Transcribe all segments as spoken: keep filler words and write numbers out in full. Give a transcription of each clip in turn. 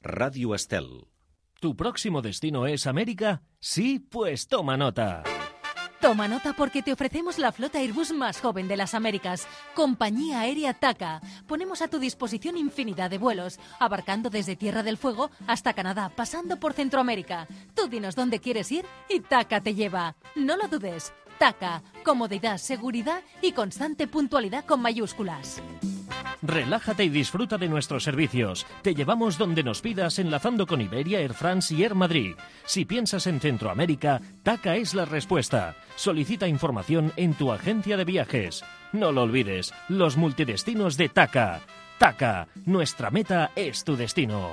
Radio Estel. ¿Tu próximo destino es América? Sí, pues toma nota. Toma nota porque te ofrecemos la flota Airbus más joven de las Américas, Compañía Aérea TACA. Ponemos a tu disposición infinidad de vuelos, abarcando desde Tierra del Fuego hasta Canadá, pasando por Centroamérica. Tú dinos dónde quieres ir y TACA te lleva. No lo dudes. TACA, comodidad, seguridad y constante puntualidad con mayúsculas. Relájate y disfruta de nuestros servicios. Te llevamos donde nos pidas, enlazando con Iberia, Air France y Air Madrid. Si piensas en Centroamérica, TACA es la respuesta. Solicita información en tu agencia de viajes. No lo olvides, los multidestinos de TACA. TACA, nuestra meta es tu destino.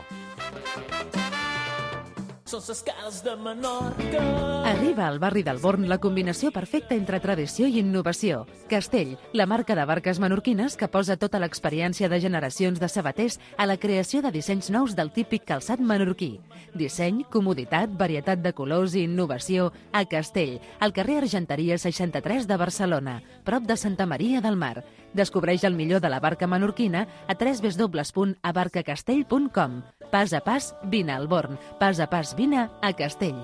Arriba al barri del Born la combinació perfecta entre tradició i innovació. Castell, la marca de barques menorquines que posa tota l'experiència de generacions de sabaters a la creació de dissenys nous del típic calçat menorquí. Disseny, comoditat, varietat de colors i innovació a Castell, al carrer Argenteria seixanta-tres de Barcelona, prop de Santa Maria del Mar. Descobreix el millor de la barca menorquina a w w w punt abarcacastell punt com. Pas a pas, vine al Born. Pas a pas, vine a Castell.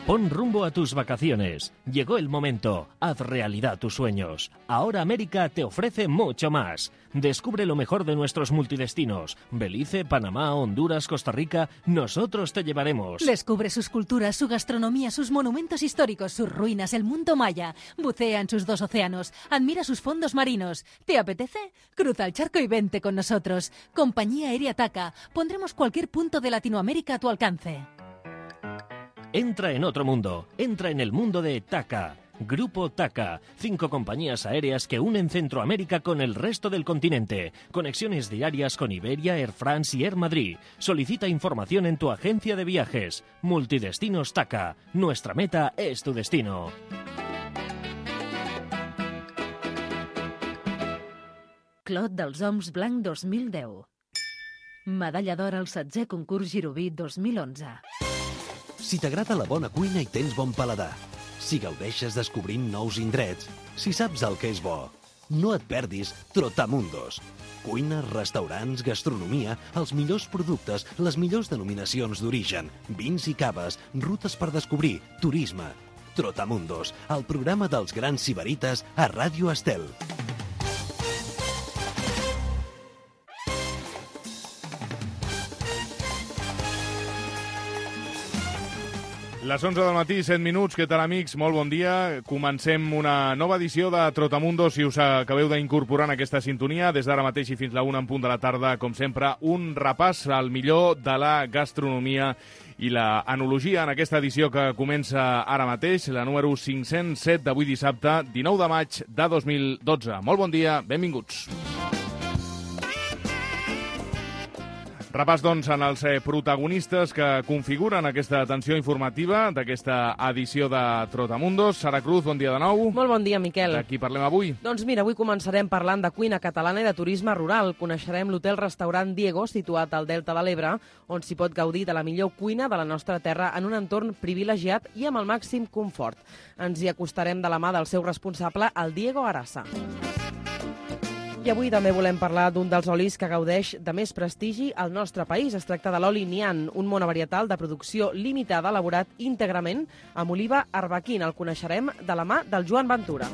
Pon rumbo a tus vacaciones. Llegó el momento. Haz realidad tus sueños. Ahora América te ofrece mucho más. Descubre lo mejor de nuestros multidestinos. Belice, Panamá, Honduras, Costa Rica. Nosotros te llevaremos. Descubre sus culturas, su gastronomía, sus monumentos históricos, sus ruinas, el mundo maya. Bucea en sus dos océanos. Admira sus fondos marinos. ¿Te apetece? Cruza el charco y vente con nosotros. Compañía Aérea TACA. Pondremos cualquier punto de Latinoamérica a tu alcance. Entra en otro mundo. Entra en el mundo de TACA. Grupo TACA. Cinco compañías aéreas que unen Centroamérica con el resto del continente. Conexiones diarias con Iberia, Air France y Air Madrid. Solicita información en tu agencia de viajes. Multidestinos TACA. Nuestra meta es tu destino. Clot dels Oms Blanc dos mil deu. Medalla d'or al setzè concurs Giroví dos mil onze. Si t'agrada la bona cuina i tens bon paladar, si gaudeixes descobrint nous indrets, si saps el que és bo, no et perdis Trotamundos. Cuina, restaurants, gastronomia, els millors productes, les millors denominacions d'origen, vins i caves, rutes per descobrir, turisme. Trotamundos, el programa dels grans sibarites a Ràdio Estel. Les onze del matí, set minuts. Què tal, amics? Molt bon dia. Comencem una nova edició de Trotamundo, si us acabeu d'incorporar en aquesta sintonia. Des d'ara mateix i fins la una en punt de la tarda, com sempre, un repàs al millor de la gastronomia i la enologia en aquesta edició que comença ara mateix, la número cinc-cents set d'avui dissabte, dinou de maig de dos mil dotze. Molt bon dia, benvinguts. Repàs, doncs, en els protagonistes que configuren aquesta atenció informativa d'aquesta edició de Trotamundos. Sara Cruz, bon dia de nou. Molt bon dia, Miquel. De qui parlem avui? Doncs mira, avui començarem parlant de cuina catalana i de turisme rural. Coneixerem l'hotel-restaurant Diego, situat al Delta de l'Ebre, on s'hi pot gaudir de la millor cuina de la nostra terra en un entorn privilegiat i amb el màxim confort. Ens hi acostarem de la mà del seu responsable, el Diego Arasa. I avui també volem parlar d'un dels olis que gaudeix de més prestigi al nostre país. Es tracta de l'oli Nian, un monovarietal de producció limitada elaborat íntegrament amb oliva arbequina. El coneixerem de la mà del Joan Ventura.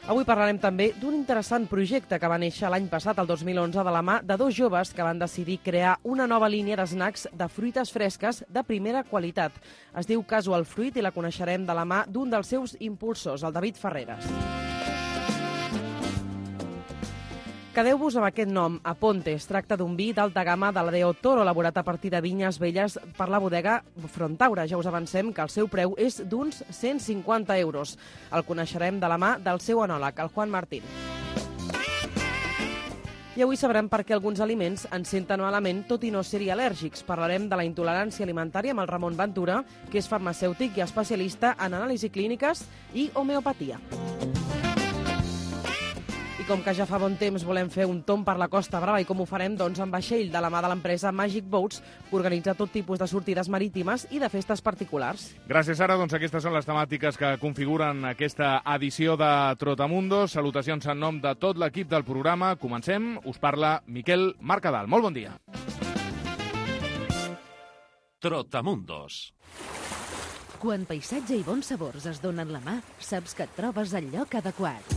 Avui parlarem també d'un interessant projecte que va néixer l'any passat, el dos mil onze, de la mà de dos joves que van decidir crear una nova línia d'snacks de fruites fresques de primera qualitat. Es diu Casual Fruit i la coneixerem de la mà d'un dels seus impulsors, el David Ferreres. Quedeu-vos amb aquest nom, Aponte. Es tracta d'un vi d'alta gamma de la Deo Toro, elaborat a partir de vinyes velles per la bodega Frontaura. Ja us avancem que el seu preu és d'uns cent cinquanta euros. El coneixerem de la mà del seu enòleg, el Juan Martín. I avui sabrem per què alguns aliments ens senten malament, tot i no ser-hi al·lèrgics. Parlarem de la intolerància alimentària amb el Ramon Ventura, que és farmacèutic i especialista en anàlisi clíniques i homeopatia. com que ja fa bon temps volem fer un tomb per la Costa Brava i com ho farem, doncs amb vaixell de la mà de l'empresa Magic Boats, que organitza tot tipus de sortides marítimes i de festes particulars. Gràcies, Sara. Doncs aquestes són les temàtiques que configuren aquesta edició de Trotamundos. Salutacions en nom de tot l'equip del programa. Comencem. Us parla Miquel Mercadal. Molt bon dia. Trotamundos. Quan paisatge i bons sabors es donen la mà, saps que et trobes al lloc adequat.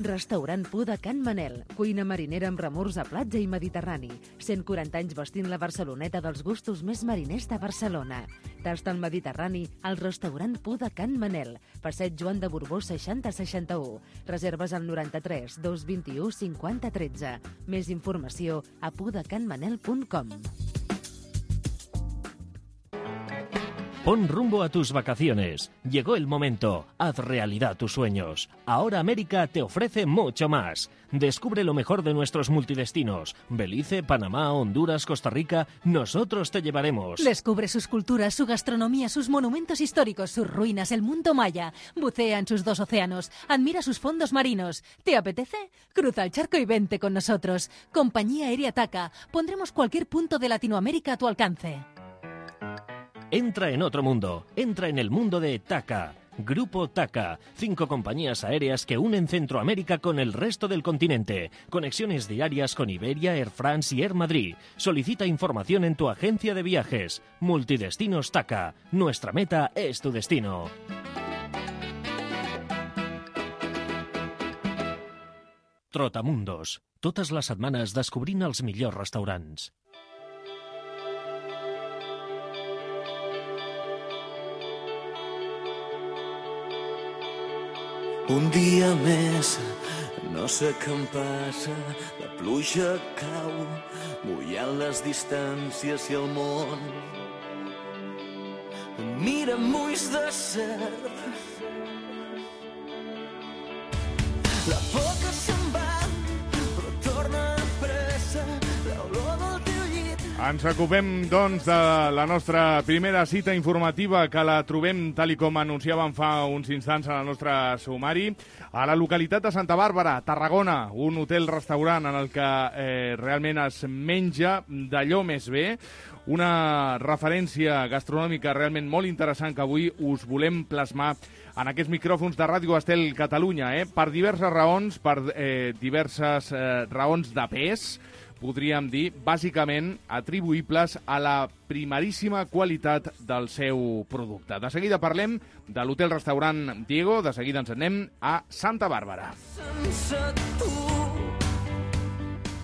Restaurant Pu de Can Manel, cuina marinera amb remors a platja i mediterrani. cent quaranta anys vestint la Barceloneta dels gustos més mariners de Barcelona. Tasta el Mediterrani al restaurant Pu de Can Manel, passeig Joan de Borbó seixanta seixanta-u. Reserves al noranta-tres dos vint-i-u cinquanta tretze. Més informació a pudecanmanel punt com. Pon rumbo a tus vacaciones. Llegó el momento. Haz realidad tus sueños. Ahora América te ofrece mucho más. Descubre lo mejor de nuestros multidestinos. Belice, Panamá, Honduras, Costa Rica. Nosotros te llevaremos. Descubre sus culturas, su gastronomía, sus monumentos históricos, sus ruinas, el mundo maya. Bucea en sus dos océanos. Admira sus fondos marinos. ¿Te apetece? Cruza el charco y vente con nosotros. Compañía Aérea TACA. Pondremos cualquier punto de Latinoamérica a tu alcance. Entra en otro mundo. Entra en el mundo de TACA. Grupo TACA. Cinco compañías aéreas que unen Centroamérica con el resto del continente. Conexiones diarias con Iberia, Air France y Air Madrid. Solicita información en tu agencia de viajes. Multidestinos TACA. Nuestra meta es tu destino. Trotamundos. Totes les setmanes descobrint els millors restaurants. Un dia més, no sé què em passa, la pluja cau, mullant les distàncies i el món. Em mira amb ulls de serp, la por que se'n va, però torna a pressa, l'olor del teu llit. Ens ocupem, doncs, de la nostra primera cita informativa, que la trobem, tal i com anunciàvem fa uns instants en el nostre sumari, a la localitat de Santa Bàrbara, Tarragona, un hotel-restaurant en el que eh, realment es menja d'allò més bé, una referència gastronòmica realment molt interessant que avui us volem plasmar en aquests micròfons de Ràdio Estel Catalunya, eh? per diverses raons, per eh, diverses eh, raons de pes, podríem dir, bàsicament atribuïbles a la primeríssima qualitat del seu producte. De seguida parlem de l'hotel-restaurant Diego, de seguida ens anem a Santa Bàrbara. Sense tu.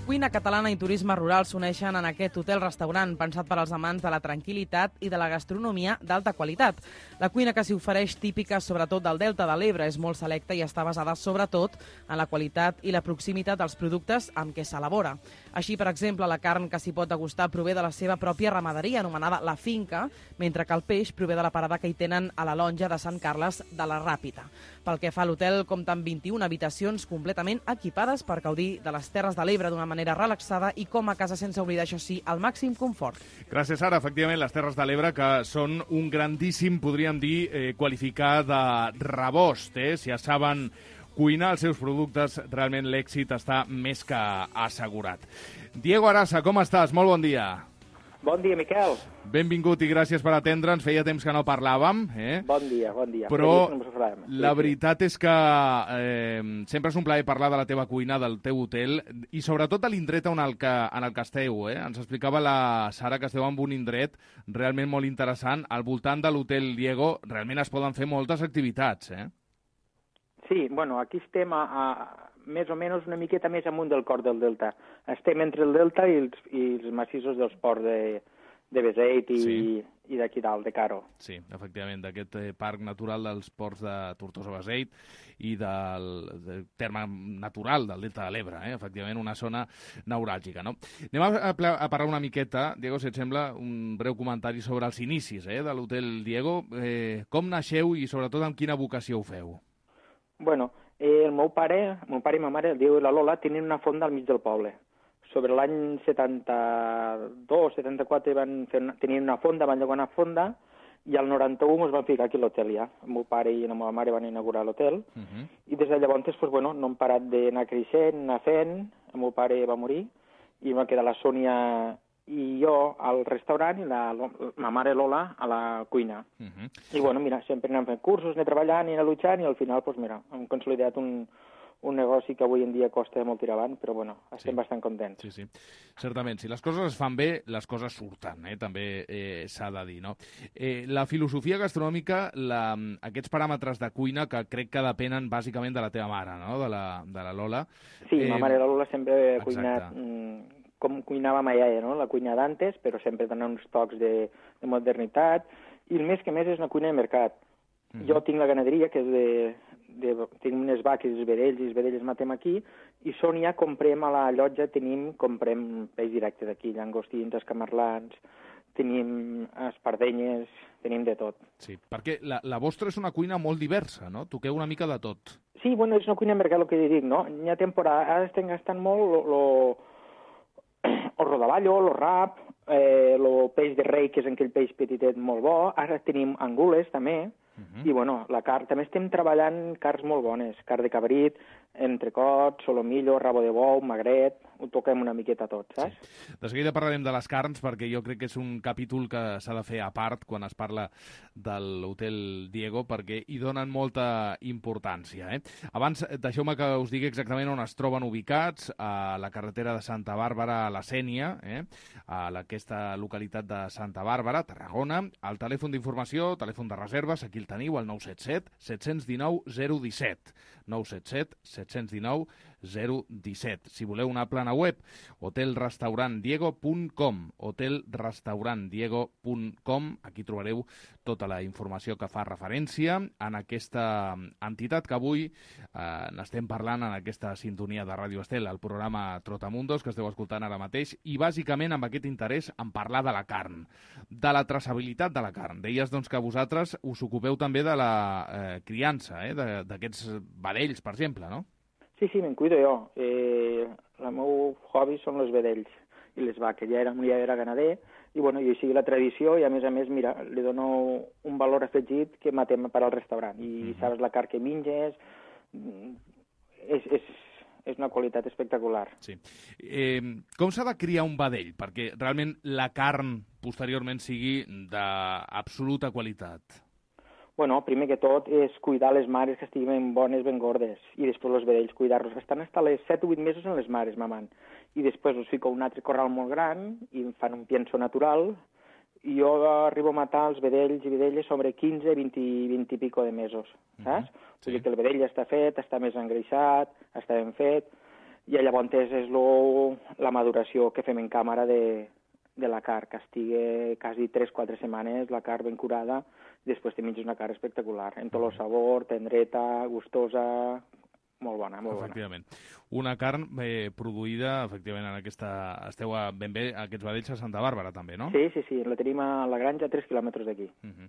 Cuina catalana i turisme rural s'uneixen en aquest hotel-restaurant pensat per als amants de la tranquil·litat i de la gastronomia d'alta qualitat. La cuina que s'hi ofereix, típica sobretot del Delta de l'Ebre, és molt selecta i està basada sobretot en la qualitat i la proximitat dels productes amb què s'elabora. Així, per exemple, la carn que s'hi pot degustar prové de la seva pròpia ramaderia, anomenada La Finca, mentre que el peix prové de la parada que hi tenen a la lonja de Sant Carles de la Ràpita. Pel que fa a l'hotel, compta amb vint-i-una habitacions completament equipades per gaudir de les Terres de l'Ebre d'una manera relaxada i com a casa, sense oblidar, això sí, el màxim confort. Gràcies, Sara. Efectivament, les Terres de l'Ebre, que són un grandíssim, podríem dir, eh, qualificar de rebost. Eh? Si ja saben cuinar els seus productes, realment l'èxit està més que assegurat. Diego Arasa, com estàs? Molt bon dia. Bon dia, Miquel. Benvingut i gràcies per atendre'ns. Feia temps que no parlàvem. Eh? Bon dia, bon dia. Però la veritat és que eh, sempre és un plaer parlar de la teva cuina, del teu hotel, i sobretot de l'indret en el que, en el que esteu. Eh? Ens explicava la Sara que esteu en un indret realment molt interessant. Al voltant de l'hotel Diego realment es poden fer moltes activitats, eh? Sí, bueno, aquí estem a, a més o menys una miqueta més amunt del cor del Delta. Estem entre el Delta i els, i els massissos dels ports de, de Beseit i, sí. i d'aquí dalt, de Caro. Sí, efectivament, d'aquest eh, parc natural dels ports de Tortosa-Beseit i del, del terme natural del Delta de l'Ebre, eh? Efectivament, una zona neuràlgica, no? Anem a, a, a parlar una miqueta, Diego, si et sembla, un breu comentari sobre els inicis eh, de l'hotel Diego. Eh, com naixeu i sobretot amb quina vocació ho feu? Bueno, eh, el meu pare, el meu pare i ma mare, el Diego i la Lola, tenien una fonda al mig del poble. Sobre l'any setanta-dos, setanta-quatre van fer una, tenien una fonda, van llogar una fonda i al noranta-u ens vam ficar aquí a l'hotel ja. El meu pare i la meva mare van inaugurar l'hotel, uh -huh. i des de llavors pues, bueno, no hem parat d'anar creixent, anar fent. El meu pare va morir, i va quedar la Sònia i jo al restaurant i la, la mare Lola a la cuina. Uh -huh. I bueno, mira, sempre anem fent cursos, anem treballant i anem luchant, i al final, pues, mira, hem consolidat un, un negoci que avui en dia costa molt tirar avant, però bueno, estem sí. bastant contents. Sí, sí, certament. Si les coses es fan bé, les coses surten, eh? També eh, s'ha de dir, no? Eh, la filosofia gastronòmica, la, aquests paràmetres de cuina que crec que depenen bàsicament de la teva mare, no?, de la, de la Lola. Sí, eh, ma mare la Lola sempre ha exacte. cuinat mm, com cuinava ma iaia, no?, la cuina d'antes, però sempre donant uns tocs de, de modernitat, i el més que més és una cuina de mercat. Mm -hmm. Jo tinc la ganaderia, que és de... De, tenim unes vaques i els vedells, i els vedells matem aquí, i Sònia comprem a la llotja, tenim, comprem peix directe d'aquí, llangostins, escamarlans, tenim espardenyes, tenim de tot. Sí, perquè la, la vostra és una cuina molt diversa, no? Toqueu una mica de tot. Sí, bueno, és una cuina de mercat, el que dic, no? Hi ha temporada, ara estem gastant molt lo, lo, el rodaballo, el rap, eh, el peix de rei, que és aquell peix petitet molt bo, ara tenim angules, també. Uh-huh. I, bueno, la carn, també estem treballant carns molt bones, carn de cabrit, entrecot, solomillo, rabo de bou, magret, ho toquem una miqueta tot, saps? Sí. De seguida parlarem de les carns, perquè jo crec que és un capítol que s'ha de fer a part quan es parla de l'Hotel Diego, perquè hi donen molta importància, eh? Abans, deixeu-me que us digui exactament on es troben ubicats, a la carretera de Santa Bàrbara a la Sénia, eh? A aquesta localitat de Santa Bàrbara, Tarragona. El telèfon d'informació, telèfon de reserves, aquí el teniu, el nou set set, set cents dinou, zero disset. nou set set, set cents dinou, zero disset. Si voleu una plana web, hotel restaurant diego punt com, hotel restaurant diego punt com. Aquí trobareu tota la informació que fa referència en aquesta entitat que avui eh, n'estem parlant en aquesta sintonia de Ràdio Estel, el programa Trotamundos, que esteu escoltant ara mateix, i bàsicament amb aquest interès en parlar de la carn, de la traçabilitat de la carn. Deies doncs, que vosaltres us ocupeu també de la eh, criança, eh, d'aquests vedells, per exemple, no? Sí, sí, me'n cuido jo. Eh, el meu hobby són els vedells i les vaques. Ja era, ja era ganader i, bueno, i així la tradició, i a més a més, mira, li dono un valor afegit que matem per al restaurant. I mm-hmm. saps la carn que menges, és, és, és una qualitat espectacular. Sí. Eh, com s'ha de criar un vedell perquè realment la carn posteriorment sigui d'absoluta qualitat? Bueno, primer que tot és cuidar les mares que estiguin ben bones, ben gordes, i després els vedells cuidar-los. Estan fins les set o vuit mesos en les mares, mamant. I després us fico un altre corral molt gran i fan un pienso natural, i jo arribo a matar els vedells i vedelles sobre quinze, vint, vint i pico de mesos, saps? Mm-hmm. Sí. Vull dir que el vedell ja està fet, està més engreixat, està ben fet, i llavors és lo, la maduració que fem en càmera de, de la carn, que estigui quasi tres o quatre setmanes la carn ben curada, i després te menges una carn espectacular, en tot el sabor, tendreta, gustosa, molt bona, molt bona. Efectivament. Una carn eh, produïda, efectivament, en aquesta... Esteu a, ben bé a aquests vedells a Santa Bàrbara, també, no? Sí, sí, sí. La tenim a la granja a tres quilòmetres d'aquí. Uh-huh.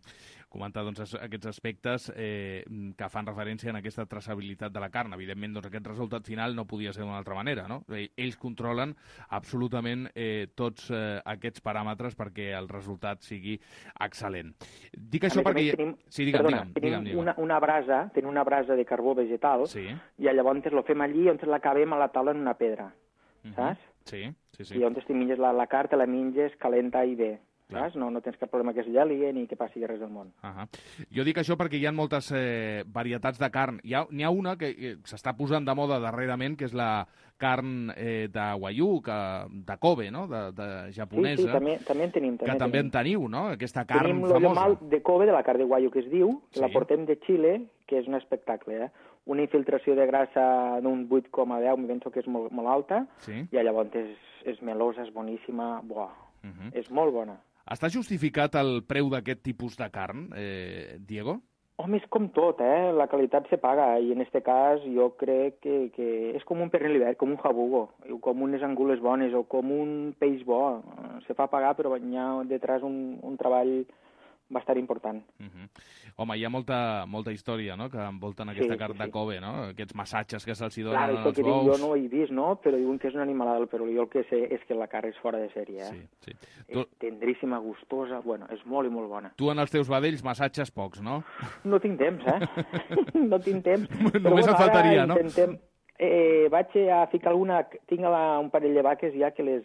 Comentar, doncs, aquests aspectes eh, que fan referència en aquesta traçabilitat de la carn. Evidentment, doncs, aquest resultat final no podia ser d'una altra manera, no? Ells controlen absolutament eh, tots eh, aquests paràmetres perquè el resultat sigui excel·lent. Dic això perquè... Tenim, sí, digue'm, perdona, digue'm, tenim digue'm, digue'm. Una, una brasa, tenim una brasa de carbó vegetal, sí. I llavors lo fem allí on l'acabem a la taula en una pedra, uh-huh. saps? Sí, sí, sí. I on te menges la, la carn, te la menges calenta i bé. Saps? No, no tens cap problema que es geli ni que passi res del món. Uh -huh. Jo dic això perquè hi ha moltes eh, varietats de carn. Hi ha, n'hi ha una que eh, s'està posant de moda darrerament, que és la carn eh, de Wagyu, que, de Kobe, no? de, de japonesa. Sí, sí, també, també en tenim. També que també tenim. en teniu, no? Aquesta carn tenim famosa. Tenim l'ollomal de Kobe, de la carn de Wagyu, que es diu, que sí. la portem de Xile, que és un espectacle, eh? Una infiltració de grassa d'un vuit coma deu, m'hi penso que és molt, molt alta, sí. I llavors és, és melosa, és boníssima, buah, uh -huh. és molt bona. Està justificat el preu d'aquest tipus de carn, eh, Diego? Home, és com tot, eh? La qualitat se paga, i en este cas jo crec que, que és com un pernil ibèric, com un jabugo, com unes angules bones o com un peix bo. Se fa pagar, però hi ha detrás un, un treball bastant important. Uh-huh. Home, hi ha molta, molta història, no?, que envolten aquesta Sí, carn sí, de sí. Kobe, no?, aquests massatges que se'ls donen Clar, això als que dic, bous. jo no ho he vist, no?, però diuen que és una animalada, però jo el que sé és que la carn és fora de sèrie, eh? Sí, sí. És Tu, tendríssima, gustosa, bueno, és molt i molt bona. tu en els teus vedells massatges pocs, no? No tinc temps, eh? no tinc temps. Només et faltaria, no? Intentem... Eh, vaig a ficar alguna... Tinc la, un parell de vaques ja que les,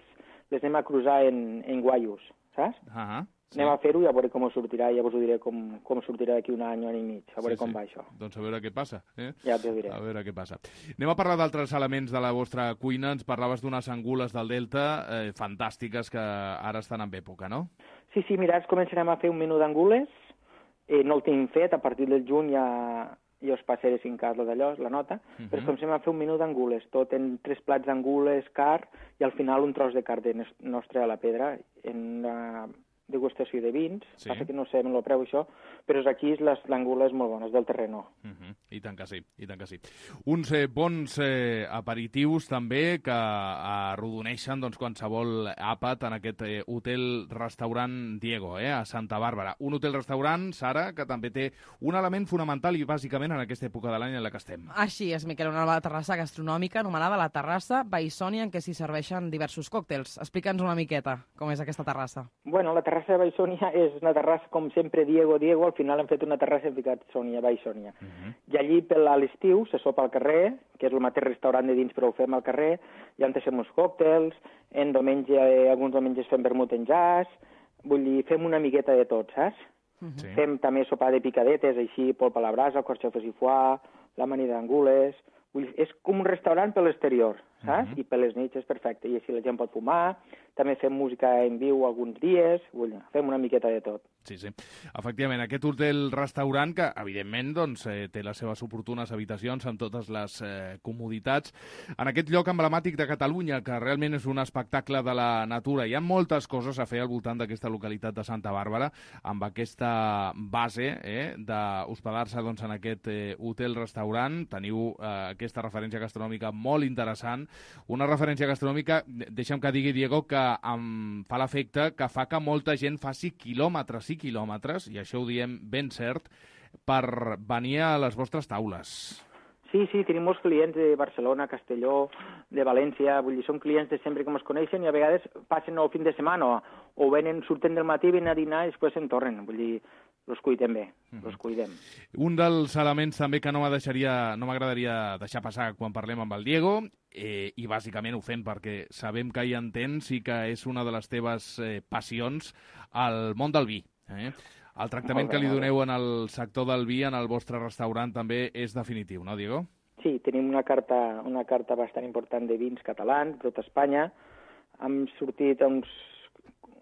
les anem a cruzar en, en guaios, saps? Ah, sí. Anem a fer-ho i a veure com sortirà, ja us ho diré com, com sortirà d'aquí un any, un any i mig, a veure Sí, com sí. va això. Doncs a veure què passa. Eh? Ja t'ho diré. A veure què passa. Anem a parlar d'altres elements de la vostra cuina. Ens parlaves d'unes angules del Delta eh, fantàstiques que ara estan en època, no? Sí, sí, mira, ara començarem a fer un menú d'angules. Eh, no el tinc fet, a partir del juny ja, ja us passaré si en cas lo d'allò, la nota, uh -huh. però comencem a fer un menú d'angules, tot en tres plats d'angules, car, i al final un tros de carn de nostre a la pedra, en una degustació de vins, Sí. passa que no sé el preu això, però aquí l'angula és molt bona, és del terreno. Uh -huh. I tant que sí, i tant que sí. Uns eh, bons eh, aperitius també que arrodoneixen doncs, qualsevol àpat en aquest eh, hotel-restaurant Diego, eh, a Santa Bàrbara. Un hotel-restaurant, Sara, que també té un element fonamental i bàsicament en aquesta època de l'any en la que estem. Així és, Miquel, una terrassa gastronòmica anomenada la Terrassa Baissònia, en què s'hi serveixen diversos còctels. Explica'ns una miqueta com és aquesta terrassa. Bueno, la terrassa de Baissònia és una terrassa, com sempre, Diego, Diego, al final hem fet una terrassa i hem ficat Sònia, Baissònia. Uh -huh. I allí, per a l'estiu, se sopa al carrer, que és el mateix restaurant de dins, però ho fem al carrer, i on fem uns còctels, en diumenge, eh, alguns diumenges fem vermut en jazz, vull dir, fem una miqueta de tot, saps? Uh -huh. Sí. Fem també sopar de picadetes, així, polpa a la brasa, carxofes i foie, l'amanida d'angules... Vull dir, és com un restaurant per l'exterior, saps? Uh -huh. I per les nits és perfecte, i així la gent pot fumar, també fem música en viu alguns dies, vull dir, fem una miqueta de tot. Sí, sí. Efectivament, aquest hotel-restaurant que, evidentment, doncs, eh, té les seves oportunes habitacions amb totes les eh, comoditats. En aquest lloc emblemàtic de Catalunya, que realment és un espectacle de la natura. Hi ha moltes coses a fer al voltant d'aquesta localitat de Santa Bàrbara, amb aquesta base eh, d'hospedar-se doncs, en aquest eh, hotel-restaurant. Teniu eh, aquesta referència gastronòmica molt interessant. Una referència gastronòmica, deixa'm que digui, Diego, que em fa l'efecte que fa que molta gent faci quilòmetres i quilòmetres, i això ho diem ben cert, per venir a les vostres taules. Sí, sí, tenim molts clients de Barcelona, Castelló, de València, vull dir, són clients de sempre que ens coneixen i a vegades passen el fin de setmana o, o venen, surten del matí, venen a dinar i després se'n tornen, vull dir, los cuidem bé, Mm-hmm. los cuidem. Un dels elements també que no m'agradaria no m'agradaria deixar passar quan parlem amb el Diego, eh, i bàsicament ho fem perquè sabem que hi entens i que és una de les teves eh, passions, el món del vi. Eh? El tractament Molt bé, que li molt bé. doneu en el sector del vi en el vostre restaurant també és definitiu, no, Diego? Sí, tenim una carta, una carta bastant important de vins catalans, de tota Espanya. Hem sortit uns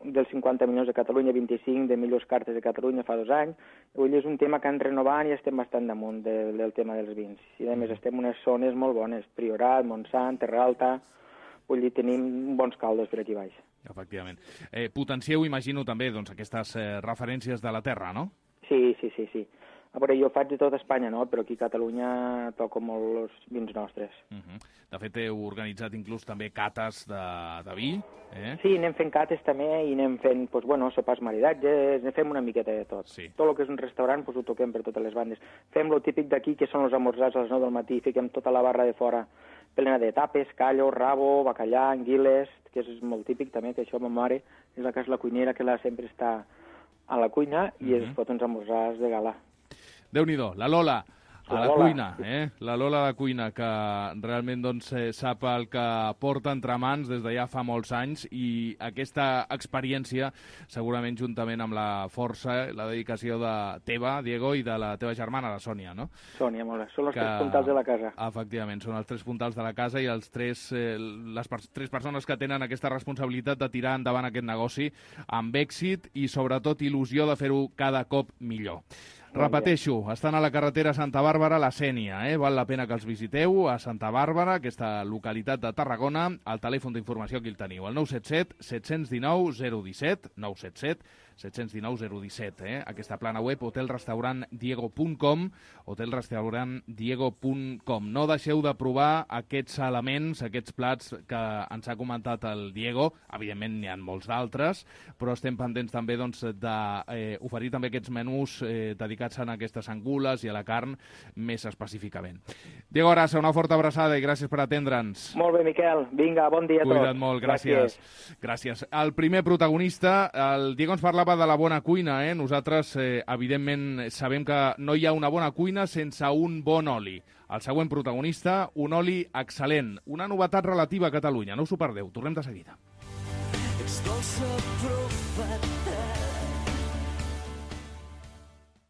dels cinquanta milions de Catalunya, vint-i-cinc de millors cartes de Catalunya fa dos anys. Vull dir, és un tema que han renovant i estem bastant damunt del, del tema dels vins. I a més estem en unes zones molt bones, Priorat, Montsant, Terra Alta, vull dir, tenim bons caldos per aquí baix. Efectivament. Eh, potencieu, imagino, també doncs, aquestes eh, referències de la terra, no? Sí, sí, sí, sí. A veure, jo faig de tot Espanya, no? Però aquí a Catalunya toco molt els vins nostres. Uh -huh. De fet, heu organitzat inclús també cates de, de vi. Eh? Sí, anem fent cates també i anem fent, doncs, bueno, sopars maridatges, anem fent una miqueta de tot. Sí. Tot el que és un restaurant, doncs, ho toquem per totes les bandes. Fem lo típic d'aquí, que són els esmorzars a les nou del matí, fiquem tota la barra de fora plena de tapes, callo, rabo, bacallà, anguiles, que és molt típic també, que això ma mare és la que és la cuinera, que la sempre està a la cuina i Mhm. es fot uns esmorzars de gala. Déu-n'hi-do, la Lola, a La la, Lola. cuina, eh? La Lola de cuina, que realment doncs, eh, sap el que porta entre mans des de ja fa molts anys, i aquesta experiència, segurament juntament amb la força, la dedicació de teva, Diego, i de la teva germana, la Sònia, no? Sònia, molt bé. Són els Que- tres puntals de la casa. Efectivament, són els tres puntals de la casa i els tres, eh, les per tres persones que tenen aquesta responsabilitat de tirar endavant aquest negoci amb èxit i, sobretot, il·lusió de fer-ho cada cop millor. Repeteixo, estan a la carretera Santa Bàrbara, la Sénia, eh? Val la pena que els visiteu a Santa Bàrbara, aquesta localitat de Tarragona. El telèfon d'informació aquí el teniu, el nou set set set un nou zero un set, nou set set set un nou zero un set, eh? Aquesta plana web, hotel restaurant diego punt com, hotel restaurant diego punt com. No deixeu de provar aquests elements, aquests plats que ens ha comentat el Diego. Evidentment n'hi ha molts d'altres, però estem pendents també doncs, d'oferir eh, també aquests menús eh, dedicats a aquestes angules i a la carn més específicament. Diego Arasa, una forta abraçada i gràcies per atendre'ns. Molt bé, Miquel. Vinga, bon dia a tots. Cuida't molt, gràcies. gràcies. Gràcies. El primer protagonista, el Diego ens parlava de la bona cuina, eh? Nosaltres, eh, evidentment, sabem que no hi ha una bona cuina sense un bon oli. El següent protagonista, un oli excel·lent. Una novetat relativa a Catalunya. No us ho perdeu. Tornem de seguida.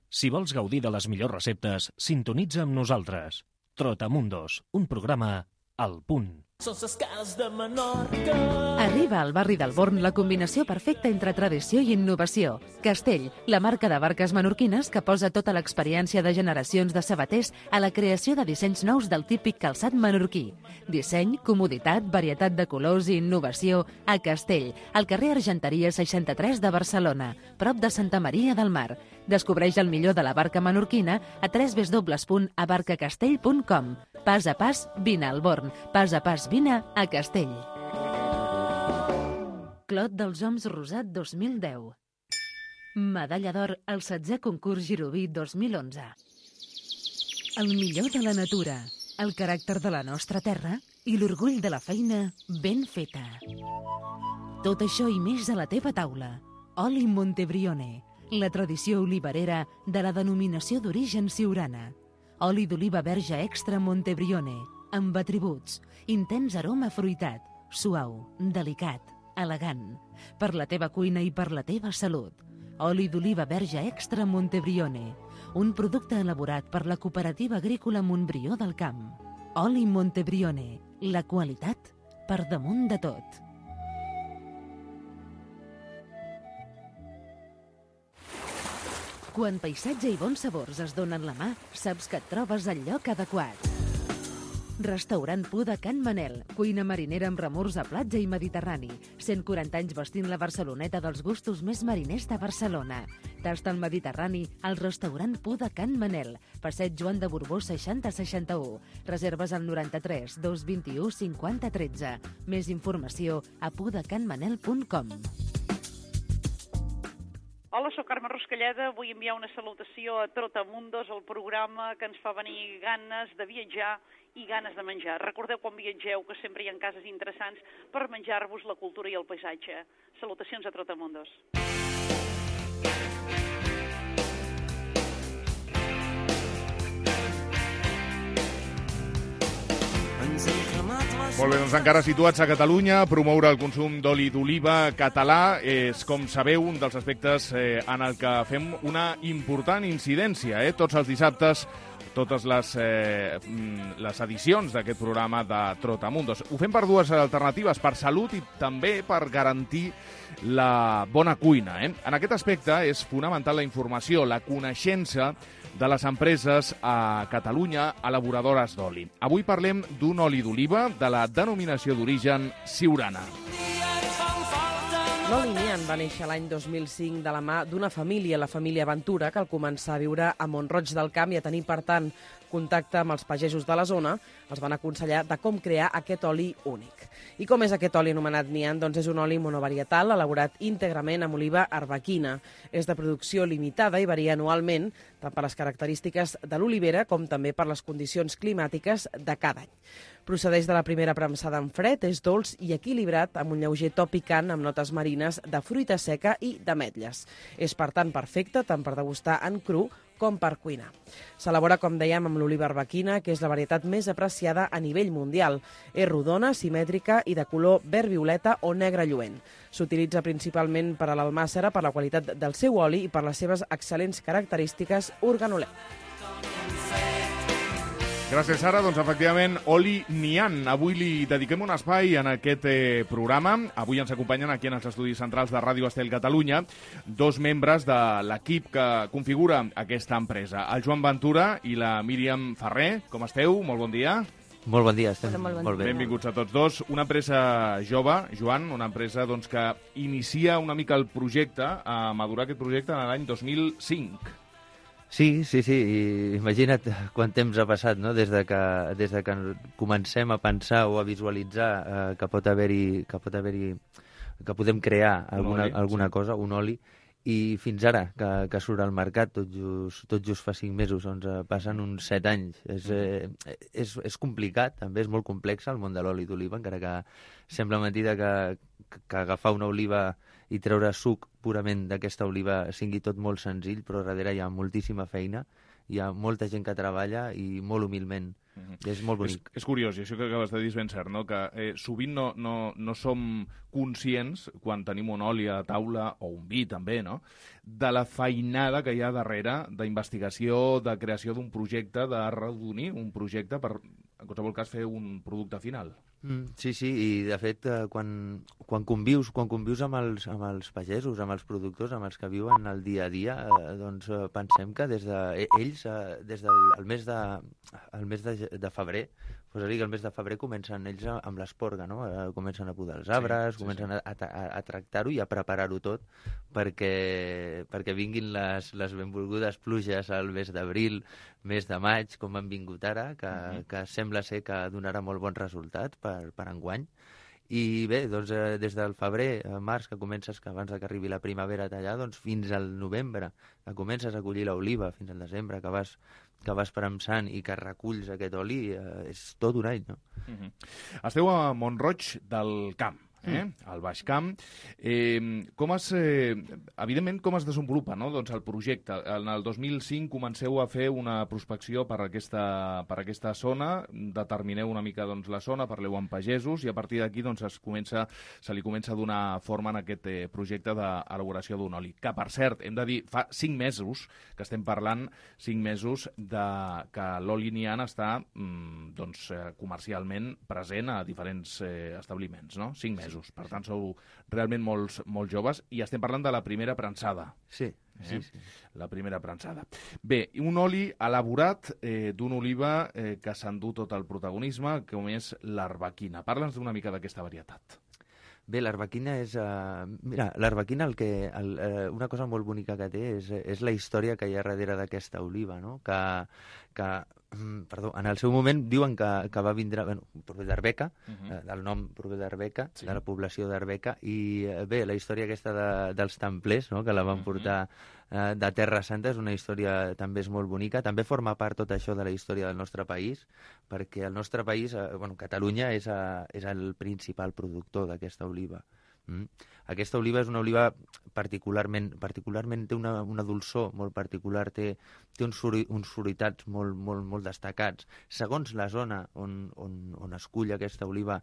Si vols gaudir de les millors receptes, sintonitza amb nosaltres. Trotamundos, un programa al punt. Són ses cases de Menorca. Arriba al barri del Born la combinació perfecta entre tradició i innovació. Castell, la marca de barques menorquines que posa tota l'experiència de generacions de sabaters a la creació de dissenys nous del típic calçat menorquí. Disseny, comoditat, varietat de colors i innovació a Castell, al carrer Argenteria seixanta-tres de Barcelona, prop de Santa Maria del Mar. Descobreix el millor de la barca menorquina a w w w punt abarcacastell punt com. Pas a pas, vine al Born. Pas a pas, vine a Castell. Clot dels Oms Rosat dos mil deu. Medalla d'or al setzè concurs Giroví dos mil onze. El millor de la natura, el caràcter de la nostra terra i l'orgull de la feina ben feta. Tot això i més a la teva taula. Oli Montebrione, la tradició oliverera de la denominació d'origen siurana. Oli d'oliva verge extra Montebrione, amb atributs, intens aroma fruitat, suau, delicat, elegant, per la teva cuina i per la teva salut. Oli d'oliva verge extra Montebrione, un producte elaborat per la Cooperativa Agrícola Montbrió del Camp. Oli Montebrione, la qualitat per damunt de tot. Quan paisatge i bons sabors es donen la mà, saps que et trobes al lloc adequat. Restaurant Puda Can Manel, cuina marinera amb remors a platja i mediterrani. cent quaranta anys vestint la Barceloneta dels gustos més mariners de Barcelona. Tasta el Mediterrani al restaurant Puda Can Manel, passeig Joan de Borbó seixanta seixanta-u. Reserves al noranta-tres dos vint-i-u cinquanta tretze. Més informació a pudacanmanel punt com. Hola, soc Carme Ruscalleda. Vull enviar una salutació a Trotamundos, el programa que ens fa venir ganes de viatjar i ganes de menjar. Recordeu quan viatgeu que sempre hi ha cases interessants per menjar-vos la cultura i el paisatge. Salutacions a Trotamundos. Molt bé, doncs encara situats a Catalunya, promoure el consum d'oli d'oliva català és, com sabeu, un dels aspectes eh, en el que fem una important incidència. Eh? Tots els dissabtes, totes les, eh, les edicions d'aquest programa de Trotamundos. Ho fem per dues alternatives, per salut i també per garantir la bona cuina. Eh? En aquest aspecte és fonamental la informació, la coneixença de les empreses a Catalunya elaboradores d'oli. Avui parlem d'un oli d'oliva de la denominació d'origen siurana. L'oli Nian va néixer l'any dos mil cinc de la mà d'una família, la família Ventura, que al començar a viure a Mont-roig del Camp i a tenir, per tant, contacte amb els pagesos de la zona, els van aconsellar de com crear aquest oli únic. I com és aquest oli anomenat Nian? Doncs és un oli monovarietal elaborat íntegrament amb oliva arbequina. És de producció limitada i varia anualment, tant per les característiques de l'olivera com també per les condicions climàtiques de cada any. Procedeix de la primera premsada en fred, és dolç i equilibrat amb un lleuger to picant amb notes marines de fruita seca i d'ametlles. És, per tant, perfecte tant per degustar en cru com per cuinar. S'elabora, com dèiem, amb l'oliva arbequina, que és la varietat més apreciada a nivell mundial. És rodona, simètrica i de color verd-violeta o negre lluent. S'utilitza principalment per a l'almàssera per la qualitat del seu oli i per les seves excel·lents característiques organolèptiques. Gràcies, Sara. Doncs, efectivament, oli Nian. Avui li dediquem un espai en aquest eh, programa. Avui ens acompanyen aquí en els estudis centrals de Ràdio Estel Catalunya dos membres de l'equip que configura aquesta empresa, el Joan Ventura i la Míriam Ferrer. Com esteu? Molt bon dia. Molt bon dia, estem Hola, molt bon molt bé. Benvinguts a tots dos. Una empresa jove, Joan, una empresa doncs, que inicia una mica el projecte, a madurar aquest projecte en l'any dos mil cinc. Sí, sí, sí, i imagina't quant temps ha passat, no?, des de que, des de que comencem a pensar o a visualitzar eh, que pot haver-hi, que pot haver-hi, que podem crear alguna, oli, alguna sí. cosa, un oli, i fins ara, que, que surt al mercat tot just, tot just fa cinc mesos, doncs eh, passen uns set anys. És, eh, és, és complicat, també és molt complex el món de l'oli d'oliva, encara que sembla mentida que, que agafar una oliva i treure suc purament d'aquesta oliva sigui tot molt senzill, però darrere hi ha moltíssima feina, hi ha molta gent que treballa i molt humilment. Mm-hmm. És molt bonic. És, és curiós, i això que acabes de dir és ben cert, no? Que eh, sovint no, no, no som conscients, quan tenim un oli a taula, o un vi també, no?, de la feinada que hi ha darrere d'investigació, de creació d'un projecte, de redonir un projecte per, en qualsevol cas, fer un producte final. Mm, sí, sí, i de fet eh, quan, quan convius quan convius amb els, amb els pagesos, amb els productors, amb els que viuen el dia a dia, eh, doncs eh, pensem que des de eh, ells, eh, des del el mes de el mes de, de febrer, pues dir que el mes de febrer comencen ells amb l'esporga, no? Eh, comencen a podar els arbres, sí, sí, comencen sí. a, a, a tractar-ho i a preparar-ho tot perquè, perquè vinguin les, les benvolgudes pluges al mes d'abril, mes de maig, com han vingut ara, que, uh-huh. que sembla ser que donarà molt bons resultats per, per enguany. I bé, doncs, eh, des del febrer a març, que comences, que abans que arribi la primavera a tallar, doncs fins al novembre, que comences a collir l'oliva, fins al desembre, que vas, que vas premsant i que reculls aquest oli, eh, és tot un any, no? Uh-huh. Esteu a Mont-roig del Camp. Eh? Al Baix Camp. Eh, com es, eh, evidentment, com es desenvolupa, no?, doncs el projecte? En el dos mil cinc comenceu a fer una prospecció per aquesta, per aquesta zona, determineu una mica doncs, la zona, parleu amb pagesos i a partir d'aquí doncs, es comença, se li comença a donar forma en aquest eh, projecte d'elaboració d'un oli. Que, per cert, hem de dir, fa cinc mesos que estem parlant, cinc mesos de que l'oli Nian està mm, doncs, eh, comercialment present a diferents eh, establiments, no? Cinc mesos. Per tant, sou realment molts, molt joves i estem parlant de la primera prensada. Sí, eh? sí, sí. La primera prensada. Bé, un oli elaborat eh, d'una oliva eh, que s'endú tot el protagonisme, com és l'arbequina. Parla'ns d'una mica d'aquesta varietat. Bé, l'arbequina és... Uh, mira, l'arbequina, el que, el, uh, una cosa molt bonica que té és, és la història que hi ha darrere d'aquesta oliva, no? Que, que perdó, en el seu moment diuen que, que va vindre, bueno, prové d'Arbeca, uh-huh. eh, el nom prové d'Arbeca, sí. de la població d'Arbeca, i eh, bé, la història aquesta de, dels templers, no?, que la van portar eh, de Terra Santa, és una història també és molt bonica, també forma part tot això de la història del nostre país, perquè el nostre país, eh, bueno, Catalunya és, a, és el principal productor d'aquesta oliva. Mm. Aquesta oliva és una oliva particularment, particularment té una, una dolçor molt particular, té, té uns, suri, uns fruitats molt, molt, molt destacats. Segons la zona on, on, on es cull aquesta oliva,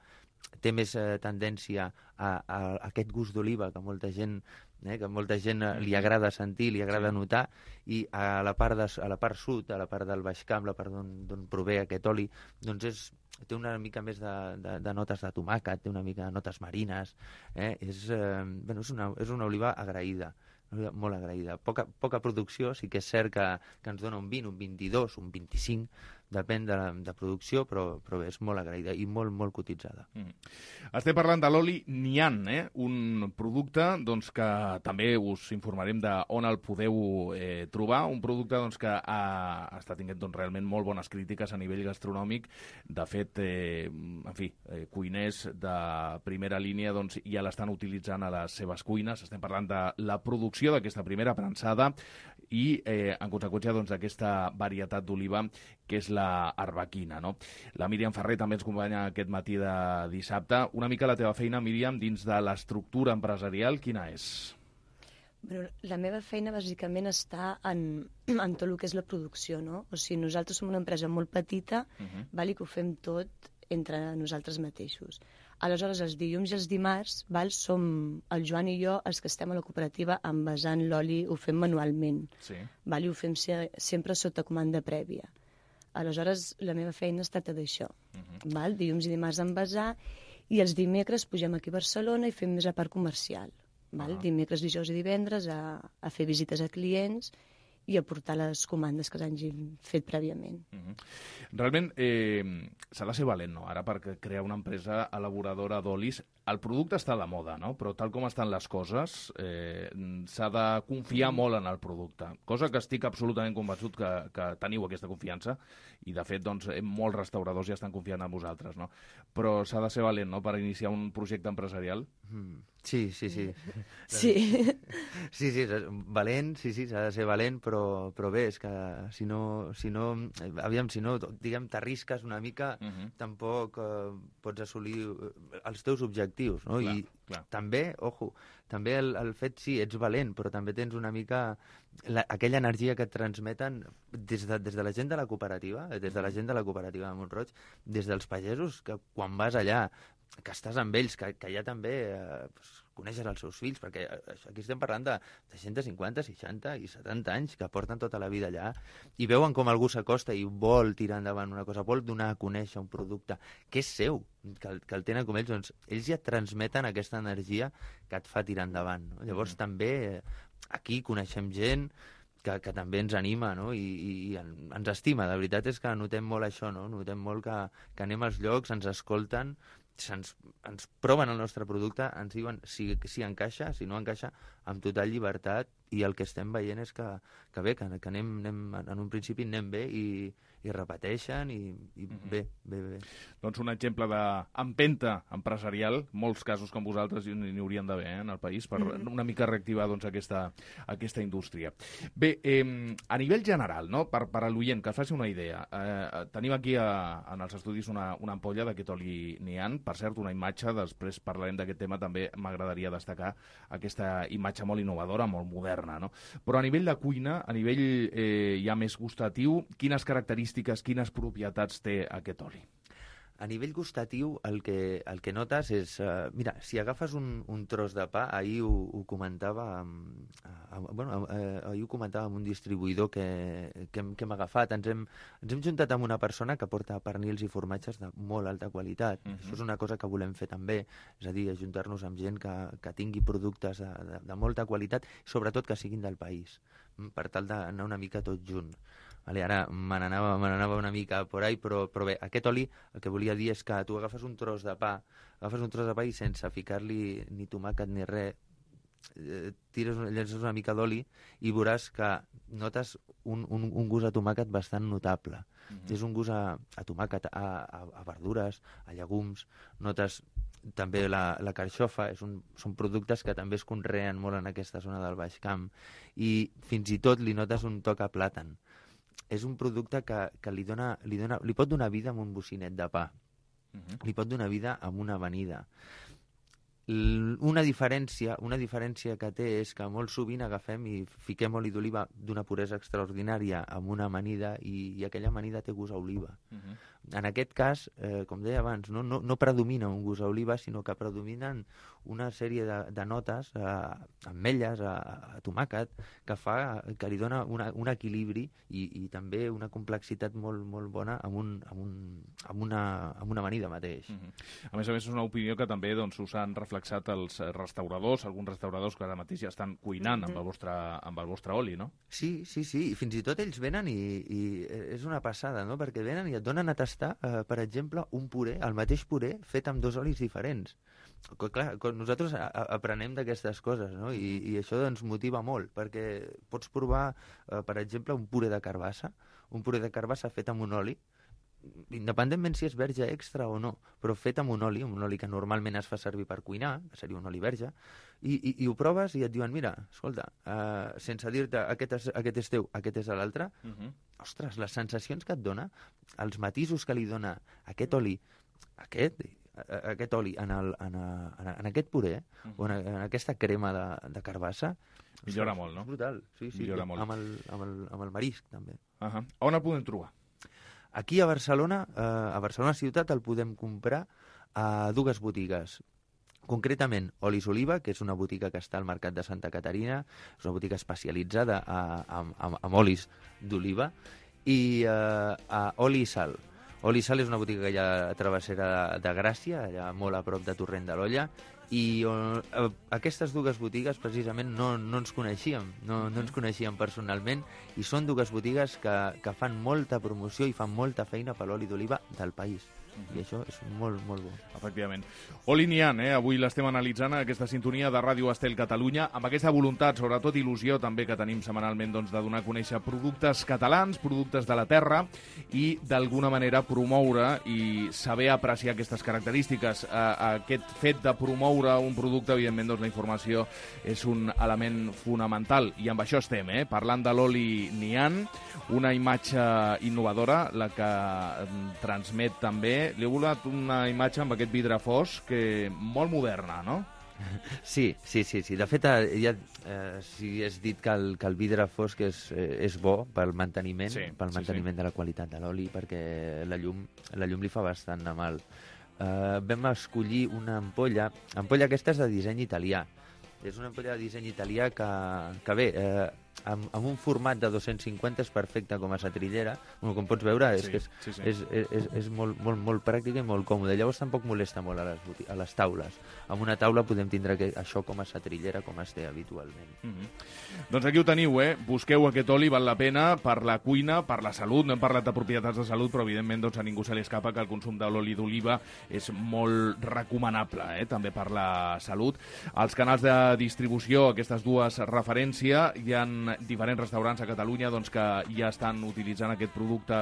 té més eh, tendència a, a, a aquest gust d'oliva que molta gent, eh, que molta gent li agrada sentir, li agrada notar, i a la part, de, a la part sud, a la part del Baix Camp, la part d'on prové aquest oli, doncs és té una mica més de, de, de notes de tomàquet, té una mica de notes marines, eh? és, eh, bueno, és, una, és una oliva agraïda, una oliva molt agraïda. Poca, poca producció, sí que és cert que, que ens dona un vint, un vint-i-dos, un vint-i-cinc, depèn de, de producció, però, però és molt agraïda i molt, molt cotitzada. Mm. Estem parlant de l'oli Nian, eh? Un producte doncs, que també us informarem de on el podeu eh, trobar, un producte doncs, que ha, està tinguent doncs, realment molt bones crítiques a nivell gastronòmic. De fet, eh, en fi, eh, cuiners de primera línia doncs, ja l'estan utilitzant a les seves cuines. Estem parlant de la producció d'aquesta primera prensada i, eh, en conseqüència, doncs, d'aquesta varietat d'oliva que és la arbequina, no? La Míriam Ferrer també ens acompanya aquest matí de dissabte. Una mica la teva feina, Míriam, dins de l'estructura empresarial, quina és? Bueno, la meva feina bàsicament està en, en tot el que és la producció, no? O sigui, nosaltres som una empresa molt petita, uh-huh. val, i que ho fem tot entre nosaltres mateixos. Aleshores, els dilluns i els dimarts, val, som el Joan i jo els que estem a la cooperativa envasant l'oli, ho fem manualment, sí. val, i ho fem se- sempre sota comanda prèvia. aleshores la meva feina es tracta d'això. Uh-huh. Val? Dilluns i dimarts envasar, i els dimecres pugem aquí a Barcelona i fem més la part comercial. Val? Uh-huh. Dimecres, dijous i divendres a, a fer visites a clients i a portar les comandes que s'hagin fet prèviament. Uh-huh. Realment eh, s'ha de ser valent, no?, ara, per crear una empresa elaboradora d'olis. El producte està a la moda, no?, però tal com estan les coses, eh, s'ha de confiar molt en el producte, cosa que estic absolutament convençut que, que teniu aquesta confiança, i de fet, doncs, molts restauradors ja estan confiant en vosaltres, no? Però s'ha de ser valent, no?, per iniciar un projecte empresarial. Mm. Sí, sí, sí. Sí. Sí, sí, valent, sí, sí, s'ha de ser valent, però, però bé, és que si no, si no, aviam, si no, diguem, t'arrisques una mica, uh-huh. tampoc eh, pots assolir els teus objectius, no? Clar, I clar. També, ojo, també el, el fet, sí, ets valent, però també tens una mica la, aquella energia que et transmeten des de, des de la gent de la cooperativa, des de la gent de la cooperativa de Mont-roig, des dels pagesos, que quan vas allà, que estàs amb ells, que, que ja també eh, pues, coneixes els seus fills, perquè aquí estem parlant de, de cent cinquanta, seixanta i setanta anys que porten tota la vida allà i veuen com algú s'acosta i vol tirar endavant una cosa, vol donar a conèixer un producte que és seu, que el, que el tenen com ells, doncs ells ja transmeten aquesta energia que et fa tirar endavant. No? Llavors mm. també aquí coneixem gent que, que també ens anima, no? I, i, i ens estima. La veritat és que notem molt això, no? Notem molt que, que anem als llocs, ens escolten, ens, ens proven el nostre producte, ens diuen si, si encaixa, si no encaixa, amb total llibertat, i el que estem veient és que, que bé, que, que anem, anem, en un principi anem bé i, i repeteixen i, i mm-hmm. bé, bé, bé. Doncs un exemple d'empenta empresarial, molts casos com vosaltres n'hi haurien d'haver eh, en el país, per mm-hmm. una mica reactivar doncs, aquesta, aquesta indústria. Bé, eh, a nivell general, no? per, per a l'oient, que es faci una idea, eh, tenim aquí a, en els estudis una, una ampolla d'aquest oli Nian, per cert, una imatge, després parlarem d'aquest tema, també m'agradaria destacar aquesta imatge molt innovadora, molt moderna, no? Però a nivell de cuina, a nivell eh, ja més gustatiu, quines característiques, quines propietats té aquest oli? A nivell gustatiu, el que, el que notes és... Uh, mira, si agafes un, un tros de pa, ahir ho, ho comentava amb, uh, bueno, uh, ahir ho comentava amb un distribuïdor que, que, hem, que hem agafat. Ens hem, ens hem juntat amb una persona que porta pernils i formatges de molt alta qualitat. Uh-huh. Això és una cosa que volem fer també, és a dir, ajuntar-nos amb gent que, que tingui productes de, de, de molta qualitat, sobretot que siguin del país, per tal d'anar una mica tot junt. Vale, ara me n'anava me n'anava una mica por ahí, però, però bé, aquest oli el que volia dir és que tu agafes un tros de pa, agafes un tros de pa i sense ficar-li ni tomàquet ni res, eh, tires, llences una mica d'oli i veuràs que notes un, un, un gust a tomàquet bastant notable. Mm-hmm. És un gust a, a tomàquet, a, a, a verdures, a llegums, notes també la, la carxofa, és un, són productes que també es conreen molt en aquesta zona del Baix Camp i fins i tot li notes un toc a plàtan. És un producte que, que li, dona, li, dona, li pot donar vida amb un bocinet de pa. Uh-huh. Li pot donar vida amb una amanida. L- una diferència, una diferència que té és que molt sovint agafem i fiquem oli d'oliva d'una puresa extraordinària amb una amanida i, i aquella amanida té gust a oliva. Uh-huh. En aquest cas, eh, com deia abans, no, no, no predomina un gust a oliva, sinó que predominen una sèrie de, de notes, eh, ametlles, a, a tomàquet, que fa que li dona una, un equilibri i, i també una complexitat molt, molt bona amb, un, amb, un, amb, una, amb una amanida mateix. Uh-huh. A més a més, és una opinió que també doncs, us han reflexat els restauradors, alguns restauradors que ara mateix ja estan cuinant uh-huh. amb, el vostre, amb el vostre oli, no? Sí, sí, sí, i fins i tot ells venen i, i és una passada, no? Perquè venen i et donen a tastar Uh, per exemple, un puré, el mateix puré fet amb dos olis diferents. Clar, nosaltres a, a, aprenem d'aquestes coses, no? I, i això ens motiva molt, perquè pots provar, uh, per exemple, un puré de carbassa, un puré de carbassa fet amb un oli, independentment si és verge extra o no, però fet amb un oli, un oli que normalment es fa servir per cuinar, que seria un oli verge, i, i, i ho proves i et diuen, mira, escolta, uh, sense dir-te aquest és, aquest és teu, aquest és l'altre, uh-huh. ostres, les sensacions que et dona, els matisos que li dona aquest oli, aquest, aquest oli en, el, en, a, en aquest puré, uh-huh. o en, en aquesta crema de, de carbassa, millora ostres, molt, no? És brutal, sí, sí, millora molt. Amb el, amb, el, amb el marisc, també. Uh-huh. On el podem trobar? Aquí a Barcelona, eh, a Barcelona ciutat, el podem comprar a dues botigues. Concretament, Olis Oliva, que és una botiga que està al Mercat de Santa Caterina, és una botiga especialitzada a, a, a, amb olis d'oliva, i uh, a Oli i Sal. Oli i Sal és una botiga que hi ha a Travessera de, de Gràcia, allà molt a prop de Torrent de l'Olla, i uh, aquestes dues botigues precisament no, no ens coneixíem, no, no ens coneixíem personalment, i són dues botigues que, que fan molta promoció i fan molta feina per l'oli d'oliva del país. I això és molt, molt bo. Efectivament. Oli Nian, eh? Avui l'estem analitzant, aquesta sintonia de Ràdio Estel Catalunya, amb aquesta voluntat, sobretot il·lusió també que tenim setmanalment, doncs, de donar a conèixer productes catalans, productes de la terra, i d'alguna manera promoure i saber apreciar aquestes característiques. Eh, aquest fet de promoure un producte, evidentment, doncs, la informació és un element fonamental, i amb això estem, eh? Parlant de l'oli Nian, una imatge innovadora, la que transmet també. Li he volat una imatge amb aquest vidre fosc que molt moderna, no? Sí, sí, sí. sí. De fet, ja eh, sí has dit que el, que el vidre fosc és, eh, és bo pel manteniment, sí, pel manteniment sí, sí. de la qualitat de l'oli, perquè la llum, la llum li fa bastant de mal. Eh, vam escollir una ampolla. Ampolla aquesta és de disseny italià. És una ampolla de disseny italià que, que bé... Eh, Amb, amb un format de dos-cents cinquanta és perfecte com a setrillera. Bueno, com pots veure, és, sí, que és, sí, sí. és, és, és, és molt, molt, molt pràctica i molt còmode. Llavors tampoc molesta molt a les, a les taules. Amb una taula podem tindre que, això com a setrillera, com es té habitualment. Mm-hmm. Doncs aquí ho teniu, eh? Busqueu aquest oli, val la pena, per la cuina, per la salut. No hem parlat de propietats de salut, però evidentment doncs, a ningú se li escapa que el consum de l'oli d'oliva és molt recomanable, eh? També per la salut. Als canals de distribució, aquestes dues referències, hi ha diferents restaurants a Catalunya doncs, que ja estan utilitzant aquest producte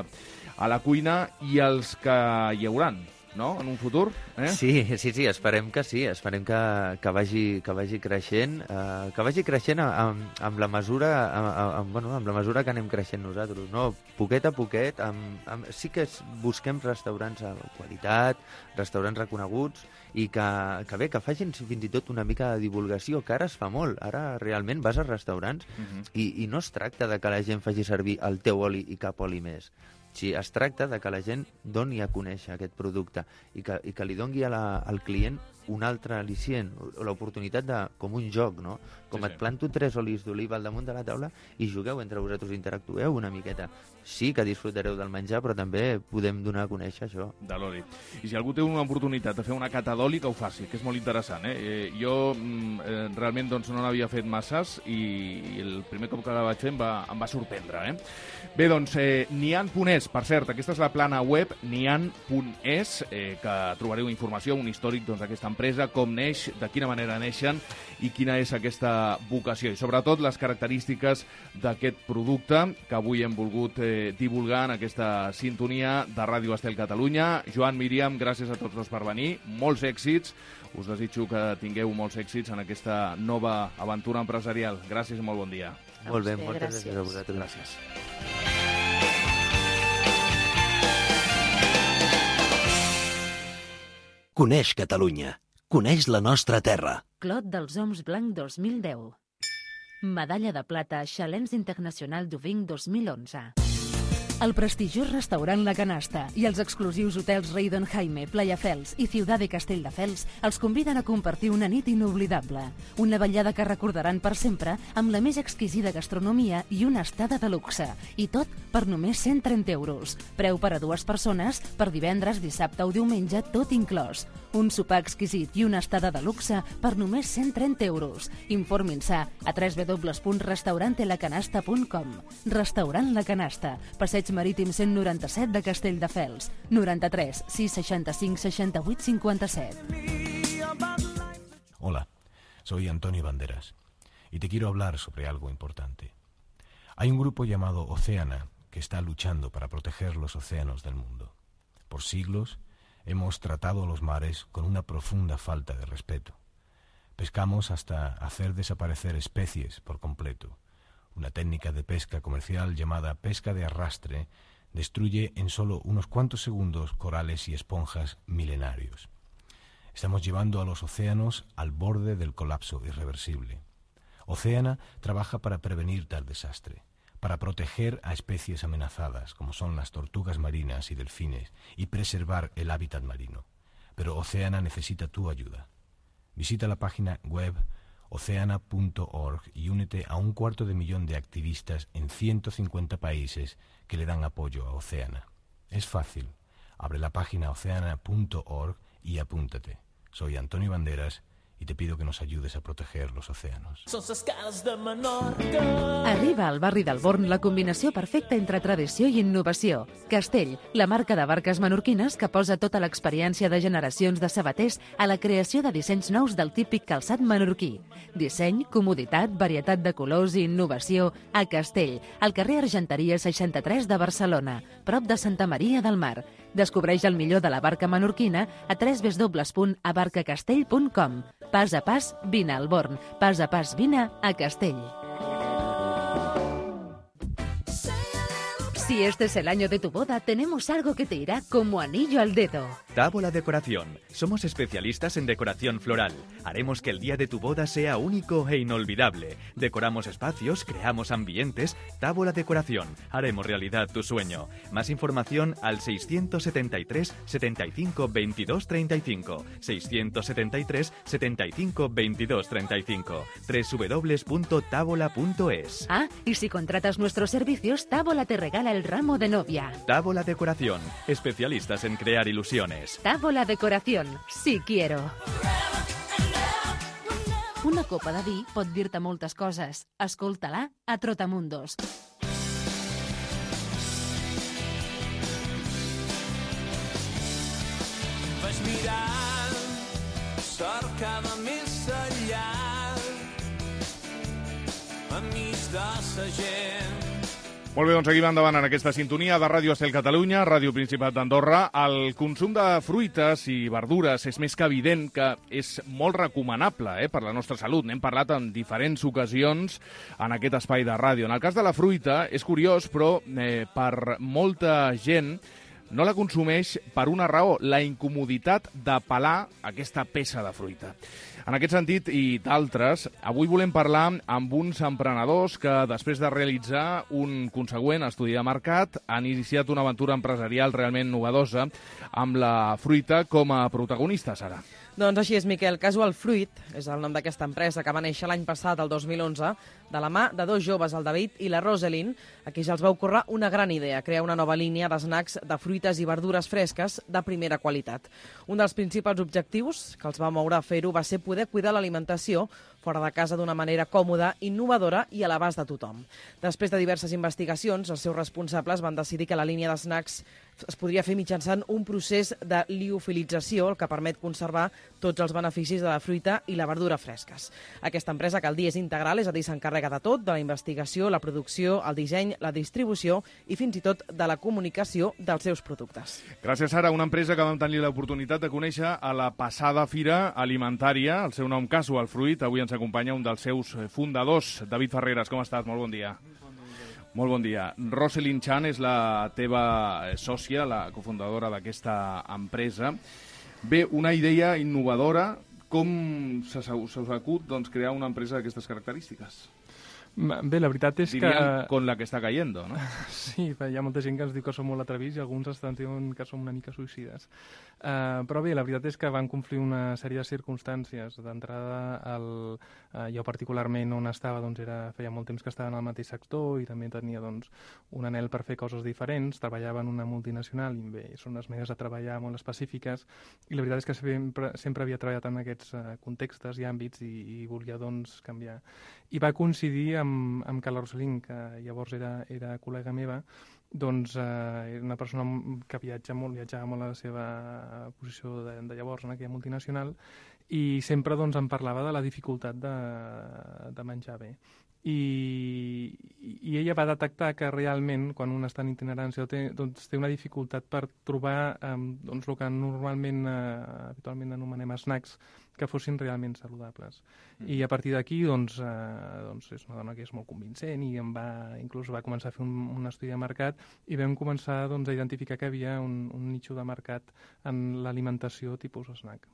a la cuina, i els que hi hauran, no?, en un futur? Eh? Sí, sí, sí, esperem que sí, esperem que, que, vagi, que vagi creixent, eh, que vagi creixent amb, amb, la mesura, amb, amb, bueno, amb la mesura que anem creixent nosaltres, no? Poquet a poquet, amb, amb, sí que busquem restaurants de qualitat, restaurants reconeguts, i que, que bé, que facin fins i tot una mica de divulgació, que ara es fa molt. Ara realment vas als restaurants uh-huh. i, i no es tracta de que la gent faci servir el teu oli i cap oli més. Sí, es tracta de que la gent doni a conèixer aquest producte i que, i que li doni a la, al client un altre al·licient, l'oportunitat de, com un joc, no? Com sí, et planto tres olis d'oliva al damunt de la taula i jugueu entre vosaltres, interactueu una miqueta. Sí que disfrutareu del menjar, però també podem donar a conèixer això. De l'oli. I si algú té una oportunitat de fer una cata d'oli, que ho faci, que és molt interessant, eh? eh jo eh, realment doncs, no n'havia fet masses i, i el primer cop que la vaig fer em va, em va sorprendre, eh? Bé, doncs, eh, nian punt es, per cert, aquesta és la plana web, nian punt es, eh, que trobareu informació, un històric doncs, d'aquesta empresa, com neix, de quina manera neixen i quina és aquesta vocació. I sobretot les característiques d'aquest producte que avui hem volgut eh, divulgar en aquesta sintonia de Ràdio Estel Catalunya. Joan, Míriam, gràcies a tots dos per venir. Molts èxits. Us desitjo que tingueu molts èxits en aquesta nova aventura empresarial. Gràcies i molt bon dia. Molt bé, moltes gràcies a vosaltres. Gràcies. Coneix Catalunya. Coneix la nostra terra. Clot dels Oms Blanc dos mil deu. Medalla de plata Challenge Internacional du Vin dos mil onze. El prestigiós restaurant La Canasta i els exclusius hotels Rei Don Jaime, Playa Fels i Ciudad de Castelldefels els conviden a compartir una nit inoblidable. Una vetllada que recordaran per sempre amb la més exquisida gastronomia i una estada de luxe. I tot per només cent trenta euros. Preu per a dues persones per divendres, dissabte o diumenge, tot inclòs. Un sopar exquisit i una estada de luxe per només cent trenta euros. Informin-se a w w w punt restaurante la canasta punt com. Restaurant La Canasta, Passeig Marítim cent noranta-set de Castelldefels. noranta-tres sis seixanta-cinc seixanta-vuit cinquanta-set. Hola, soy Antonio Banderas y te quiero hablar sobre algo importante. Hay un grupo llamado Oceana que está luchando para proteger los océanos del mundo. Por siglos hemos tratado a los mares con una profunda falta de respeto. Pescamos hasta hacer desaparecer especies por completo. Una técnica de pesca comercial llamada pesca de arrastre destruye en solo unos cuantos segundos corales y esponjas milenarios. Estamos llevando a los océanos al borde del colapso irreversible. Oceana trabaja para prevenir tal desastre, para proteger a especies amenazadas como son las tortugas marinas y delfines y preservar el hábitat marino. Pero Oceana necesita tu ayuda. Visita la página web oceana punto org y únete a un cuarto de millón de activistas en ciento cincuenta países que le dan apoyo a Oceana. Es fácil. Abre la página oceana punto org y apúntate. Soy Antonio Banderas y te pido que nos ayudes a proteger los océanos. Arriba al barri del Born la combinació perfecta entre tradició i innovació. Castell, la marca de barques menorquines que posa tota l'experiència de generacions de sabaters a la creació de dissenys nous del típic calçat menorquí. Disseny, comoditat, varietat de colors i innovació a Castell, al carrer Argenteria seixanta-tres de Barcelona, prop de Santa Maria del Mar. Descobreix el millor de la barca menorquina a w w w punt abarcacastell punt com. Pas a pas, vine al Born. Pas a pas, vine a Castell. Si este es el año de tu boda, tenemos algo que te irá como anillo al dedo. Tábola Decoración. Somos especialistas en decoración floral. Haremos que el día de tu boda sea único e inolvidable. Decoramos espacios, creamos ambientes. Tábola Decoración. Haremos realidad tu sueño. Más información al seiscientos setenta y tres, setenta y cinco, veintidós, treinta y cinco. seiscientos setenta y tres, setenta y cinco, veintidós, treinta y cinco. doble u doble u doble u punto tábola punto es. Ah, y si contratas nuestros servicios, Tábola te regala el ramo de novia. Tábola Decoración. Especialistas en crear ilusiones. Tábola Decoración. Sí quiero. Una copa de vi pot dir-te moltes coses. Escolta-la a Trotamundos. Vaig mirant, cercada més enllà, enmig de sa gent. Molt bé, doncs seguim endavant en aquesta sintonia de Ràdio Estel Catalunya, Ràdio Principat d'Andorra. El consum de fruites i verdures és més que evident que és molt recomanable eh, per la nostra salut. N'hem parlat en diferents ocasions en aquest espai de ràdio. En el cas de la fruita, és curiós, però eh, per molta gent no la consumeix per una raó, la incomoditat de pelar aquesta peça de fruita. En aquest sentit i d'altres, avui volem parlar amb uns emprenedors que, després de realitzar un consegüent estudi de mercat, han iniciat una aventura empresarial realment novedosa amb la fruita com a protagonista, Sara. Doncs així és, Miquel. Casual Fruit és el nom d'aquesta empresa que va néixer l'any passat, el dos mil onze, de la mà de dos joves, el David i la Rosalind, a qui ja els va ocórrer una gran idea, crear una nova línia d'esnacs de fruites i verdures fresques de primera qualitat. Un dels principals objectius que els va moure a fer-ho va ser poder cuidar l'alimentació fora de casa d'una manera còmoda, innovadora i a l'abast de tothom. Després de diverses investigacions, els seus responsables van decidir que la línia d'esnacs es podria fer mitjançant un procés de liofilització, el que permet conservar tots els beneficis de la fruita i la verdura fresques. Aquesta empresa, que al dia és integral, és a dir, s'encarrega de tot, de la investigació, la producció, el disseny, la distribució i fins i tot de la comunicació dels seus productes. Gràcies, Sara. Una empresa que vam tenir l'oportunitat de conèixer a la passada fira alimentària, el seu nom Casual Fruit. Avui ens acompanya un dels seus fundadors, David Ferreres. Com estàs? Molt bon dia. Molt bon dia. Rosalind Chan és la teva sòcia, la cofundadora d'aquesta empresa. Bé, una idea innovadora. Com se us acut doncs, crear una empresa d'aquestes característiques? Bé, la veritat és Diríem que... con la que està cayendo, no? Sí, hi ha molta gent que ens diu que som molt atrevits i alguns estan dient que som una mica suïcides. Uh, però bé, la veritat és que van confluir una sèrie de circumstàncies. D'entrada, el, uh, jo particularment on estava, doncs era, feia molt temps que estava en el mateix sector i també tenia doncs, un anhel per fer coses diferents. Treballava en una multinacional i bé, són unes maneres de treballar molt específiques i la veritat és que sempre, sempre havia treballat en aquests uh, contextes i àmbits i, i volia doncs canviar. I va coincidir amb, amb que la Rosalind, que llavors era, era col·lega meva, doncs eh, era una persona que viatja molt, viatjava molt a la seva posició de, de llavors en aquella multinacional i sempre doncs, em parlava de la dificultat de, de menjar bé. I, i ella va detectar que realment, quan un està en itinerància, té, doncs, té una dificultat per trobar eh, doncs, el que normalment, eh, habitualment anomenem snacks, que fossin realment saludables. Mm. I a partir d'aquí, doncs, eh, doncs, és una dona que és molt convincent i em va, inclús va començar a fer un, un estudi de mercat i vam començar doncs, a identificar que havia un, un nicho de mercat en l'alimentació tipus snack.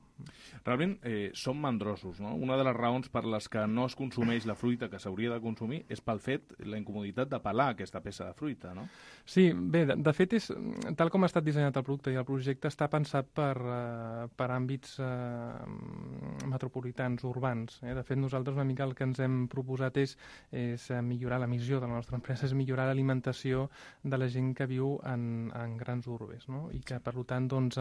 Realment eh, som mandrosos, no? Una de les raons per les que no es consumeix la fruita que s'hauria de consumir és pel fet, la incomoditat de pelar aquesta peça de fruita, no? Sí, bé, de, de fet, és, tal com ha estat dissenyat el producte i el projecte està pensat per, uh, per àmbits uh, metropolitans, urbans. Eh? De fet, nosaltres una mica el que ens hem proposat és, és millorar la missió de la nostra empresa, és millorar l'alimentació de la gent que viu en, en grans urbes, no? I que, per tant, doncs,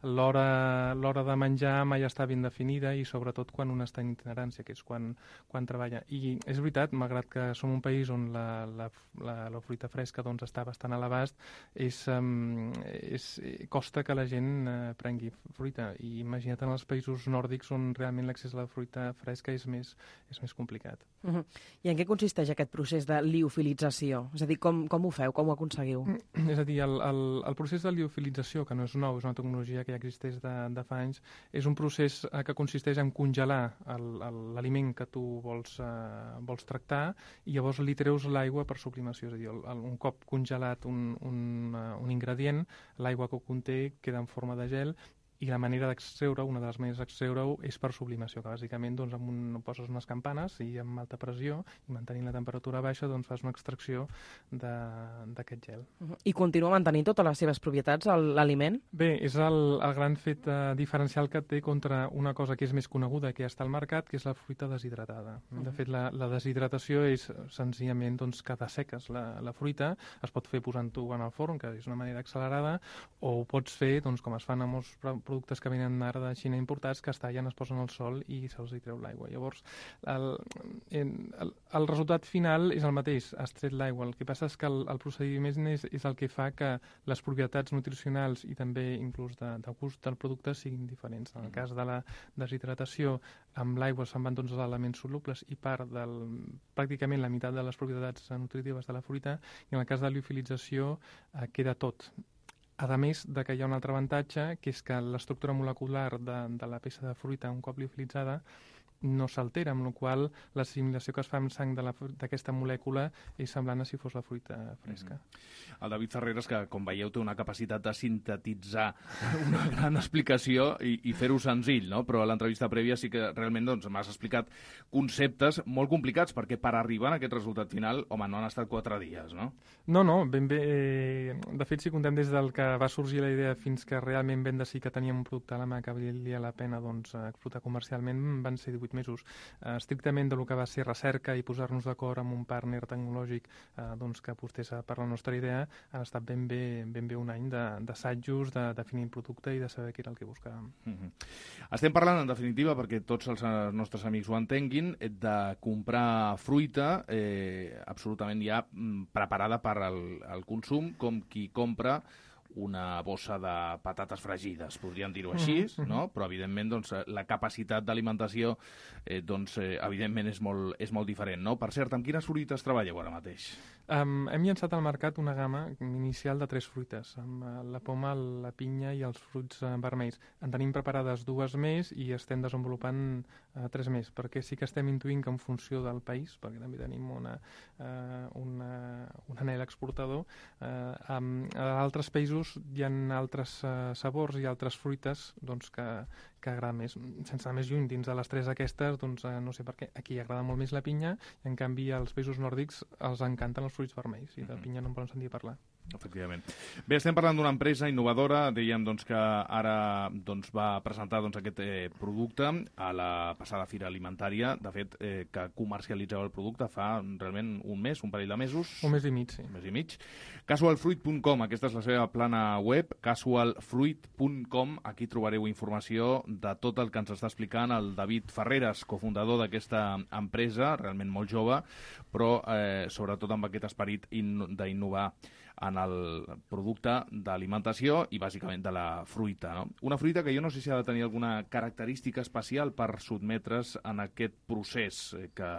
l'hora de menjar mai està ben definida i, sobretot, quan un està en itinerància, que és quan, quan treballa. I és veritat, malgrat que som un país on la, la, la, la fruita fresca doncs, està bastant a l'abast, és, um, és, costa que la gent uh, prengui fruita. I imagina't en els països nòrdics on realment l'accés a la fruita fresca és més, és més complicat. Uh-huh. I en què consisteix aquest procés de liofilització? És a dir, com, com ho feu, com ho aconseguiu? És a dir, el, el, el procés de liofilització, que no és nou, és una tecnologia que ja existeix de, de fa anys, és un procés uh, que consisteix en congelar l'aliment que tu vols, uh, vols tractar i llavors li treus l'aigua per sublimació. És a dir, el, el, un cop congelat un, un, uh, un ingredient, l'aigua que ho conté queda en forma de gel i la manera d'extreure, una de les maneres d'extreure-ho és per sublimació, que bàsicament doncs, amb un, poses unes campanes i amb alta pressió i mantenint la temperatura baixa doncs, fas una extracció d'aquest gel. Uh-huh. I continua mantenint totes les seves propietats, l'aliment? Bé, és el, el gran fet uh, diferencial que té contra una cosa que és més coneguda, que ja està al mercat, que és la fruita deshidratada. Uh-huh. De fet, la, la deshidratació és senzillament doncs, que desseques la, la fruita, es pot fer posant-ho en el forn, que és una manera accelerada, o ho pots fer, doncs, com es fan amb molts productes que venen ara de Xina importats, que es tallen, es posen al sol i se'ls hi treu l'aigua. Llavors, el, el, el resultat final és el mateix, has tret l'aigua. El que passa és que el, el procediment és, és el que fa que les propietats nutricionals i també inclús de, de gust del producte siguin diferents. En el cas de la deshidratació, amb l'aigua se'n van tots els elements solubles i part del, pràcticament la meitat de les propietats nutritives de la fruita, i en el cas de liofilització eh, queda tot. A més de que hi ha un altre avantatge, que és que l'estructura molecular de, de la peça de fruita, un cop liofilitzada, no s'altera, amb la qual cosa l'assimilació que es fa amb sang d'aquesta molècula és semblant a si fos la fruita fresca. Mm-hmm. El David Ferreras, que com veieu té una capacitat de sintetitzar una gran explicació i, i fer-ho senzill, no? Però a l'entrevista prèvia sí que realment doncs, m'has explicat conceptes molt complicats, perquè per arribar a aquest resultat final, home, no han estat quatre dies, no? No, no, ben bé. Eh, de fet, si contem des del que va sorgir la idea fins que realment vam decidir que teníem un producte a la mà que valia la pena doncs, explotar comercialment, van ser divuit mesos. Eh, estrictament del que va ser recerca i posar-nos d'acord amb un partner tecnològic eh, doncs, que apostés per la nostra idea, han estat ben bé, ben bé un any d'assajos, de, de definir el producte i de saber què era el que buscàvem. Mm-hmm. Estem parlant, en definitiva, perquè tots els nostres amics ho entenguin, de comprar fruita eh, absolutament ja preparada per al, al consum, com qui compra una bossa de patates fregides, podríem dir-ho així, mm-hmm. no? Però evidentment doncs, la capacitat d'alimentació eh, doncs, eh, evidentment és molt, és molt diferent, no? Per cert, amb quines fruites treballeu ara mateix? Um, hem llançat al mercat una gamma inicial de tres fruites, amb uh, la poma, la pinya i els fruits uh, vermells. En tenim preparades dues més i estem desenvolupant uh, tres més, perquè sí que estem intuint que en funció del país, perquè també tenim una, uh, una, un anel exportador, uh, um, a altres països hi ha altres uh, sabors i altres fruites doncs, que, que agraden més. Sense anar més lluny, dins de les tres aquestes, doncs, uh, no sé per què, aquí agrada molt més la pinya, i en canvi als països nòrdics els encanten els fruits vermells, i de pinya no en poden sentir parlar. Efectivament. Bé, estem parlant d'una empresa innovadora, dèiem doncs, que ara doncs, va presentar doncs, aquest eh, producte a la passada Fira Alimentària, de fet, eh, que comercialitzeu el producte fa realment un mes, un parell de mesos. Un mes i mig, sí. Un mes i mig. casual fruit punt com, aquesta és la seva plana web, casual fruit punt com, aquí trobareu informació de tot el que ens està explicant el David Ferreras, cofundador d'aquesta empresa, realment molt jove, però eh, sobretot amb aquest esperit d'innovar en el producte d'alimentació i bàsicament de la fruita, no? Una fruita que jo no sé si ha de tenir alguna característica especial per sotmetre's en aquest procés que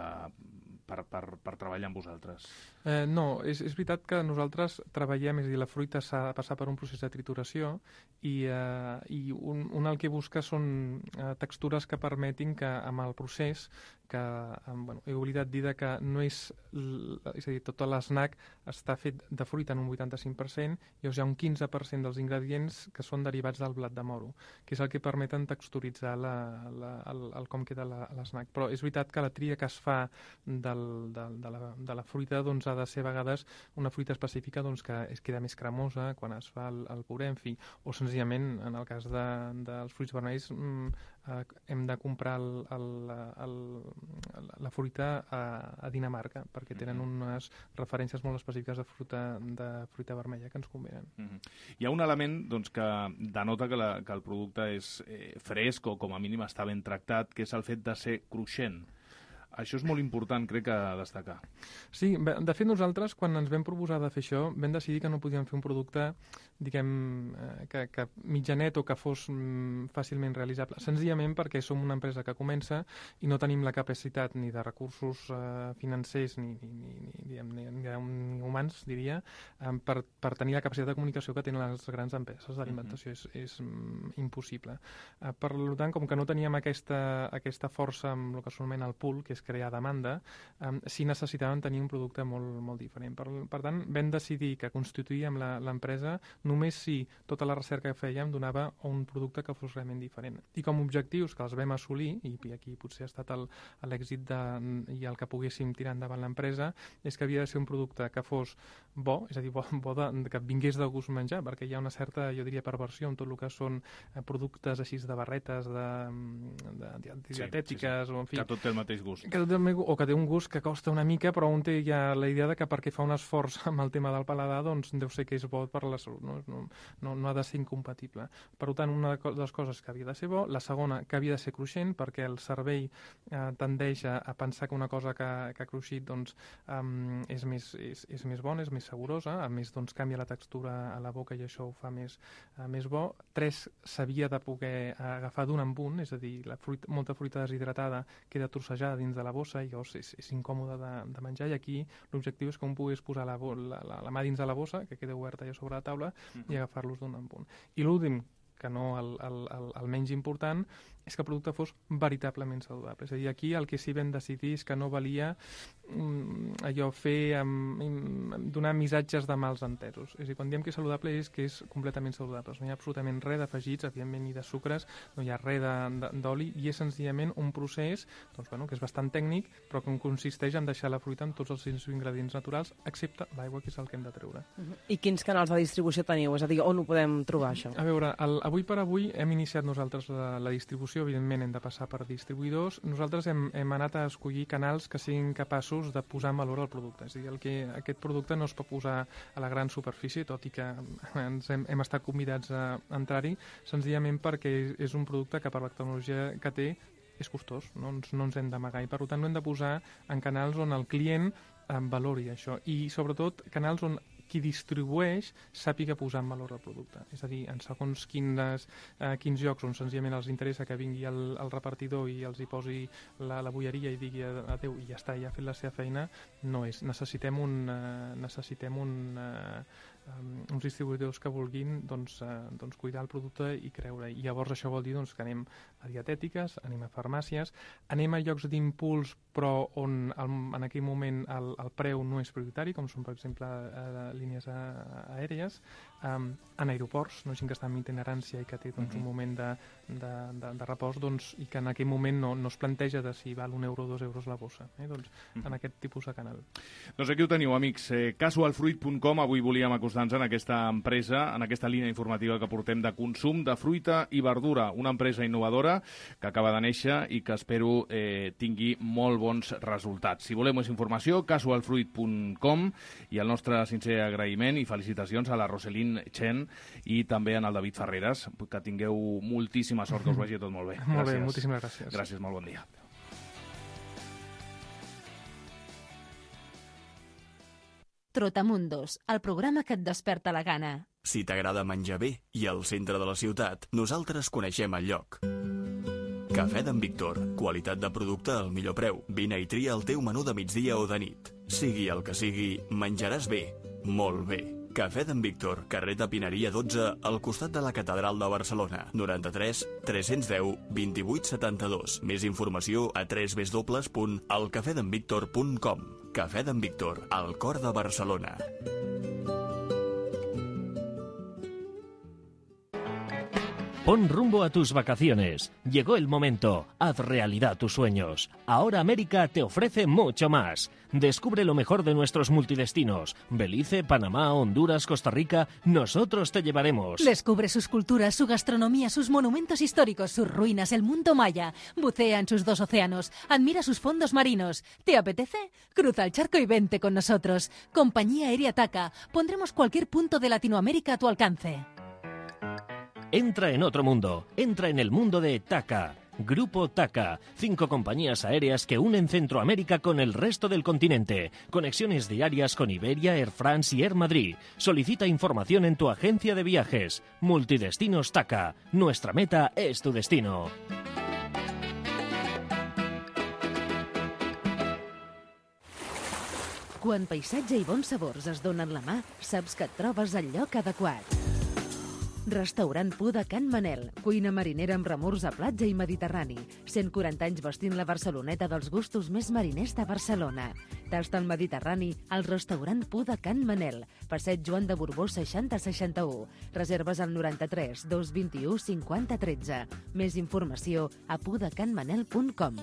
per, per, per treballar amb vosaltres. Eh, no, és, és veritat que nosaltres treballem, és a dir, la fruita s'ha de passar per un procés de trituració i, eh, i un, un el que busca són eh, textures que permetin que amb el procés, que eh, bueno, he oblidat dir que no és, és a dir, tot l'esnac està fet de fruita en un vuitanta-cinc per cent i llavors hi ha un quinze per cent dels ingredients que són derivats del blat de moro, que és el que permeten texturitzar la, la, el, el com queda l'esnac. Però és veritat que la tria que es fa del, de, de, la, de la fruita doncs, ha de ser a vegades una fruita específica doncs, que es queda més cremosa quan es fa el, el puré, en fi, o senzillament en el cas de, dels fruits vermells mmm, eh, hem de comprar el, el, el, la fruita a, a Dinamarca, perquè tenen unes referències molt específiques de fruita, de fruita vermella que ens convenen. Mm-hmm. Hi ha un element doncs, que denota que, la, que el producte és eh, fresc o com a mínim està ben tractat, que és el fet de ser cruixent. Això és molt important, crec, a destacar. Sí, de fet nosaltres, quan ens vam proposar de fer això, vam decidir que no podíem fer un producte, diguem, que, que mitjanet o que fos mm, fàcilment realitzable, senzillament perquè som una empresa que comença i no tenim la capacitat ni de recursos eh, financers ni, ni, ni, ni, diguem, ni, ni, ni humans, diria, eh, per, per tenir la capacitat de comunicació que tenen les grans empreses d'alimentació. Mm-hmm. És, és mm, impossible. Eh, per tant, com que no teníem aquesta, aquesta força amb el que s'anomena el pool, que és crear demanda, um, sí necessitaven tenir un producte molt, molt diferent. Per, per tant, vam decidir que constituíem l'empresa només si tota la recerca que fèiem donava un producte que fos realment diferent. I com a objectius que els vam assolir, i aquí potser ha estat l'èxit i el que poguéssim tirar endavant l'empresa, és que havia de ser un producte que fos bo, és a dir, bo, bo de, que vingués de gust menjar, perquè hi ha una certa, jo diria, perversió en tot el que són productes així de barretes, de, de, de dietètiques, sí, sí, sí. O en fi... Que tot té el mateix gust. Que tot el meu, o que té un gust que costa una mica, però un té ja la idea de que perquè fa un esforç amb el tema del paladar, doncs deu ser que és bo per la salut, no, no, no, no ha de ser incompatible. Per tant, una de les coses que havia de ser bo, la segona, que havia de ser cruixent, perquè el cervell eh, tendeix a, a pensar que una cosa que, que ha cruixit doncs, um, és, més, és, és més bona, és més saborosa, a més doncs, canvia la textura a la boca i això ho fa més, uh, més bo. Tres, s'havia de poder agafar d'un en un, és a dir, la fruita, molta fruita deshidratada queda trossejada dins de la bossa i llavors és, és incòmode de, de menjar, i aquí l'objectiu és que un pogués posar la, la, la, la mà dins de la bossa, que queda oberta ja sobre la taula, uh-huh. i agafar-los d'un en un. I l'últim, que no el, el, el, el menys important, és que el producte fos veritablement saludable. És a dir, aquí el que sí vam decidir és que no valia mm, allò fer, um, donar missatges de mals entesos. És a dir, quan diem que és saludable és que és completament saludable. No hi ha absolutament res d'afegits, evidentment ni de sucres, no hi ha res d'oli, i és senzillament un procés doncs, bueno, que és bastant tècnic, però que consisteix en deixar la fruita amb tots els seus ingredients naturals, excepte l'aigua, que és el que hem de treure. Uh-huh. I quins canals de distribució teniu? És a dir, on ho podem trobar, això? A veure, el, avui per avui hem iniciat nosaltres la, la distribució, evidentment hem de passar per distribuïdors. Nosaltres hem, hem anat a escollir canals que siguin capaços de posar en valor el producte. És a dir, el que, aquest producte no es pot posar a la gran superfície, tot i que ens hem, hem estat convidats a entrar-hi, senzillament perquè és un producte que per la tecnologia que té és costós, no ens, no ens hem d'amagar, i per tant no hem de posar en canals on el client eh, valori això, i sobretot canals on qui distribueix sàpiga posar en valor el producte. És a dir, en segons quines, eh, quins llocs on senzillament els interessa que vingui el, el repartidor i els hi posi la, la bolleria i digui adéu i ja està, ja ha fet la seva feina, no és. Necessitem un, eh, necessitem un, eh, um, uns distribuïdors que vulguin doncs, eh, doncs cuidar el producte i creure. I llavors això vol dir doncs, que anem a dietètiques, anem a farmàcies, anem a llocs d'impuls però on el, en aquell moment el, el preu no és prioritari, com són per exemple eh, línies aèries, um, en aeroports, no? Gent que està en itinerància i que té doncs, un moment de, de, de, de repòs, doncs, i que en aquell moment no, no es planteja de si val un euro o dos euros la bossa, eh? doncs, uh-huh. en aquest tipus de canal. Doncs aquí ho teniu, amics. Eh, casualfruit punt com, avui volíem acostar-nos en aquesta empresa, en aquesta línia informativa que portem de consum de fruita i verdura, una empresa innovadora que acaba de néixer i que espero eh, tingui molt bons resultats. Si voleu més informació, casualfruit punt com, i el nostre sincer agraïment i felicitacions a la Roselín Chen i també en el David Ferreras, que tingueu moltíssima sort, que us vagi tot molt bé. Molt gràcies. Bé, moltíssimes gràcies. Gràcies, molt bon dia. Trotamundos, el programa que et desperta la gana. Si t'agrada menjar bé i al centre de la ciutat, nosaltres coneixem el lloc. Cafè d'en Víctor. Qualitat de producte al millor preu. Vine i tria el teu menú de migdia o de nit. Sigui el que sigui, menjaràs bé. Molt bé. Cafè d'en Víctor, carrer de Pineria dotze, al costat de la Catedral de Barcelona. noranta-tres tres-cents deu vint-i-vuit setanta-dos. Més informació a w w w punt el cafè d'en víctor punt com. Cafè d'en Víctor, al cor de Barcelona. Pon rumbo a tus vacaciones. Llegó el momento. Haz realidad tus sueños. Ahora América te ofrece mucho más. Descubre lo mejor de nuestros multidestinos. Belice, Panamá, Honduras, Costa Rica. Nosotros te llevaremos. Descubre sus culturas, su gastronomía, sus monumentos históricos, sus ruinas, el mundo maya. Bucea en sus dos océanos. Admira sus fondos marinos. ¿Te apetece? Cruza el charco y vente con nosotros. Compañía Aérea TACA. Pondremos cualquier punto de Latinoamérica a tu alcance. Entra en otro mundo. Entra en el mundo de TACA. Grupo TACA. Cinco compañías aéreas que unen Centroamérica con el resto del continente. Conexiones diarias con Iberia, Air France y Air Madrid. Solicita información en tu agencia de viajes. Multidestinos TACA. Nuestra meta es tu destino. Quan paisatge i bons sabors es donen la mà, saps que et trobes al lloc adequat. Restaurant Pu de Can Manel, cuina marinera amb remors a platja i mediterrani. cent quaranta anys vestint la Barceloneta dels gustos més mariners de Barcelona. Tasta el Mediterrani al restaurant Pu de Can Manel, passeig Joan de Borbó seixanta seixanta-u. Reserves al noranta-tres dos vint-i-u cinquanta tretze. Més informació a pudecanmanel punt com.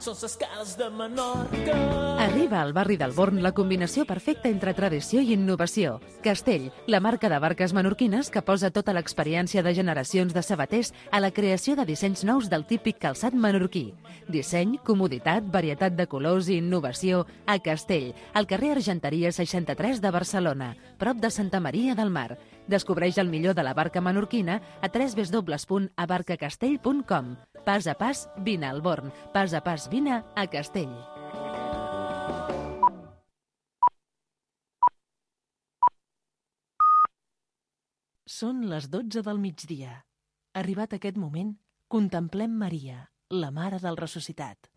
Són les cases de Menorca. Arriba al barri del Born la combinació perfecta entre tradició i innovació. Castell, la marca de barques menorquines que posa tota l'experiència de generacions de sabaters a la creació de dissenys nous del típic calçat menorquí. Disseny, comoditat, varietat de colors i innovació a Castell, al carrer Argenteria seixanta-tres de Barcelona, prop de Santa Maria del Mar. Descobreix el millor de la barca menorquina a w w w punt abarcacastell punt com. Pas a pas, vine al Born. Pas a pas, vine a Castell. Són les dotze del migdia. Arribat aquest moment, contemplem Maria, la Mare del Ressuscitat.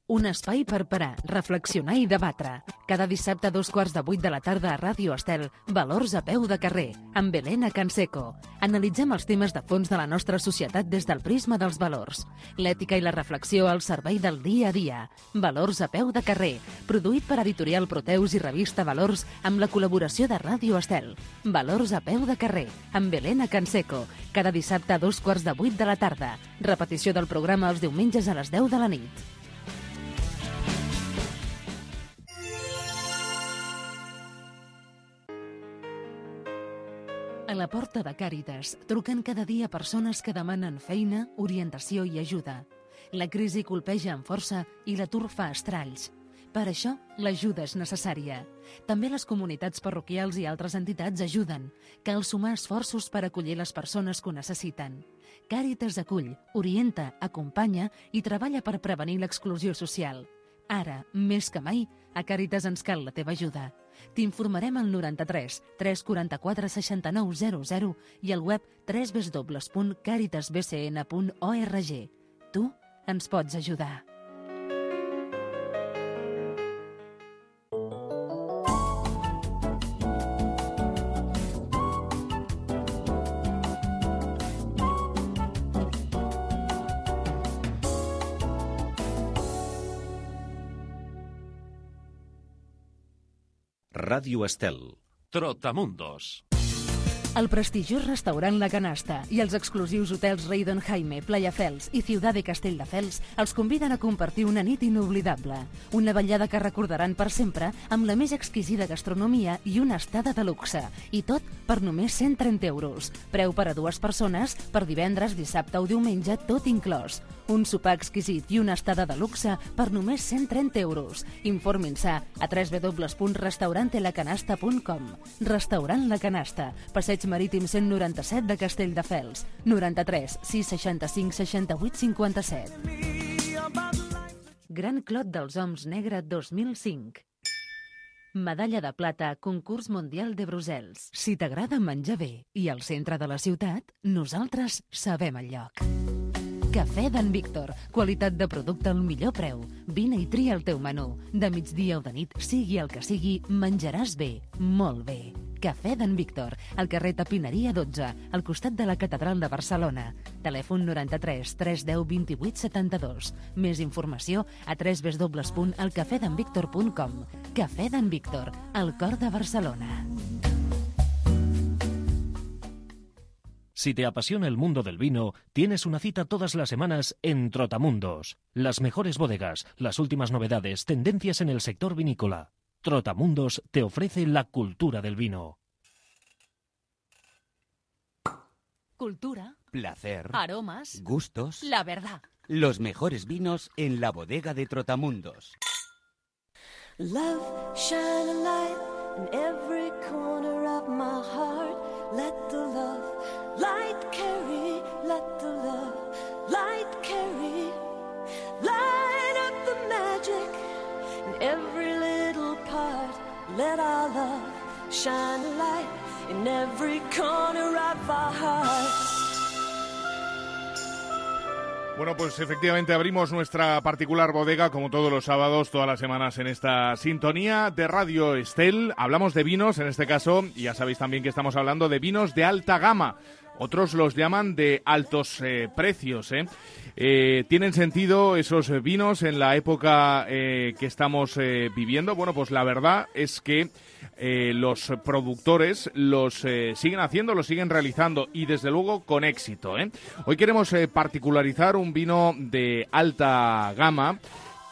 Un espai per parar, reflexionar i debatre. Cada dissabte a dos quarts de vuit de la tarda a Ràdio Estel, Valors a peu de carrer, amb Helena Canseco. Analitzem els temes de fons de la nostra societat des del prisma dels valors. L'ètica i la reflexió al servei del dia a dia. Valors a peu de carrer, produït per Editorial Proteus i revista Valors amb la col·laboració de Ràdio Estel. Valors a peu de carrer, amb Helena Canseco. Cada dissabte a dos quarts de vuit de la tarda. Repetició del programa els diumenges a les deu de la nit. A la porta de Càritas truquen cada dia persones que demanen feina, orientació i ajuda. La crisi colpeja amb força i l'atur fa estralls. Per això, l'ajuda és necessària. També les comunitats parroquials i altres entitats ajuden. Cal sumar esforços per acollir les persones que ho necessiten. Càritas acull, orienta, acompanya i treballa per prevenir l'exclusió social. Ara, més que mai, a Càritas ens cal la teva ajuda. T'informarem al noranta-tres tres quaranta-quatre seixanta-nou zero zero i al web w w w punt càritas b c n punt org. Tu ens pots ajudar. Ràdio Estel. Trotamundos. El prestigiós restaurant La Canasta i els exclusius hotels Raydon Jaime, Playa Fels i Ciudad de Castelldefels els conviden a compartir una nit inoblidable. Una vetllada que recordaran per sempre amb la més exquisida gastronomia i una estada de luxe. I tot per només cent trenta euros. Preu per a dues persones per divendres, dissabte o diumenge, tot inclòs. Un sopar exquisit i una estada de luxe per només cent trenta euros. Informin-se a w w w punt restaurante la canasta punt com. Restaurant La Canasta, Passeig Marítim cent noranta-set de Castelldefels. noranta-tres sis seixanta-cinc seixanta-vuit cinquanta-set. Gran Clot dels Oms Negre dos mil cinc. Medalla de plata, concurs mundial de Brussels. Si t'agrada menjar bé i al centre de la ciutat, nosaltres sabem el lloc. Cafè d'en Víctor. Qualitat de producte al millor preu. Vine i tria el teu menú. De migdia o de nit, sigui el que sigui, menjaràs bé, molt bé. Cafè d'en Víctor, al carrer Tapineria dotze, al costat de la Catedral de Barcelona. Telèfon noranta-tres tres deu vint-i-vuit setanta-dos. Més informació a w w w punt el cafè d'en víctor punt com. Cafè d'en Víctor, al cor de Barcelona. Si te apasiona el mundo del vino, tienes una cita todas las semanas en Trotamundos. Las mejores bodegas, las últimas novedades, tendencias en el sector vinícola. Trotamundos te ofrece la cultura del vino. Cultura, placer, aromas, gustos, la verdad. Los mejores vinos en la bodega de Trotamundos. Love, shine a light in every corner of my heart. Let the love light carry, let the love light carry. Light up the magic in every little part. Let our love shine a light in every corner of our hearts. Bueno, pues efectivamente abrimos nuestra particular bodega, como todos los sábados, todas las semanas en esta sintonía de Radio Estel. Hablamos de vinos, en este caso, y ya sabéis también que estamos hablando de vinos de alta gama. Otros los llaman de altos eh, precios, ¿eh? Eh, ¿Tienen sentido esos vinos en la época eh, que estamos eh, viviendo? Bueno, pues la verdad es que eh, los productores los eh, siguen haciendo, los siguen realizando y desde luego con éxito, ¿eh? Hoy queremos eh, particularizar un vino de alta gama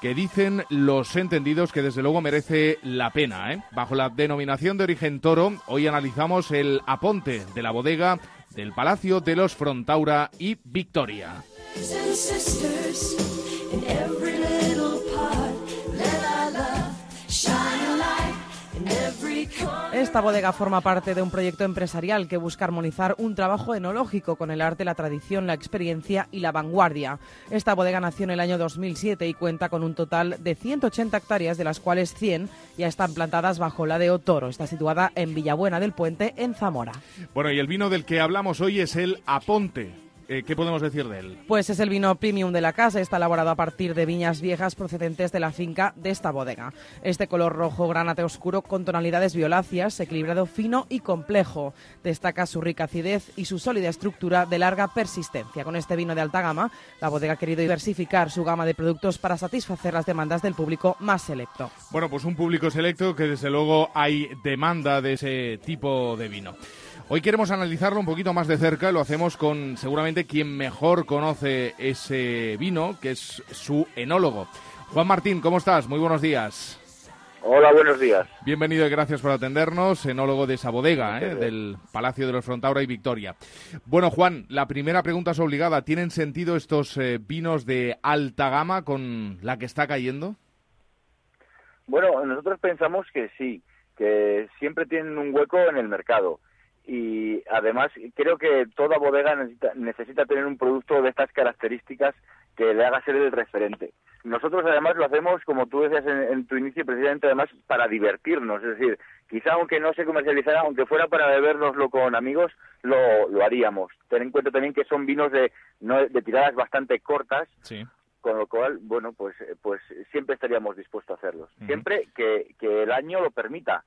que dicen los entendidos que desde luego merece la pena, ¿eh? Bajo la denominación de origen Toro, hoy analizamos el Aponte de la bodega del Palacio de los Frontaura y Victoria. Esta bodega forma parte de un proyecto empresarial que busca armonizar un trabajo enológico con el arte, la tradición, la experiencia y la vanguardia. Esta bodega nació en el año dos mil siete y cuenta con un total de ciento ochenta hectáreas, de las cuales cien ya están plantadas bajo la de Toro. Está situada en Villabuena del Puente, en Zamora. Bueno, y el vino del que hablamos hoy es el Aponte. Eh, ¿Qué podemos decir de él? Pues es el vino premium de la casa. Está elaborado a partir de viñas viejas procedentes de la finca de esta bodega. Este color rojo granate oscuro con tonalidades violáceas, equilibrado, fino y complejo. Destaca su rica acidez y su sólida estructura de larga persistencia. Con este vino de alta gama, la bodega ha querido diversificar su gama de productos para satisfacer las demandas del público más selecto. Bueno, pues un público selecto que desde luego hay demanda de ese tipo de vino. Hoy queremos analizarlo un poquito más de cerca y lo hacemos con seguramente quien mejor conoce ese vino, que es su enólogo. Juan Martín, ¿cómo estás? Muy buenos días. Hola, buenos días. Bienvenido y gracias por atendernos, enólogo de esa bodega, ¿eh? del Palacio de los Frontaura y Victoria. Bueno, Juan, la primera pregunta es obligada. ¿Tienen sentido estos eh, vinos de alta gama con la que está cayendo? Bueno, nosotros pensamos que sí, que siempre tienen un hueco en el mercado. Y además creo que toda bodega necesita, necesita tener un producto de estas características que le haga ser el referente. Nosotros además lo hacemos, como tú decías en, en tu inicio, precisamente además para divertirnos. Es decir, quizá aunque no se comercializara, aunque fuera para bebérnoslo con amigos, lo, lo haríamos. Ten en cuenta también que son vinos de, no, de tiradas bastante cortas. Sí. Con lo cual, bueno, pues pues siempre estaríamos dispuestos a hacerlos. Uh-huh. Siempre que, que el año lo permita.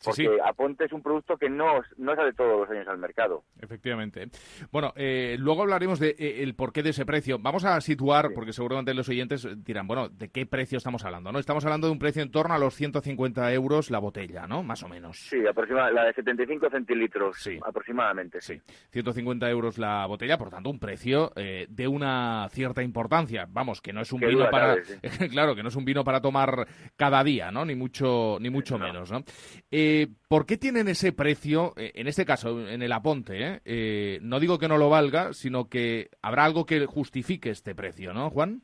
porque sí. Aponte es un producto que no, no sale todos los años al mercado. Efectivamente. Bueno, eh, luego hablaremos de eh, el porqué de ese precio. Vamos a situar, sí. porque seguramente los oyentes dirán, bueno, ¿de qué precio estamos hablando? ¿No? Estamos hablando de un precio en torno a los ciento cincuenta euros la botella, ¿no? Más o menos. Sí, aproximadamente, la de setenta y cinco centilitros, sí. aproximadamente. Sí, ciento cincuenta euros la botella, por tanto, un precio eh, de una cierta importancia. Vamos, que no es un que vino para... Cabe, sí. claro, que no es un vino para tomar cada día, ¿no? Ni mucho, ni mucho no. menos, ¿no? Eh, ¿Por qué tienen ese precio, eh, en este caso, en el Aponte? ¿eh? Eh, no digo que no lo valga, sino que habrá algo que justifique este precio, ¿no, Juan?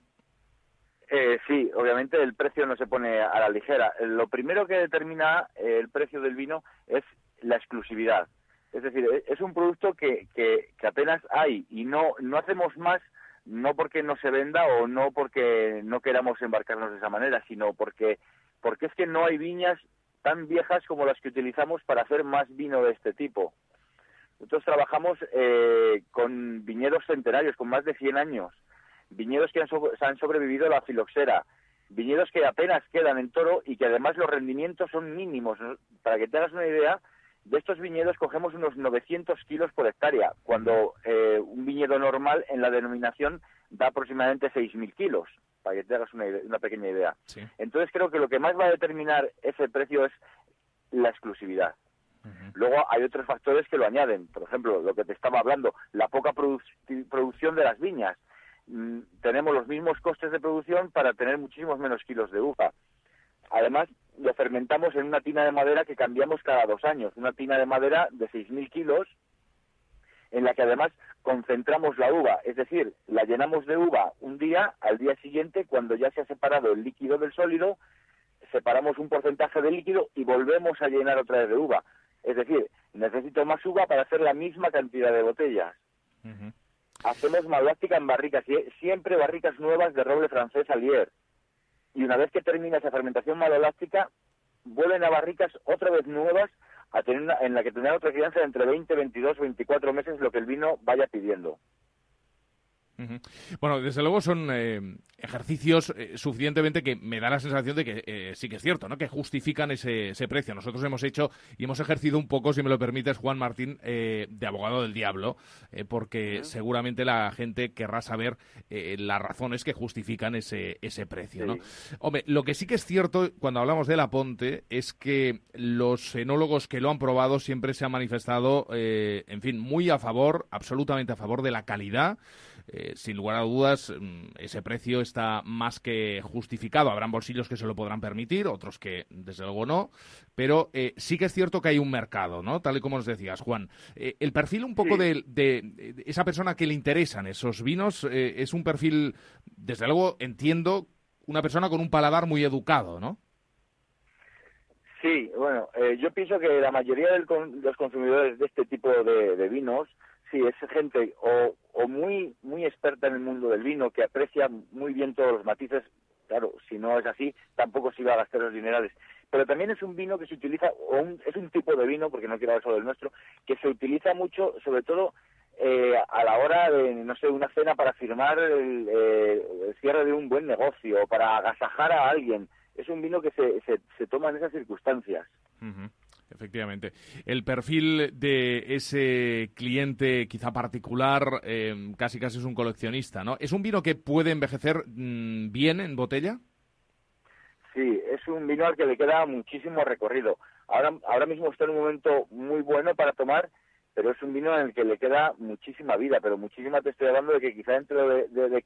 Eh, sí, obviamente el precio no se pone a la ligera. Lo primero que determina eh, el precio del vino es la exclusividad. Es decir, es un producto que, que, que apenas hay y no, no hacemos más, no porque no se venda o no porque no queramos embarcarnos de esa manera, sino porque, porque es que no hay viñas tan viejas como las que utilizamos para hacer más vino de este tipo. Nosotros trabajamos eh, con viñedos centenarios, con más de cien años, viñedos que han, so han sobrevivido a la filoxera, viñedos que apenas quedan en toro y que además los rendimientos son mínimos. Para que te hagas una idea, de estos viñedos cogemos unos novecientos kilos por hectárea, cuando eh, un viñedo normal en la denominación da aproximadamente seis mil kilos. Para que te hagas una, idea, una pequeña idea. Sí. Entonces creo que lo que más va a determinar ese precio es la exclusividad. Uh-huh. Luego hay otros factores que lo añaden. Por ejemplo, lo que te estaba hablando, la poca produ producción de las viñas. Mm, tenemos los mismos costes de producción para tener muchísimos menos kilos de uva. Además, lo fermentamos en una tina de madera que cambiamos cada dos años. Una tina de madera de seis mil kilos, en la que además concentramos la uva, es decir, la llenamos de uva un día, al día siguiente, cuando ya se ha separado el líquido del sólido, separamos un porcentaje de líquido y volvemos a llenar otra vez de uva. Es decir, necesito más uva para hacer la misma cantidad de botellas. Uh-huh. Hacemos malolástica en barricas, siempre barricas nuevas de roble francés Allier. Y una vez que termina esa fermentación malolástica, vuelven a barricas otra vez nuevas a tener una, en la que tendrán otra crianza de entre veinte, veintidós, veinticuatro meses, lo que el vino vaya pidiendo. Uh-huh. Bueno, desde luego son eh, ejercicios eh, suficientemente que me da la sensación de que eh, sí que es cierto, ¿no? Que justifican ese, ese precio. Nosotros hemos hecho y hemos ejercido un poco, si me lo permites, Juan Martín, eh, de abogado del diablo, eh, porque uh-huh. seguramente la gente querrá saber eh, las razones que justifican ese, ese precio, ¿no? Sí. Hombre, lo que sí que es cierto cuando hablamos del Aponte es que los enólogos que lo han probado siempre se han manifestado, eh, en fin, muy a favor, absolutamente a favor de la calidad. Eh, sin lugar a dudas, ese precio está más que justificado. Habrán bolsillos que se lo podrán permitir, otros que desde luego no, pero eh, sí que es cierto que hay un mercado, ¿no? Tal y como nos decías, Juan. Eh, el perfil un poco sí. de, de, de esa persona que le interesan esos vinos eh, es un perfil, desde luego entiendo, una persona con un paladar muy educado, ¿no? Sí, bueno, eh, yo pienso que la mayoría de los consumidores de este tipo de, de vinos, sí, es gente o, o muy muy experta en el mundo del vino, que aprecia muy bien todos los matices. Claro, si no es así, tampoco se iba a gastar los dinerales. Pero también es un vino que se utiliza, o un, es un tipo de vino, porque no quiero hablar solo del nuestro, que se utiliza mucho, sobre todo eh, a la hora de, no sé, una cena para firmar el, eh, el cierre de un buen negocio, o para agasajar a alguien. Es un vino que se, se, se toma en esas circunstancias. Uh-huh. Efectivamente. El perfil de ese cliente quizá particular eh, casi casi es un coleccionista, ¿no? ¿Es un vino que puede envejecer mmm, bien en botella? Sí, es un vino al que le queda muchísimo recorrido. Ahora, ahora mismo está en un momento muy bueno para tomar, pero es un vino en el que le queda muchísima vida, pero muchísima te estoy hablando de que quizá dentro de, de, de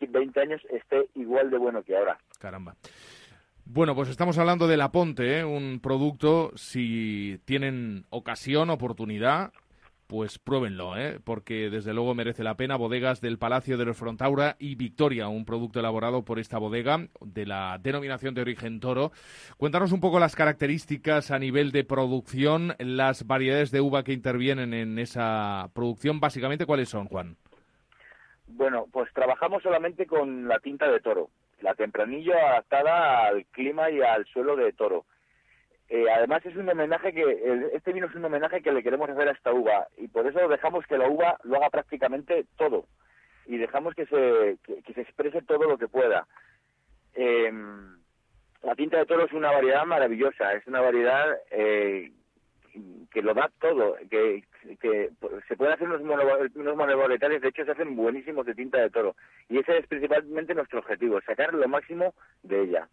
veinte años esté igual de bueno que ahora. Caramba. Bueno, pues estamos hablando del Aponte, ¿eh? Un producto, si tienen ocasión, oportunidad, pues pruébenlo, ¿eh? Porque desde luego merece la pena. Bodegas del Palacio de los Frontaura y Victoria, un producto elaborado por esta bodega de la denominación de origen Toro. Cuéntanos un poco las características a nivel de producción, las variedades de uva que intervienen en esa producción. Básicamente, ¿cuáles son, Juan? Bueno, pues trabajamos solamente con la tinta de Toro. La Tempranillo adaptada al clima y al suelo de Toro. Eh, además es un homenaje que, el, este vino es un homenaje que le queremos hacer a esta uva, y por eso dejamos que la uva lo haga prácticamente todo, y dejamos que se, que, que se exprese todo lo que pueda. Eh, la tinta de Toro es una variedad maravillosa, es una variedad eh, que lo da todo, que, que se pueden hacer unos, mono, unos monoboletales, de hecho se hacen buenísimos de tinta de toro, y ese es principalmente nuestro objetivo, sacar lo máximo de ella.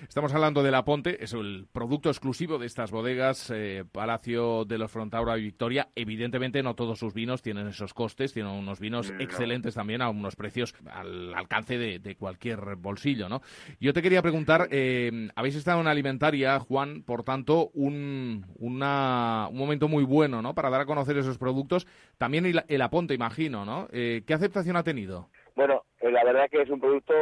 Estamos hablando de La Ponte, es el producto exclusivo de estas bodegas, eh, Palacio de los Frontaura y Victoria. Evidentemente no todos sus vinos tienen esos costes, tienen unos vinos no. excelentes también a unos precios al alcance de, de cualquier bolsillo, ¿no? Yo te quería preguntar, eh, habéis estado en Alimentaria, Juan, por tanto, un, una, un momento muy bueno, ¿no?, para dar a conocer esos productos. También el, el La Ponte, imagino, ¿no? Eh, ¿Qué aceptación ha tenido? Bueno, la verdad que es un producto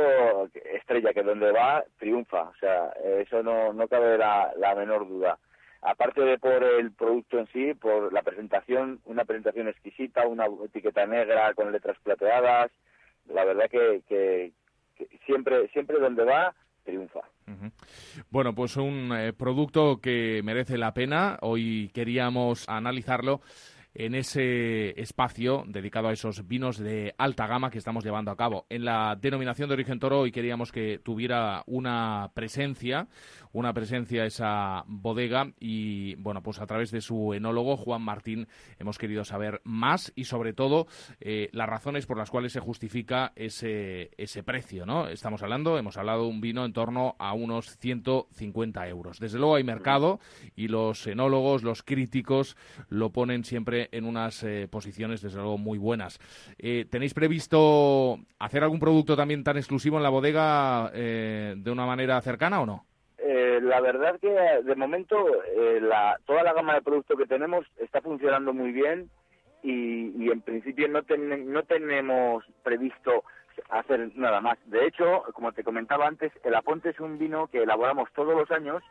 estrella, que donde va, triunfa. O sea, eso no, no cabe la, la menor duda. Aparte de por el producto en sí, por la presentación, una presentación exquisita, una etiqueta negra con letras plateadas, la verdad que, que, que siempre, siempre donde va, triunfa. Uh-huh. Bueno, pues un eh, producto que merece la pena. Hoy queríamos analizarlo en ese espacio dedicado a esos vinos de alta gama que estamos llevando a cabo. En la denominación de origen Toro hoy queríamos que tuviera una presencia, una presencia esa bodega y, bueno, pues a través de su enólogo, Juan Martín, hemos querido saber más y, sobre todo, eh, las razones por las cuales se justifica ese, ese precio, ¿no? Estamos hablando, hemos hablado de un vino en torno a unos ciento cincuenta euros. Desde luego hay mercado y los enólogos, los críticos, lo ponen siempre en unas eh, posiciones, desde luego, muy buenas. Eh, ¿Tenéis previsto hacer algún producto también tan exclusivo en la bodega eh, de una manera cercana o no? Eh, la verdad que de momento eh, la, toda la gama de productos que tenemos está funcionando muy bien y, y en principio no, ten, no tenemos previsto hacer nada más. De hecho, como te comentaba antes, el La Ponte es un vino que elaboramos todos los años,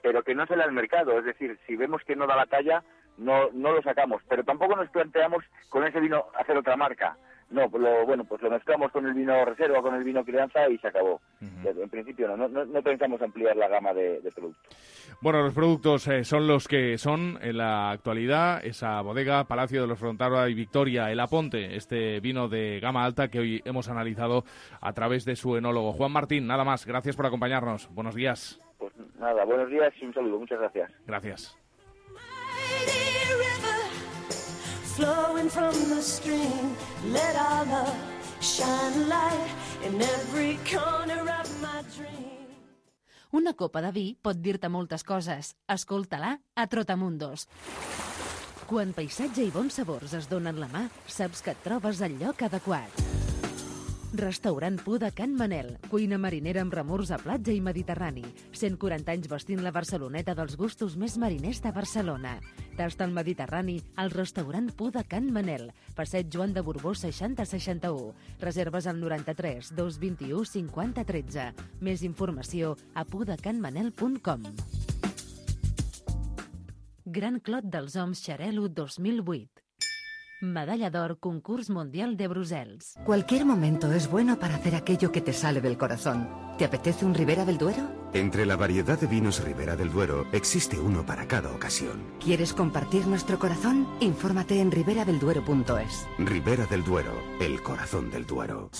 pero que no sale al mercado. Es decir, si vemos que no da la talla, no no lo sacamos, pero tampoco nos planteamos con ese vino hacer otra marca. No, lo, bueno, pues lo mezclamos con el vino reserva, con el vino crianza y se acabó. Uh-huh. En principio no, no, no pensamos ampliar la gama de, de productos. Bueno, los productos eh, son los que son en la actualidad. Esa bodega, Palacio de los Frontaura y Victoria, el La Ponte, este vino de gama alta que hoy hemos analizado a través de su enólogo. Juan Martín, nada más, gracias por acompañarnos. Buenos días. Pues nada, buenos días y un saludo. Muchas gracias. Gracias. Flowing from the stream, let our love shine a light in every corner of my dream. Una copa de vi pot dir-te moltes coses. Escolta-la a Trotamundos. Quan paisatge i bons sabors es donen la mà, saps que et trobes al lloc adequat. Restaurant Pu de Can Manel, cuina marinera amb remors a platja i mediterrani. cent quaranta anys vestint la Barceloneta dels gustos més mariners de Barcelona. Tasta el Mediterrani al restaurant Pu de Can Manel, passeig Joan de Borbó seixanta seixanta-u. Reserves al noranta-tres dos vint-i-u cinquanta tretze. Més informació a pudecanmanel punt com. Gran Clot dels Oms Xarel·lo dos mil vuit. Medalla d'Or Concurs Mundial de Bruselas. Cualquier momento es bueno para hacer aquello que te sale del corazón. ¿Te apetece un Ribera del Duero? Entre la variedad de vinos Ribera del Duero existe uno para cada ocasión. ¿Quieres compartir nuestro corazón? Infórmate en ribera del duero punto es. Ribera del Duero, el corazón del Duero.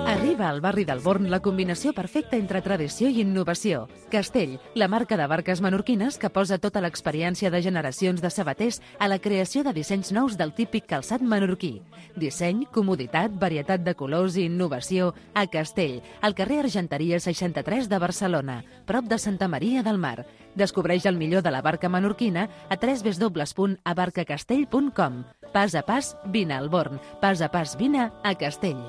Arriba al barri del Born la combinació perfecta entre tradició i innovació. Castell, la marca de barques menorquines que posa tota l'experiència de generacions de sabaters a la creació de dissenys nous del típic calçat menorquí. Disseny, comoditat, varietat de colors i innovació a Castell, al carrer Argenteria seixanta-tres de Barcelona, prop de Santa Maria del Mar. Descobreix el millor de la barca menorquina a w w w punt abarcacastell punt com. Pas a pas, vine al Born. Pas a pas, vine a Castell.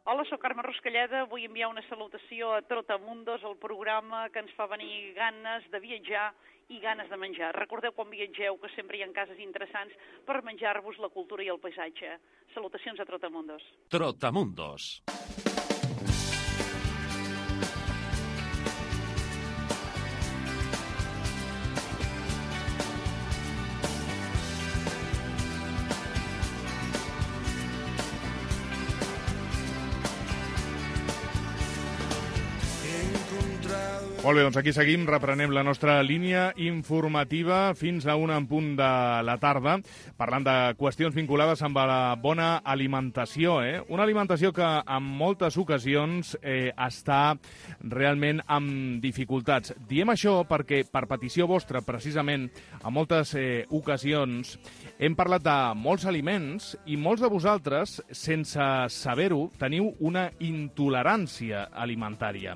Hola, soc Carme Ruscalleda. Vull enviar una salutació a Trotamundos, el programa que ens fa venir ganes de viatjar i ganes de menjar. Recordeu quan viatgeu que sempre hi ha cases interessants per menjar-vos la cultura i el paisatge. Salutacions a Trotamundos. Trotamundos. He encontrado Molt bé, doncs aquí seguim, reprenem la nostra línia informativa fins a una en punt de la tarda, parlant de qüestions vinculades amb la bona alimentació, eh? Una alimentació que en moltes ocasions eh, està realment amb dificultats. Diem això perquè, per petició vostra, precisament, en moltes eh, ocasions hem parlat de molts aliments i molts de vosaltres, sense saber-ho, teniu una intolerància alimentària.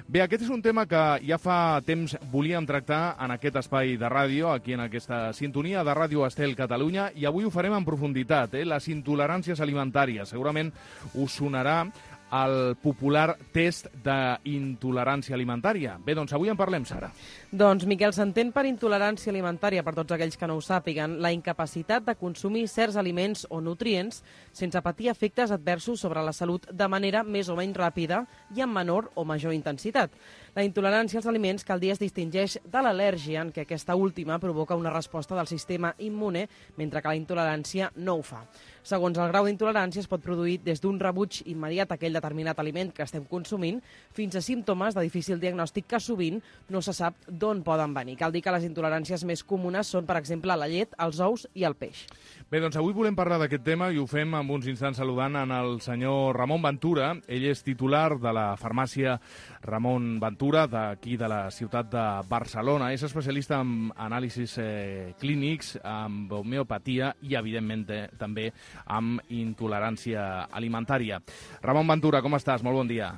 Bé, aquest és un tema que ja fa temps volíem tractar en aquest espai de ràdio, aquí en aquesta sintonia de Ràdio Estel Catalunya, i avui ho farem en profunditat, eh? Les intoleràncies alimentàries. Segurament us sonarà el popular test d'intolerància alimentària. Bé, doncs avui en parlem, Sara. Doncs, Miquel, s'entén per intolerància alimentària, per tots aquells que no ho sàpiguen, la incapacitat de consumir certs aliments o nutrients sense patir efectes adversos sobre la salut de manera més o menys ràpida i amb menor o major intensitat. La intolerància als aliments que al dia es distingeix de l'al·lèrgia, en què aquesta última provoca una resposta del sistema immune, mentre que la intolerància no ho fa. Segons el grau d'intolerància, es pot produir des d'un rebuig immediat a aquell determinat aliment que estem consumint fins a símptomes de difícil diagnòstic que sovint no se sap d'on poden venir. Cal dir que les intoleràncies més comunes són, per exemple, la llet, els ous i el peix. Bé, doncs avui volem parlar d'aquest tema i ho fem en uns instants saludant en el senyor Ramon Ventura. Ell és titular de la farmàcia Ramon Ventura, d'aquí de la ciutat de Barcelona. És especialista en anàlisis eh, clínics, amb homeopatia i, evidentment, eh, també amb intolerància alimentària. Ramon Ventura, com estàs? Molt bon dia.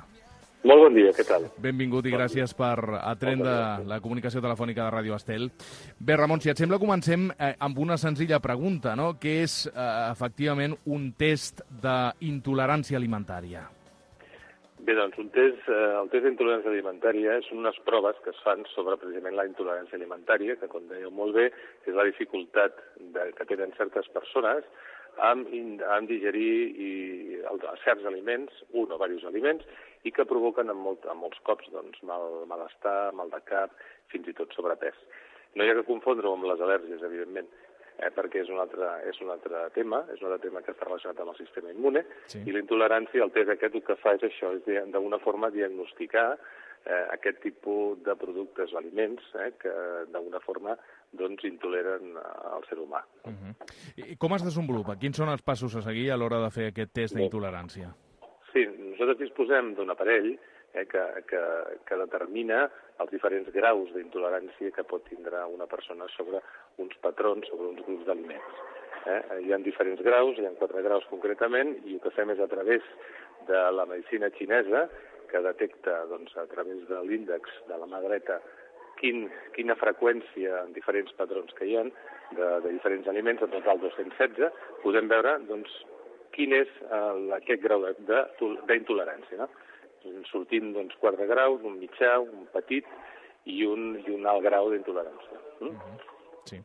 Molt bon dia, què tal? Benvingut i gràcies per atendre la comunicació telefònica de Ràdio Estel. Bé, Ramon, si et sembla, comencem eh, amb una senzilla pregunta, no? Què és, eh, efectivament, un test d'intolerància alimentària? Bé, doncs, un test, eh, el test d'intolerància alimentària són unes proves que es fan sobre precisament la intolerància alimentària, que, com dèieu molt bé, és la dificultat de, que tenen certes persones amb, amb digerir i, el, certs aliments, un o diversos aliments, i que provoquen en, molt, en molts cops doncs, mal, malestar, mal de cap, fins i tot sobrepès. No hi ha que confondre-ho amb les al·lèrgies, evidentment, eh, perquè és un, altre, és un altre tema, és un altre tema que està relacionat amb el sistema immune, sí. I la intolerància, el test aquest, el que fa és això, és d'alguna forma diagnosticar eh, aquest tipus de productes o aliments eh, que d'alguna forma doncs intoleren al ser humà. Uh-huh. I com es desenvolupa? Quins són els passos a seguir a l'hora de fer aquest test d'intolerància? Sí, nosaltres disposem d'un aparell eh, que, que, que determina els diferents graus d'intolerància que pot tindre una persona sobre uns patrons, sobre uns grups d'aliments. Eh? Hi ha diferents graus, hi ha quatre graus concretament, i el que fem és a través de la medicina xinesa, que detecta doncs, a través de l'índex de la mà dreta Quin, quina freqüència en diferents patrons que hi ha de, de diferents aliments, en total dos-cents setze, podem veure doncs, quin és eh, aquest grau d'intolerància. No? Sortint doncs, quatre graus, un mitjà, un petit i un, i un alt grau d'intolerància. Mm? Uh-huh. Sí.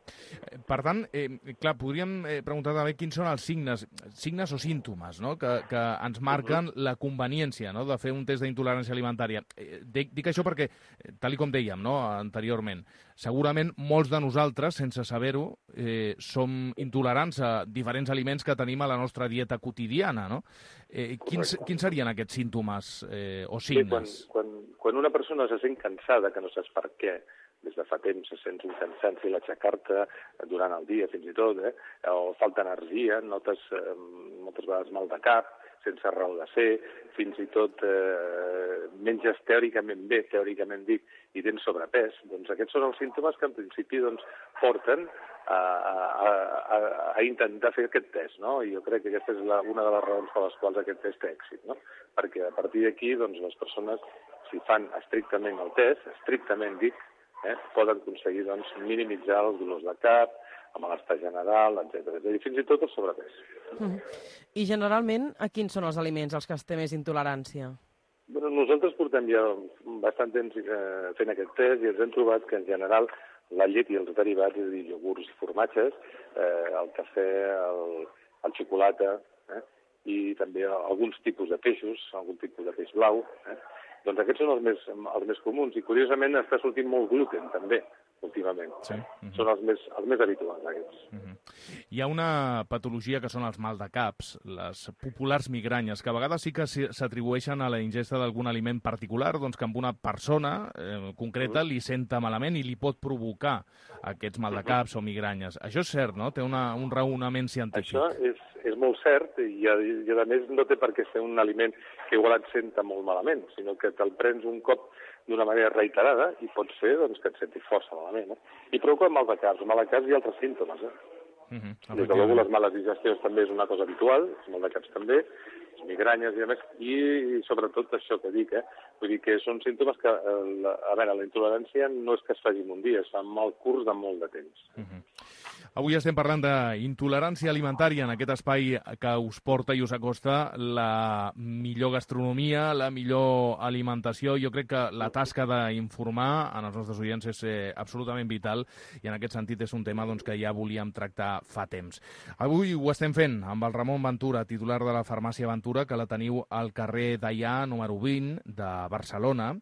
Per tant, eh, clar, podríem eh, preguntar també quins són els signes, signes o símptomes, no? que, que ens marquen uh-huh. la conveniència, no? de fer un test d'intolerància alimentària. Eh, dic, dic això perquè, tal com dèiem no? anteriorment, segurament molts de nosaltres, sense saber-ho, eh, som intolerants a diferents aliments que tenim a la nostra dieta quotidiana. No? Eh, quins, quins serien aquests símptomes eh, o signes? Sí, quan, quan, quan una persona se sent cansada, que no saps per què, des de fa temps sents un cansanci a l'aixecar-te durant el dia fins i tot, eh? o falta energia, notes eh, moltes vegades mal de cap, sense raó de ser, fins i tot eh, menges teòricament bé, teòricament dic, i tens sobrepès, doncs aquests són els símptomes que en principi doncs, porten a, a, a, a intentar fer aquest test, no? I jo crec que aquesta és la, una de les raons per les quals aquest test té èxit, no? Perquè a partir d'aquí doncs, les persones, si fan estrictament el test, estrictament dic, Eh, poden aconseguir doncs, minimitzar els dolors de cap, el malestar general, etcètera. I fins i tot el sobrepès. Mm. I generalment, a quins són els aliments als que es té més intolerància? Bueno, nosaltres portem ja bastant temps eh, fent aquest test i ens hem trobat que en general la llet i els derivats, és a dir, iogurts i formatges, eh, el cafè, el, el xocolata, eh, i també alguns tipus de peixos, algun tipus de peix blau, eh, doncs aquests són els més, els més comuns i curiosament està sortint molt gluten també, últimament. Sí. Uh-huh. Són els més, els més habituals, aquests. Uh-huh. Hi ha una patologia que són els maldecaps, les populars migranyes, que a vegades sí que s'atribueixen a la ingesta d'algun aliment particular, doncs que amb una persona eh, concreta uh-huh. li senta malament i li pot provocar aquests maldecaps uh-huh. o migranyes. Això és cert, no? Té una, un raonament científic. Això és, és molt cert i a, i a més no té per què ser un aliment que igual et senta molt malament, sinó que te'l prens un cop d'una manera reiterada i pot ser doncs, que et sentis força malament. Eh? I provoca mal de caps. Mal de caps i altres símptomes. Eh? Uh-huh. Des de llavors, les males digestions també és una cosa habitual, els mal de caps també, les migranyes i a més, i, i sobretot això que dic, eh? Vull dir que són símptomes que, eh, la, a veure, la intolerància no és que es faci en un dia, es fa en mal curs de molt de temps. Uh-huh. Avui estem parlant d'intolerància alimentària en aquest espai que us porta i us acosta la millor gastronomia, la millor alimentació. Jo crec que la tasca d'informar en els nostres oients és eh, absolutament vital i en aquest sentit és un tema doncs, que ja volíem tractar fa temps. Avui ho estem fent amb el Ramon Ventura, titular de la farmàcia Ventura, que la teniu al carrer Deià, número vint, de Barcelona.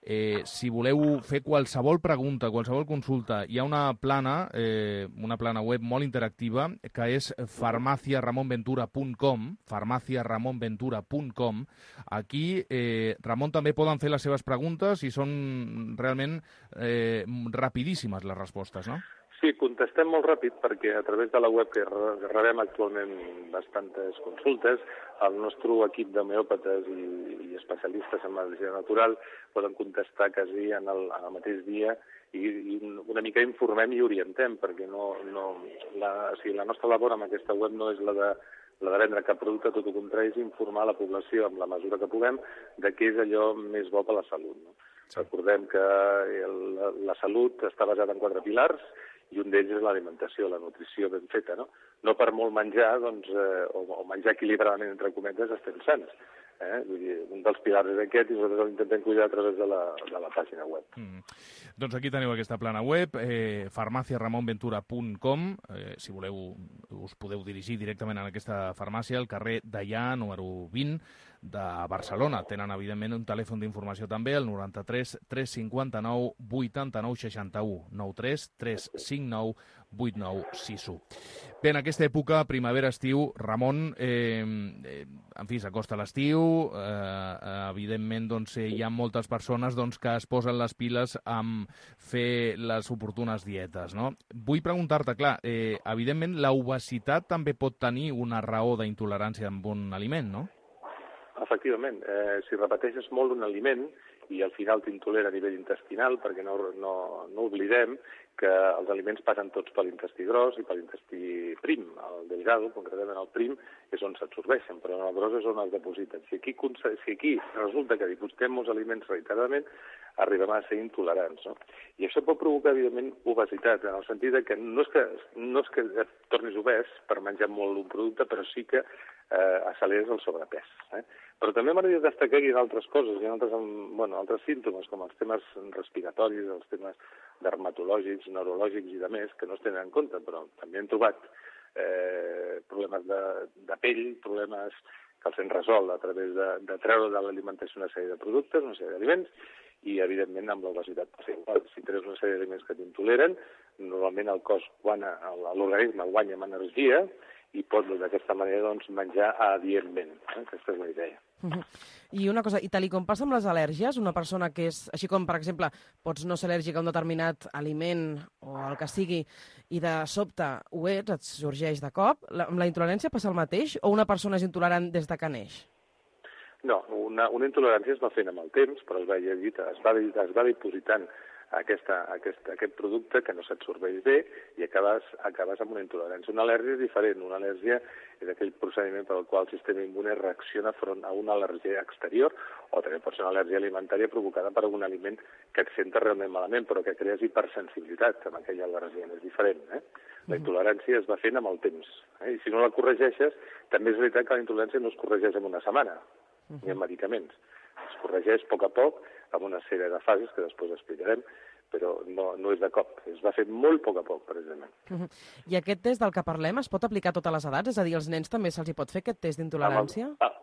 Eh, si voleu fer qualsevol pregunta, qualsevol consulta, hi ha una plana, eh, una plana web molt interactiva que és farmacia ramon ventura punt com, farmacia ramon ventura punt com. Aquí, eh, Ramon, també poden fer les seves preguntes i són realment eh, rapidíssimes les respostes, no? Sí, contestem molt ràpid perquè a través de la web que rebem actualment bastantes consultes, el nostre equip d'homeòpates i, i especialistes en medicina natural poden contestar quasi en el, en el mateix dia i, i una mica informem i orientem, perquè no, no, la, o sigui, la nostra labor amb aquesta web no és la de, la de vendre cap producte, tot el contrari, és informar la població amb la mesura que puguem de què és allò més bo per la salut. No? Recordem que el, la, la salut està basada en quatre pilars, i un d'ells és l'alimentació, la nutrició ben feta, no? No per molt menjar, doncs, eh, o, o menjar equilibradament, entre cometes, estem sants. Eh? Vull dir, un dels pilars és aquest i nosaltres l'intentem cuidar a través de la, de la pàgina web. Mm. Doncs aquí teniu aquesta plana web, eh, farmacia ramon ventura punt com. Eh, si voleu, us podeu dirigir directament a aquesta farmàcia, al carrer Deià, número vint, de Barcelona. Tenen, evidentment, un telèfon d'informació també, el noranta-tres tres cinquanta-nou vuitanta-nou seixanta-u, nou tres tres cinc nou vuit nou sis u. Bé, en aquesta època, primavera-estiu, Ramon, eh, eh, en fi, s'acosta l'estiu, eh, evidentment doncs, hi ha moltes persones doncs, que es posen les piles amb fer les oportunes dietes, no? Vull preguntar-te, clar, eh, evidentment l'obesitat també pot tenir una raó d'intolerància amb un aliment, no? Efectivament, eh, si repeteixes molt un aliment i al final t'intolera a nivell intestinal, perquè no, no, no oblidem que els aliments passen tots per l'intestí gros i per l'intestí prim. El delgado, concretament el prim, és on s'absorbeixen, però el gros és on es depositen. Si aquí, si aquí resulta que dipositem molts aliments reiteradament, arribem a ser intolerants, no? I això pot provocar, evidentment, obesitat, en el sentit que no és que, no és que et tornis obès per menjar molt un producte, però sí que eh, acceleres el sobrepès. Eh? Però també m'agradaria destacar que hi ha altres coses, hi ha altres, bueno, altres símptomes, com els temes respiratoris, els temes dermatològics, neurològics i de més, que no es tenen en compte, però també hem trobat eh, problemes de, de pell, problemes que els hem resolt a través de, de treure de l'alimentació una sèrie de productes, una sèrie d'aliments, i, evidentment, amb l'obesitat passa igual. Si treus una sèrie d'aliments que t'intoleren, normalment el cos, l'organisme guanya amb energia i pot, d'aquesta manera, doncs, menjar adientment. Eh? Aquesta és la idea. Uh-huh. I una cosa, i tal i com passa amb les al·lèrgies, una persona que és, així com, per exemple, pots no ser al·lèrgic a un determinat aliment o el que sigui, i de sobte ho ets, et sorgeix de cop, la, amb la intolerància passa el mateix, o una persona és intolerant des de que neix? No, una, una intolerància es va fent amb el temps, però es va, llegit, es va, es va dipositant aquesta, aquest, aquest producte que no s'absorbeix bé i acabes, acabes amb una intolerància. Una al·lèrgia és diferent. Una al·lèrgia és aquell procediment per al qual el sistema immune reacciona front a una al·lèrgia exterior, o també pot ser una al·lèrgia alimentària provocada per algun aliment que et senta realment malament, però que crees hipersensibilitat amb aquella al·lèrgia. És diferent, eh? La intolerància es va fent amb el temps. Eh? I si no la corregeixes, també és veritat que la intolerància no es corregeix en una setmana, ni amb medicaments. Es corregeix a poc a poc, amb una sèrie de fases que després explicarem, però no, no és de cop. Es va fer molt a poc a poc, precisament. Uh-huh. I aquest test del que parlem es pot aplicar a totes les edats? És a dir, als nens també se'ls hi pot fer aquest test d'intolerància? Amb, el,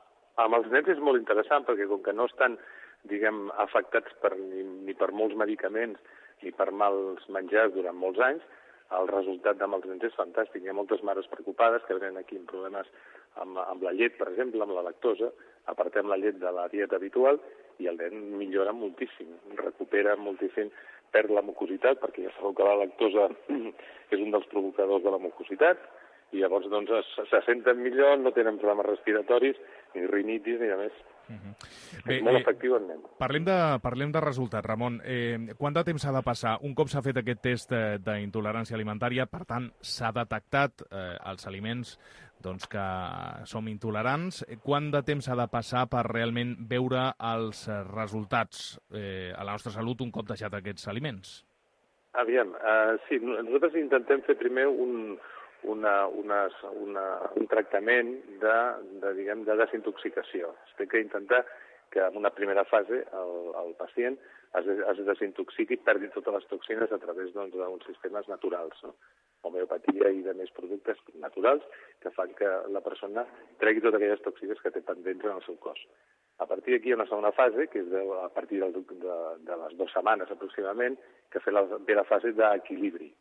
amb els nens és molt interessant, perquè com que no estan, diguem, afectats per, ni, ni per molts medicaments, ni per mals menjars durant molts anys, el resultat amb els nens és fantàstic. Hi ha moltes mares preocupades que venen aquí amb problemes amb, amb la llet, per exemple, amb la lactosa, apartem la llet de la dieta habitual i el nen millora moltíssim, recupera moltíssim, perd la mucositat, perquè ja sabeu que la lactosa és un dels provocadors de la mucositat, i llavors doncs, se senten millor, no tenen problemes respiratoris, ni rinitis, ni de més. Uh-huh. Bé, és molt eh, efectiu en nen. Parlem de, parlem de resultats, Ramon. Eh, quant de temps s'ha de passar? Un cop s'ha fet aquest test eh, d'intolerància alimentària, per tant, s'ha detectat eh, els aliments doncs, que som intolerants. Quant de temps s'ha de passar per realment veure els resultats eh, a la nostra salut un cop deixat aquests aliments? Aviam, uh, sí, nosaltres intentem fer primer un, una, una, una, un tractament de, de, diguem, de desintoxicació. Es té que intentar que en una primera fase el, el pacient es, es desintoxiqui i perdi totes les toxines a través doncs, d'uns sistemes naturals, no? Homeopatia i de més productes naturals que fan que la persona tregui totes aquelles toxines que té pendents en el seu cos. A partir d'aquí hi ha una segona fase, que és de, a partir del, de, de les dues setmanes aproximadament, que ve la, ve la fase d'equilibri.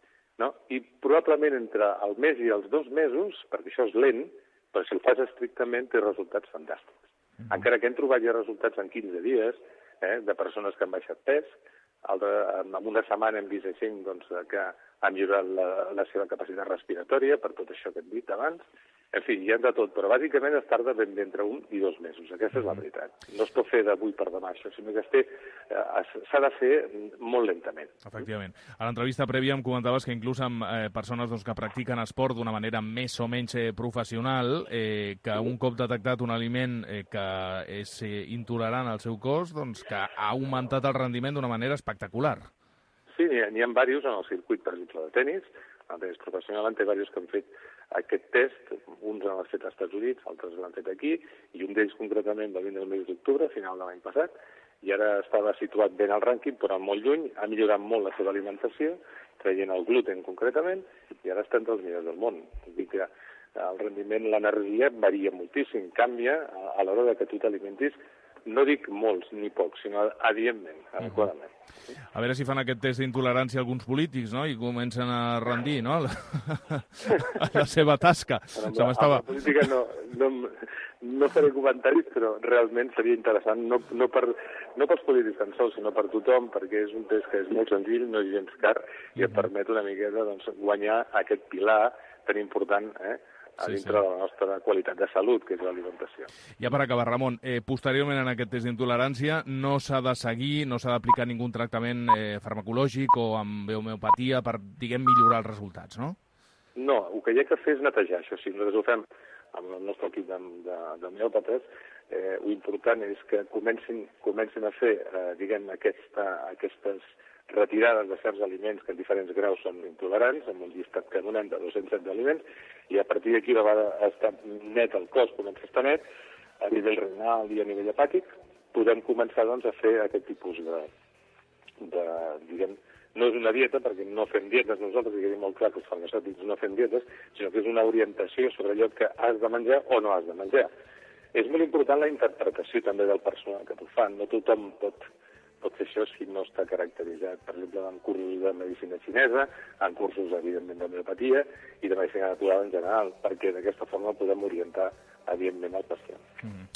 No? I probablement entre el mes i els dos mesos, perquè això és lent, però si ho fas estrictament té resultats fantàstics. Mm-hmm. Encara que hem trobat ja resultats en quinze dies, eh, de persones que han baixat pes, altre, en una setmana hem vist així, doncs, que han millorat la, la seva capacitat respiratòria per tot això que hem dit abans. En fi, hi ha de tot, però bàsicament es tarda ben bé entre un i dos mesos. Aquesta és la veritat. No es pot fer d'avui per demà, això, sinó que té, eh, s'ha de fer molt lentament. Efectivament. A l'entrevista prèvia em comentaves que inclús amb eh, persones doncs, que practiquen esport d'una manera més o menys eh, professional, eh, que un cop detectat un aliment eh, que és eh, intolerant al seu cos, doncs que ha augmentat el rendiment d'una manera espectacular. Sí, n'hi ha, n'hi ha diversos en el circuit, per exemple, de tenis. El tenis professional en té diversos que han fet aquest test. Uns l'han fet als Estats Units, altres l'han fet aquí, i un d'ells concretament va vindre el mes d'octubre, a final de l'any passat, i ara estava situat ben al rànquing, però molt lluny, ha millorat molt la seva alimentació, traient el gluten concretament, i ara està entre els millors del món. Vull dir que el rendiment, l'energia varia moltíssim, canvia a l'hora de que tu t'alimentis, no dic molts ni pocs, sinó adientment, adequadament. A veure si fan aquest test d'intolerància alguns polítics, no?, i comencen a rendir, no?, la, la seva tasca. Però amb, la, amb la política no, no, no faré comentaris, però realment seria interessant, no, no, per, no pels polítics tan sols, sinó per tothom, perquè és un test que és molt senzill, no és gens car, i et permet una miqueta doncs, guanyar aquest pilar tan important, eh?, a dintre sí, sí. de la nostra qualitat de salut, que és l'alimentació. Ja per acabar, Ramon, eh, posteriorment en aquest test d'intolerància no s'ha de seguir, no s'ha d'aplicar ningú tractament eh, farmacològic o amb homeopatia per, diguem, millorar els resultats, no? No, el que hi ha que fer és netejar, això sí, nosaltres ho fem amb el nostre equip d'homeòpates, eh, l'important és que comencin, comencin a fer, eh, diguem, aquesta, aquestes retirades de certs aliments que en diferents graus són intolerants, amb un llistat que donem de dos-cents set aliments, i a partir d'aquí, una vegada està net el cos, comença a estar net, a nivell renal i a nivell hepàtic, podem començar doncs, a fer aquest tipus de, de, diguem, no és una dieta, perquè no fem dietes nosaltres, i quedi molt clar que els farmacèutics no fem dietes, sinó que és una orientació sobre allò que has de menjar o no has de menjar. És molt important la interpretació també del personal que t'ho fan, no tothom pot pot fer això si no està caracteritzat, per exemple, en cursos de medicina xinesa, en cursos, evidentment, d'homeopatia i de medicina natural en general, perquè d'aquesta forma podem orientar, evidentment, el pacient. Mm.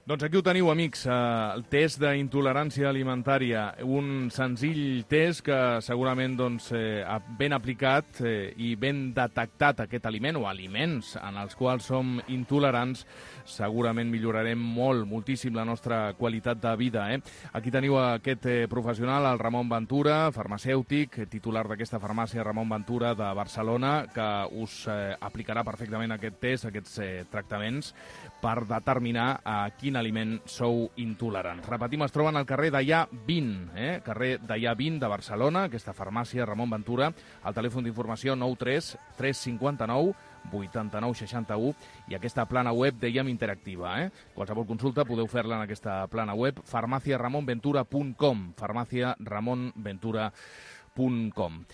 Doncs aquí ho teniu, amics, eh, el test d'intolerància alimentària, un senzill test que segurament doncs, eh, ben aplicat eh, i ben detectat aquest aliment o aliments en els quals som intolerants, segurament millorarem molt, moltíssim la nostra qualitat de vida. Eh? Aquí teniu aquest eh, professional, el Ramon Ventura, farmacèutic, titular d'aquesta farmàcia Ramon Ventura de Barcelona, que us eh, aplicarà perfectament aquest test, aquests eh, tractaments, per determinar a quin aliment sou intolerants. Repetim, es troben al carrer Deià vint, eh? carrer Deià vint de Barcelona, aquesta farmàcia Ramon Ventura, al telèfon d'informació nou tres tres cinc nou vuitanta-nou seixanta-u i aquesta plana web Dèiem interactiva. Eh? Qualsevol consulta podeu fer-la en aquesta plana web farmàcia ramon ventura punt com farmàcia ramon ventura punt com.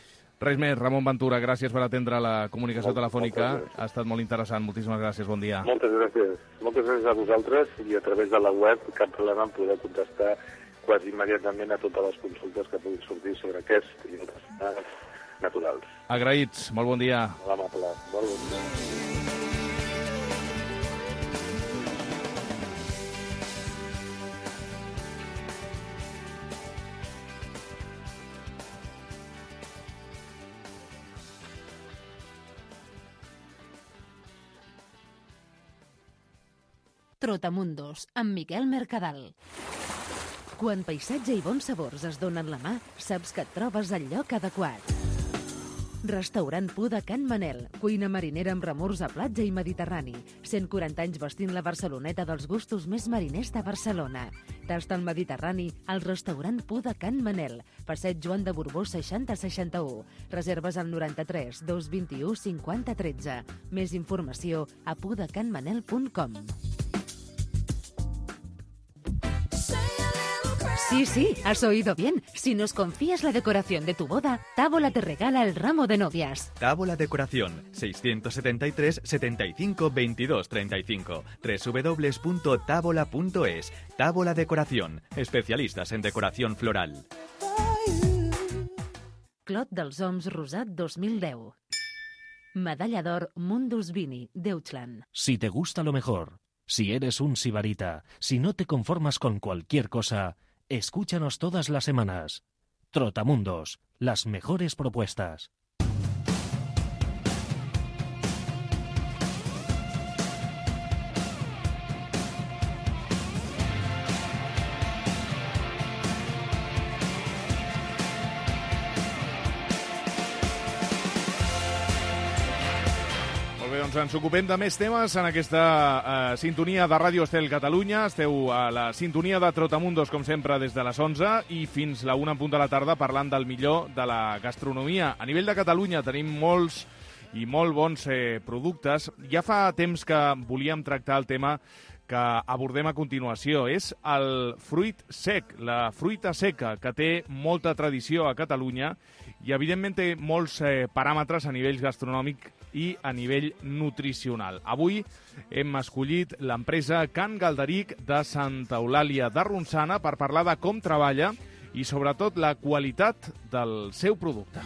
Res més, Ramon Ventura, gràcies per atendre la comunicació molt, telefònica. Ha estat molt interessant. Moltíssimes gràcies. Bon dia. Moltes gràcies. Moltes gràcies a vosaltres i a través de la web cap problema en poder contestar quasi immediatament a totes les consultes que puguin sortir sobre aquest i altres temes naturals. Agraïts, molt bon dia. Molt amable, molt bon dia. Trotamundos, amb Miquel Mercadal. Quan paisatge i bons sabors es donen la mà, saps que et trobes al lloc adequat. Restaurant Pu de Can Manel, cuina marinera amb remors a platja i mediterrani. cent quaranta anys vestint la Barceloneta dels gustos més mariners de Barcelona. Tasta el Mediterrani al restaurant Pu de Can Manel, passeig Joan de Borbó seixanta seixanta-u. Reserves al noranta-tres dos vint-i-u cinquanta tretze. Més informació a pudecanmanel punt com. Sí, sí, has oído bien. Si nos confías la decoración de tu boda, Tábola te regala el ramo de novias. Tábola Decoración, seiscientos setenta y tres, setenta y cinco, veintidós, treinta y cinco. doble u doble u doble u punto tábola punto es. Tábola Decoración, especialistas en decoración floral. Clot dels Oms Rosat dos mil deu. Medalla d'or Mundus Vini, Deutschland. Si te gusta lo mejor, si eres un sibarita, si no te conformas con cualquier cosa, escúchanos todas las semanas. Trotamundos, las mejores propuestas. Doncs ens ocupem de més temes en aquesta eh, sintonia de Ràdio Estel Catalunya. Esteu a la sintonia de Trotamundos, com sempre, des de les onze i fins la una en punt de la tarda parlant del millor de la gastronomia. A nivell de Catalunya tenim molts i molt bons eh, productes. Ja fa temps que volíem tractar el tema que abordem a continuació. És el fruit sec, la fruita seca, que té molta tradició a Catalunya i, evidentment, té molts eh, paràmetres a nivell gastronòmic i a nivell nutricional. Avui hem escollit l'empresa Can Galderic de Santa Eulàlia de Ronçana per parlar de com treballa i, sobretot, la qualitat del seu producte.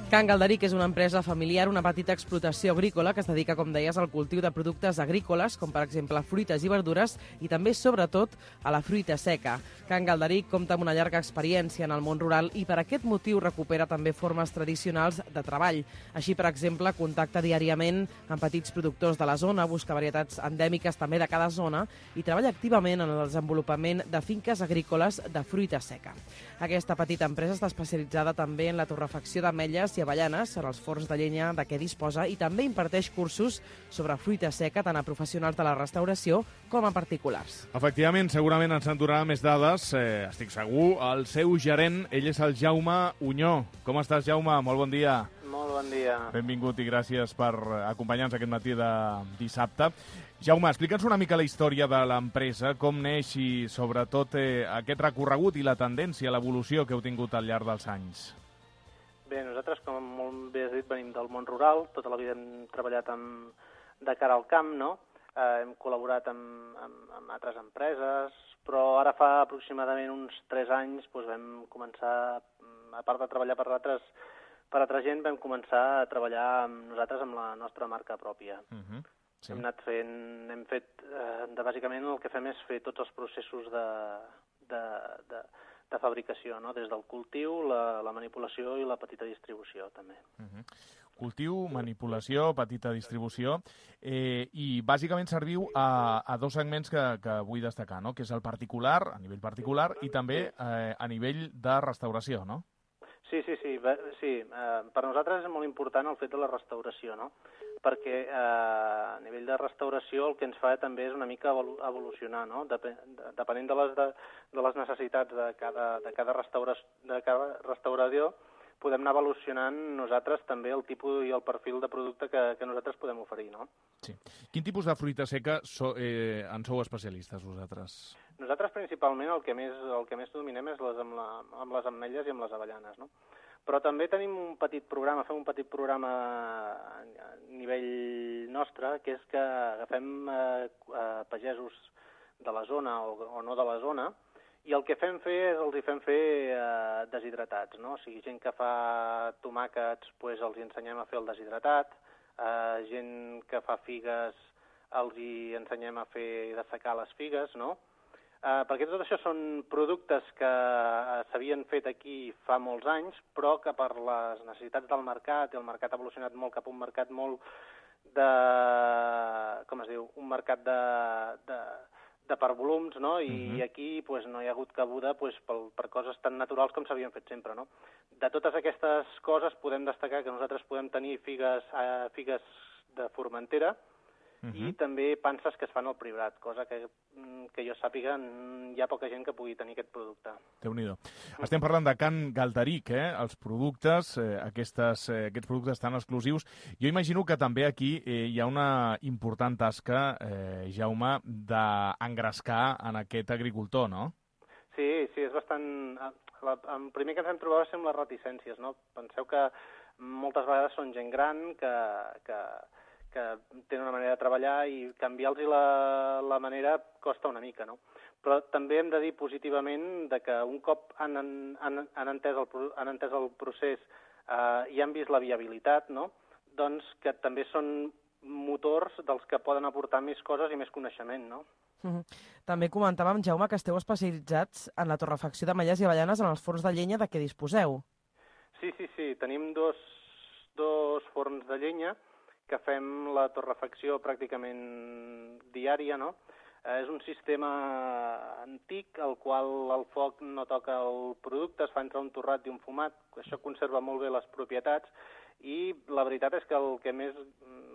Can Galderic és una empresa familiar, una petita explotació agrícola que es dedica, com deies, al cultiu de productes agrícoles, com per exemple fruites i verdures, i també, sobretot, a la fruita seca. Can Galderic compta amb una llarga experiència en el món rural i per aquest motiu recupera també formes tradicionals de treball. Així, per exemple, contacta diàriament amb petits productors de la zona, busca varietats endèmiques també de cada zona i treballa activament en el desenvolupament de finques agrícoles de fruita seca. Aquesta petita empresa està especialitzada també en la torrefacció d'ametlles i avellanes en els forns de llenya de què disposa i també imparteix cursos sobre fruita seca tant a professionals de la restauració com a particulars. Efectivament, segurament ens en donarà més dades, eh, estic segur. El seu gerent, ell és el Jaume Unyó. Com estàs, Jaume? Molt bon dia. Molt bon dia. Benvingut i gràcies per acompanyar-nos aquest matí de dissabte. Jaume, explica'ns una mica la història de l'empresa, com neix i, sobretot, eh, aquest recorregut i la tendència, l'evolució que heu tingut al llarg dels anys. Bé, nosaltres, com molt bé has dit, venim del món rural, tota la vida hem treballat amb, de cara al camp, no? Eh, hem col·laborat amb, amb, amb altres empreses, però ara fa aproximadament uns tres anys doncs vam començar, a part de treballar per altres, per altra gent, vam començar a treballar amb nosaltres amb la nostra marca pròpia. Uh-huh. Sí. Hem anat fent, hem fet, eh, de, bàsicament el que fem és fer tots els processos de, de, de, de fabricació, no? Des del cultiu, la, la manipulació i la petita distribució, també. Uh-huh. Cultiu, manipulació, petita distribució, eh, i bàsicament serviu a, a dos segments que, que vull destacar, no? Que és el particular, a nivell particular, i també eh, a nivell de restauració, no? Sí, sí, sí. sí. Eh, per nosaltres és molt important el fet de la restauració, no? Perquè eh, a nivell de restauració el que ens fa també és una mica evolucionar, no? Dep depenent de les, de, de les necessitats de cada, de cada, restaura de cada restaurador, podem anar evolucionant nosaltres també el tipus i el perfil de producte que, que nosaltres podem oferir, no? Sí. Quin tipus de fruita seca so, eh, en sou especialistes vosaltres? Nosaltres principalment el que més, el que més dominem és les amb, la, amb les ametlles i amb les avellanes, no? Però també tenim un petit programa, fem un petit programa a nivell nostre, que és que agafem eh, pagesos de la zona o, o no de la zona, i el que fem fer és els hi fem fer eh, deshidratats, no? O sigui, gent que fa tomàquets, doncs els hi ensenyem a fer el deshidratat, eh, gent que fa figues els hi ensenyem a fer dessecar les figues, no? Eh, perquè tot això són productes que eh, s'havien fet aquí fa molts anys, però que per les necessitats del mercat, i el mercat ha evolucionat molt cap a un mercat molt de... com es diu? Un mercat de... de de per volums, no? I uh-huh. aquí pues, no hi ha hagut cabuda pues, per, per coses tan naturals com s'havien fet sempre, no? De totes aquestes coses podem destacar que nosaltres podem tenir figues, eh, figues de Formentera, uh-huh. i també panses que es fan al Priorat, cosa que, que jo sàpiga hi ha poca gent que pugui tenir aquest producte. Déu-n'hi-do. Estem parlant de Can Galderic, eh? Els productes, eh, aquestes, eh, aquests productes tan exclusius. Jo imagino que també aquí eh, hi ha una important tasca, eh, Jaume, d'engrescar en aquest agricultor, no? Sí, sí, és bastant... El primer que ens hem trobat va ser amb les reticències, no? Penseu que moltes vegades són gent gran que... que que tenen una manera de treballar i canviar-los la, la manera costa una mica, no? Però també hem de dir positivament de que un cop han, han, han, entès, el, han entès el procés eh, i han vist la viabilitat, no? Doncs que també són motors dels que poden aportar més coses i més coneixement, no? Uh-huh. També comentàvem, Jaume, que esteu especialitzats en la torrefacció d'ametlles i avellanes en els forns de llenya de què disposeu. Sí, sí, sí. Tenim dos, dos forns de llenya que fem la torrefacció pràcticament diària, no? Eh, és un sistema antic, al qual el foc no toca el producte, es fa entre un torrat i un fumat, això conserva molt bé les propietats, i la veritat és que el que més...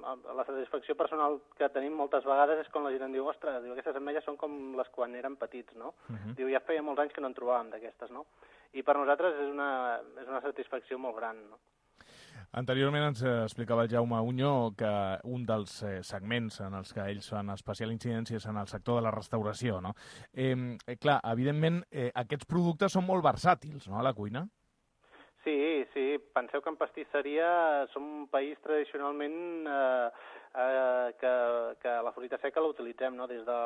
la satisfacció personal que tenim moltes vegades és quan la gent em diu, ostres, diu, aquestes ametlles són com les quan érem petits, no? Uh-huh. Diu, ja feia molts anys que no en trobàvem d'aquestes, no? I per nosaltres és una, és una satisfacció molt gran, no? Anteriorment ens explicava el Jaume Unyo que un dels eh, segments en els que ells fan especial incidència és en el sector de la restauració, no? Eh, eh, clar, evidentment, eh, aquests productes són molt versàtils, no?, a la cuina. Sí, sí. Penseu que en pastisseria som un país tradicionalment eh, eh, que, que la fruita seca la utilitzem, no?, des de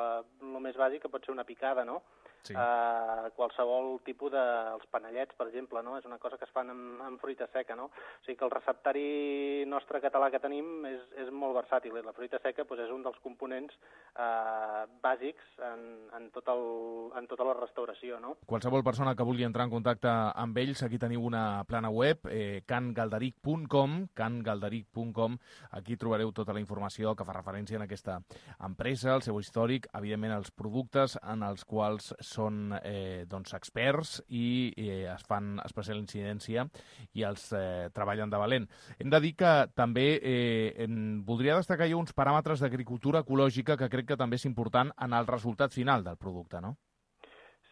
lo més bàsic, que pot ser una picada, no?, sí. Uh, qualsevol tipus de... els panellets, per exemple, no? És una cosa que es fan amb, amb fruita seca, no? O sigui que el receptari nostre català que tenim és, és molt versàtil. La fruita seca pues, és un dels components uh, bàsics en, en, tot el, en tota la restauració, no? Qualsevol persona que vulgui entrar en contacte amb ells, aquí teniu una plana web, eh, can galderic punt com, can galderic punt com. Aquí trobareu tota la informació que fa referència a aquesta empresa, el seu històric, evidentment els productes en els quals són eh, doncs, experts i eh, es fan especial incidència i els eh, treballen de valent. Hem de dir que també eh, en, voldria destacar jo uns paràmetres d'agricultura ecològica que crec que també és important en el resultat final del producte, no?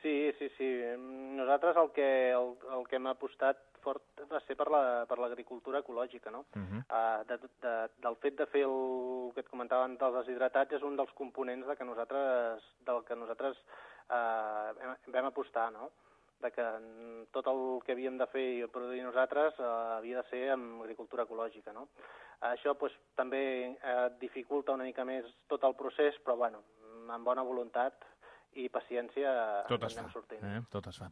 Sí, sí, sí. Nosaltres el que, el, el que hem apostat fort va ser per la, per l'agricultura ecològica, no? Uh-huh. uh, de, de, del fet de fer el que et comentaven dels deshidratats és un dels components de que nosaltres, del que nosaltres uh, hem, vam apostar, no? De que tot el que havíem de fer i produir nosaltres uh, havia de ser amb agricultura ecològica, no? Uh, això pues, també uh, dificulta una mica més tot el procés, però bueno, amb bona voluntat i paciència tot ens es anem fa, sortint. Eh? Tot es fa.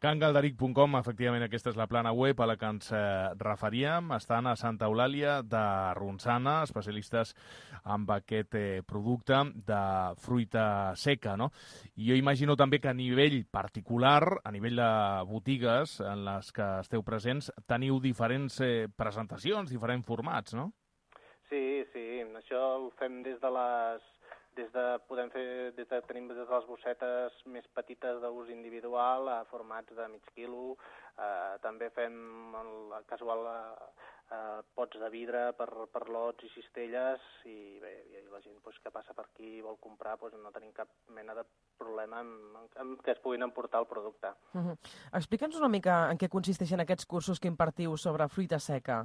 can galderic punt com, efectivament, aquesta és la plana web a la que ens eh, referíem. Estan a Santa Eulàlia de Ronçana, especialistes amb aquest eh, producte de fruita seca, no? I jo imagino també que a nivell particular, a nivell de botigues en les que esteu presents, teniu diferents eh, presentacions, diferents formats, no? Sí, sí, això ho fem des de les... Des de, podem fer, des de, tenim des de les bossetes més petites d'ús individual a formats de mig quilo, eh, també fem el, casual eh, pots de vidre per, per lots i cistelles i bé, i la gent pues, que passa per aquí i vol comprar pues, no tenim cap mena de problema en, en que es puguin emportar el producte. Uh-huh. Explica'ns una mica en què consisteixen aquests cursos que impartiu sobre fruita seca.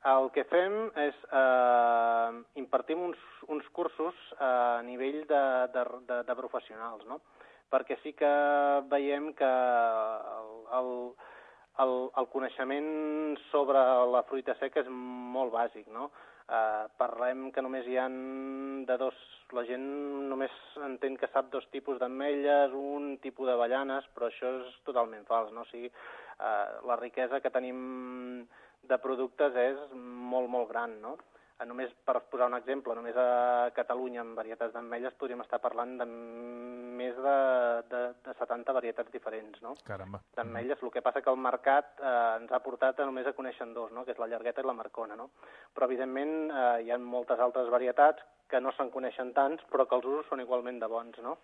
El que fem és eh, impartim uns, uns cursos a nivell de, de, de, de professionals, no? Perquè sí que veiem que el, el, el, el coneixement sobre la fruita seca és molt bàsic, no? Eh, parlem que només hi ha de dos la gent només entén que sap dos tipus d'ametlles, un tipus d'avellanes, però això és totalment fals, no? O sigui, eh, la riquesa que tenim de productes és molt, molt gran, no? Només per posar un exemple, només a Catalunya amb varietats d'ametlles podríem estar parlant de més de, de, de setanta varietats diferents, no? Caramba. D'ametlles. El que passa que el mercat eh, ens ha portat a només a conèixer dos, no? Que és la llargueta i la marcona, no? Però evidentment eh, hi ha moltes altres varietats que no se'n coneixen tants, però que els usos són igualment de bons, no?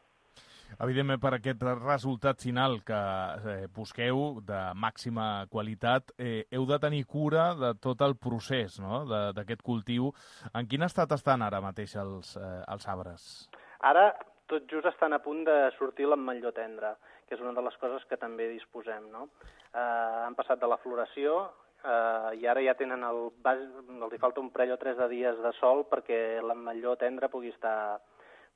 Evidentment, per aquest resultat final que eh, busqueu de màxima qualitat, eh, heu de tenir cura de tot el procés, no?, d'aquest cultiu. En quin estat estan ara mateix els, eh, els arbres? Ara tot just estan a punt de sortir l'ametlló tendre, que és una de les coses que també disposem, no? Eh, han passat de la floració eh, i ara ja tenen el bas... els hi falta un parell o tres de dies de sol perquè l'ametlló tendre pugui estar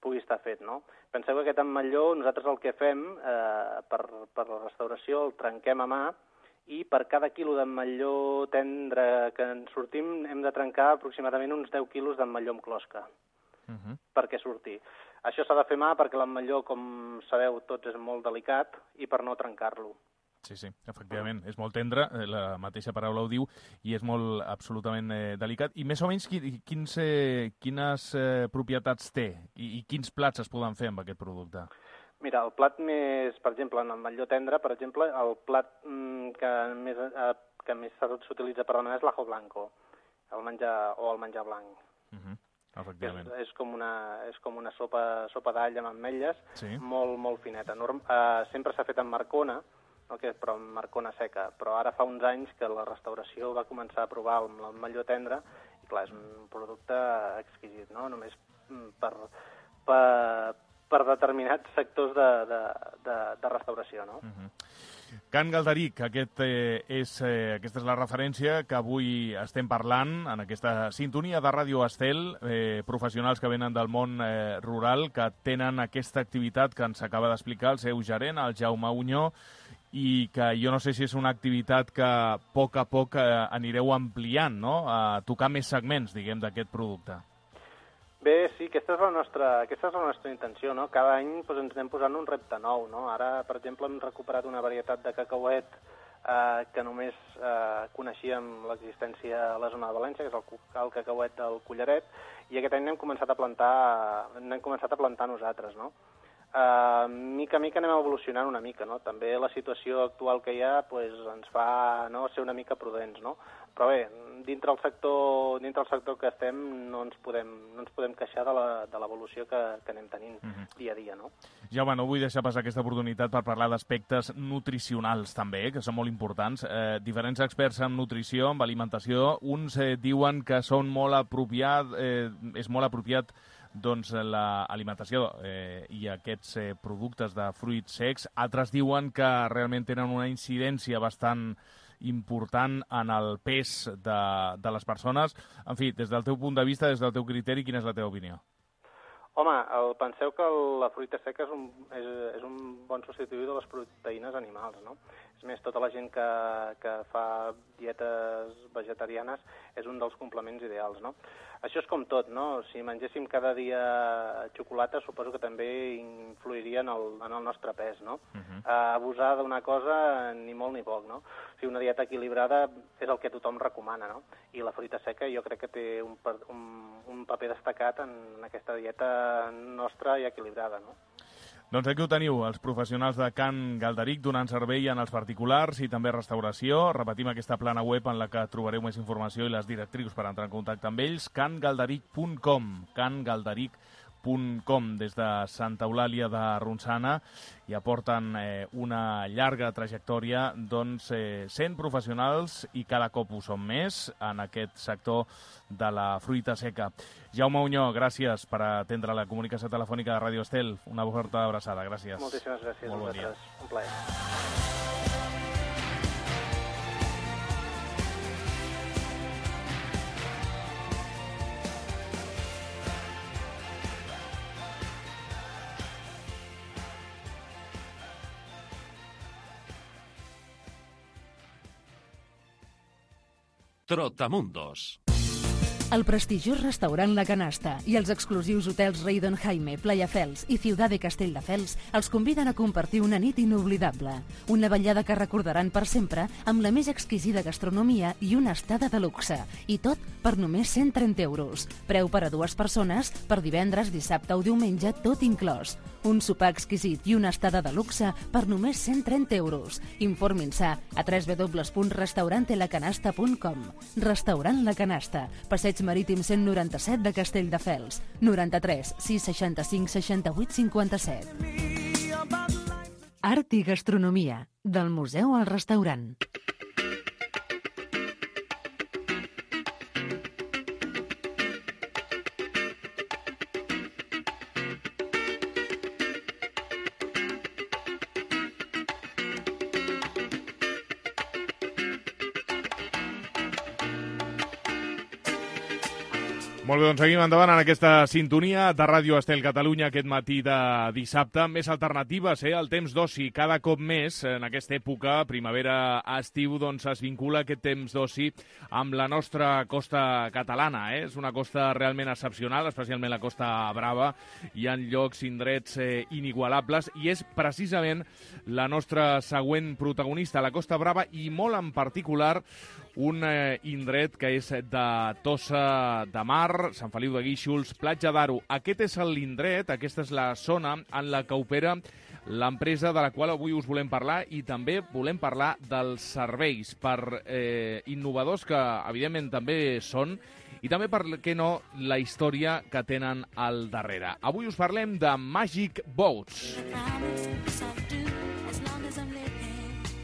pugui estar fet, no? Penseu que aquest ametlló, nosaltres el que fem eh, per, per la restauració, el trenquem a mà i per cada quilo d'ametlló tendre que en sortim hem de trencar aproximadament uns deu quilos d'ametlló amb closca uh -huh. perquè surti. Això s'ha de fer a mà perquè l'ametlló, com sabeu, tots és molt delicat i per no trencar-lo. Sí, sí, efectivament, és molt tendre, la mateixa paraula ho diu, i és molt absolutament eh, delicat. I més o menys quins, eh, quines eh, propietats té i, i quins plats es poden fer amb aquest producte? Mira, el plat més, per exemple, en l'ametlló tendre, per exemple, el plat mm, que més, eh, que més s'utilitza per demanar és l'ajo blanco, el menjar, o el menjar blanc. Uh -huh. Efectivament. És, és com una, és com una sopa, sopa d'all amb ametlles, sí. molt, molt fineta. Norm, eh, sempre s'ha fet amb marcona, no, que, però amb marcona seca, però ara fa uns anys que la restauració va començar a provar amb l'ametlló tendre i clar, és un producte exquisit, no? Només per, per, per determinats sectors de, de, de, de restauració, no? Uh-huh. Can Galderic, aquest, eh, és, eh, aquesta és la referència que avui estem parlant en aquesta sintonia de Ràdio Estel, eh, professionals que venen del món eh, rural, que tenen aquesta activitat que ens acaba d'explicar el seu gerent, el Jaume Uñó, i que jo no sé si és una activitat que a poc a poc eh, anireu ampliant, no?, a tocar més segments, diguem, d'aquest producte. Bé, sí, aquesta és la nostra, aquesta és la nostra intenció, no? Cada any doncs, ens anem posant un repte nou, no? Ara, per exemple, hem recuperat una varietat de cacauet eh, que només eh, coneixíem l'existència a la zona de València, que és el, el cacauet del Collaret, i aquest any n'hem començat a plantar, n'hem començat a plantar nosaltres, no? Uh, mica a mica anem evolucionant una mica, no? També la situació actual que hi ha pues, ens fa no, ser una mica prudents, no? Però bé, dintre el sector, dintre el sector que estem no ens podem, no ens podem queixar de l'evolució que, que anem tenint uh-huh. dia a dia, no? Jaume, no vull deixar passar aquesta oportunitat per parlar d'aspectes nutricionals també, que són molt importants. Eh, diferents experts en nutrició, en alimentació, uns eh, diuen que són molt apropiat, eh, és molt apropiat doncs l'alimentació eh, i aquests eh, productes de fruits secs. Altres diuen que realment tenen una incidència bastant important en el pes de, de les persones. En fi, des del teu punt de vista, des del teu criteri, quina és la teva opinió? Home, el, penseu que la fruita seca és un, és, és un bon substituït de les proteïnes animals, no? És més, tota la gent que, que fa dietes vegetarianes és un dels complements ideals, no? Això és com tot, no? Si mengéssim cada dia xocolata, suposo que també influiria en el, en el nostre pes, no? Uh-huh. uh, abusar d'una cosa ni molt ni poc, no? O sigui, una dieta equilibrada és el que tothom recomana, no? I la fruita seca jo crec que té un, un, un paper destacat en aquesta dieta nostra i equilibrada, no? Doncs aquí ho teniu, els professionals de Can Galderic donant servei en els particulars i també restauració. Repetim aquesta plana web en la que trobareu més informació i les directrius per entrar en contacte amb ells, can galderic punt com, can galderic punt com, des de Santa Eulàlia de Ronçana, i aporten eh, una llarga trajectòria, doncs eh, sent professionals i cada cop ho són més en aquest sector de la fruita seca. Jaume Uñó, gràcies per atendre la comunicació telefònica de Ràdio Estel. Una forta abraçada, gràcies. Moltíssimes gràcies a vosaltres. Un plaer. Trotamundos. El prestigiós restaurant La Canasta i els exclusius hotels Rei Don Jaime, Playa Fels i Ciutat de Castelldefels els conviden a compartir una nit inoblidable. Una vetllada que recordaran per sempre amb la més exquisida gastronomia i una estada de luxe. I tot per només cent trenta euros. Preu per a dues persones per divendres, dissabte o diumenge, tot inclòs. Un sopar exquisit i una estada de luxe per només cent trenta euros. Informin-se a w w w punt restaurante la canasta punt com. Restaurant La Canasta, Passeig Marítim cent noranta-set de Castelldefels. noranta-tres sis seixanta-cinc seixanta-vuit cinquanta-set. Art i gastronomia, del museu al restaurant. Molt bé, doncs seguim endavant en aquesta sintonia de Ràdio Estel Catalunya aquest matí de dissabte. Més alternatives, eh? El temps d'oci cada cop més en aquesta època, primavera-estiu, doncs es vincula aquest temps d'oci amb la nostra costa catalana. Eh? És una costa realment excepcional, especialment la Costa Brava. Hi ha llocs, indrets eh, inigualables i és precisament la nostra següent protagonista, la Costa Brava, i molt en particular un eh, indret que és de Tossa de Mar, Sant Feliu de Guíxols, Platja d'Aro. Aquest és l'indret, aquesta és la zona en la que opera l'empresa de la qual avui us volem parlar i també volem parlar dels serveis, per eh, innovadors que evidentment també són, i també, per què no, la història que tenen al darrere. Avui us parlem de Magic Boats.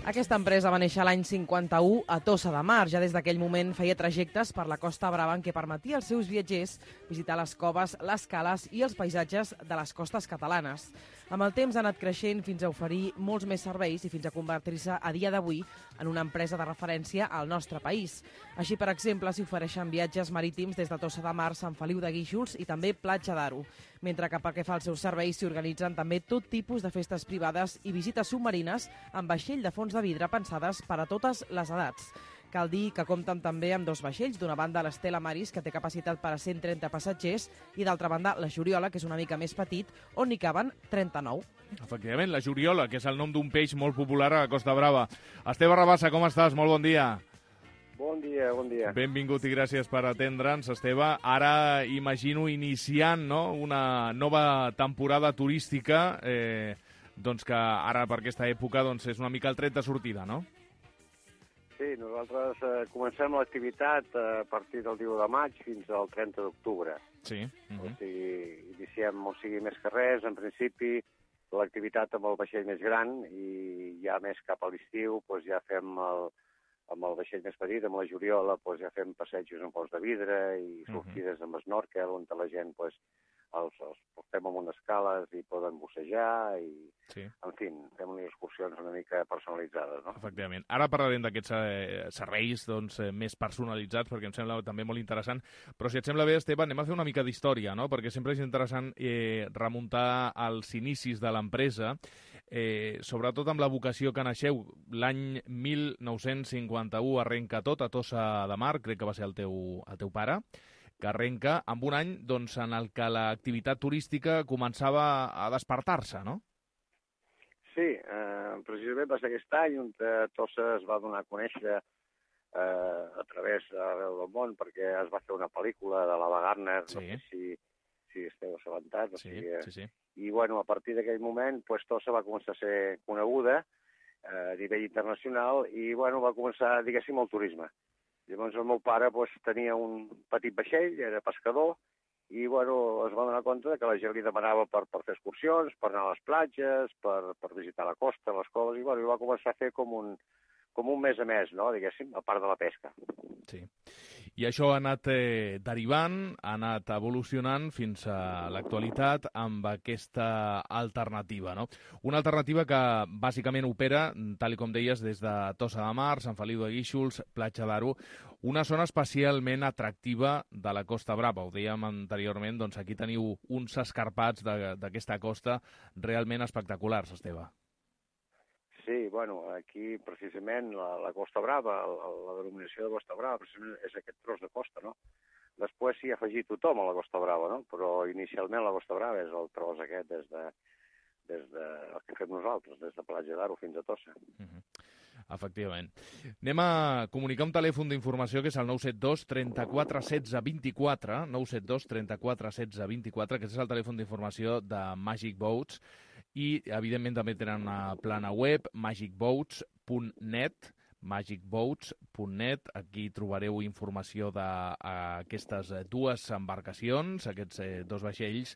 Aquesta empresa va néixer l'any cinquanta-u a Tossa de Mar. Ja des d'aquell moment feia trajectes per la Costa Brava en què permetia als seus viatgers visitar les coves, les cales i els paisatges de les costes catalanes. Amb el temps ha anat creixent fins a oferir molts més serveis i fins a convertir-se a dia d'avui en una empresa de referència al nostre país. Així, per exemple, s'hi ofereixen viatges marítims des de Tossa de Mar, Sant Feliu de Guíxols i també Platja d'Aro, mentre que pel que fa als seus serveis s'hi organitzen també tot tipus de festes privades i visites submarines amb vaixell de fons de vidre pensades per a totes les edats. Cal dir que compten també amb dos vaixells, d'una banda l'Estela Maris, que té capacitat per a cent trenta passatgers, i d'altra banda la Juriola, que és una mica més petit, on n'hi caben trenta-nou. Efectivament, la Juriola, que és el nom d'un peix molt popular a la Costa Brava. Esteve Rabassa, com estàs? Molt bon dia. Bon dia, bon dia. Benvingut i gràcies per atendre'ns, Esteve. Ara imagino iniciant, no?, una nova temporada turística, eh, doncs que ara per aquesta època doncs, és una mica el tret de sortida, no? Sí, nosaltres eh, comencem l'activitat a partir del dia de maig fins al trenta d'octubre. Sí. Uh-huh. O sigui, iniciem, o sigui, més que res, en principi, l'activitat amb el vaixell més gran i ja més cap a l'estiu doncs ja fem el, amb el vaixell més petit, amb la Juriola, doncs ja fem passejos en pols de vidre i sortides uh-huh. amb snorkel, on la gent doncs, els, els portem amb unes cales i poden bussejar i, sí. en fi, fem unes excursions una mica personalitzades, no? Efectivament. Ara parlarem d'aquests eh, serveis doncs, eh, més personalitzats, perquè em sembla també molt interessant, però si et sembla bé, Esteve, anem a fer una mica d'història, no? Perquè sempre és interessant eh, remuntar als inicis de l'empresa, eh, sobretot amb la vocació que naixeu. L'any mil nou-cents cinquanta-u arrenca tot a Tossa de Mar, crec que va ser el teu, el teu pare, que arrenca amb un any doncs, en el que l'activitat turística començava a despertar-se, no? Sí, eh, precisament va ser aquest any on Tossa es va donar a conèixer eh, a través d'arreu del món, perquè es va fer una pel·lícula de l'Ava Gardner, sí. no sé si, si esteu assabentats. Sí, o sigui, sí, sí. I bueno, a partir d'aquell moment pues, Tossa va començar a ser coneguda eh, a nivell internacional i bueno, va començar, diguéssim, el turisme. Llavors el meu pare pues, tenia un petit vaixell, era pescador, i bueno, es va donar compte que la gent li demanava per, per fer excursions, per anar a les platges, per, per visitar la costa, les coves, i bueno, va començar a fer com un, com un mes a mes, no?, diguéssim, a part de la pesca. Sí. I això ha anat eh, derivant, ha anat evolucionant fins a l'actualitat amb aquesta alternativa, no? Una alternativa que bàsicament opera, tal com deies, des de Tossa de Mar, Sant Feliu de Guíxols, Platja d'Aro, una zona especialment atractiva de la Costa Brava. Ho dèiem anteriorment, doncs aquí teniu uns escarpats d'aquesta costa realment espectaculars, Esteve. Sí, bueno, aquí precisament la, la Costa Brava, la, la denominació de Costa Brava, precisament és aquest tros de costa, no? Després s'hi ha afegit tothom a la Costa Brava, no? Però inicialment la Costa Brava és el tros aquest des de, des de el que fem nosaltres, des de Platja d'Aro fins a Tossa. Uh-huh. Efectivament. Anem a comunicar un telèfon d'informació que és el nou set dos trenta-quatre setze vint-i-quatre, nou set dos trenta-quatre setze vint-i-quatre, que és el telèfon d'informació de Magic Boats, i evidentment també tenen una plana web, magic boats punt net, magic boats punt net. Aquí trobareu informació d'aquestes dues embarcacions, aquests eh, dos vaixells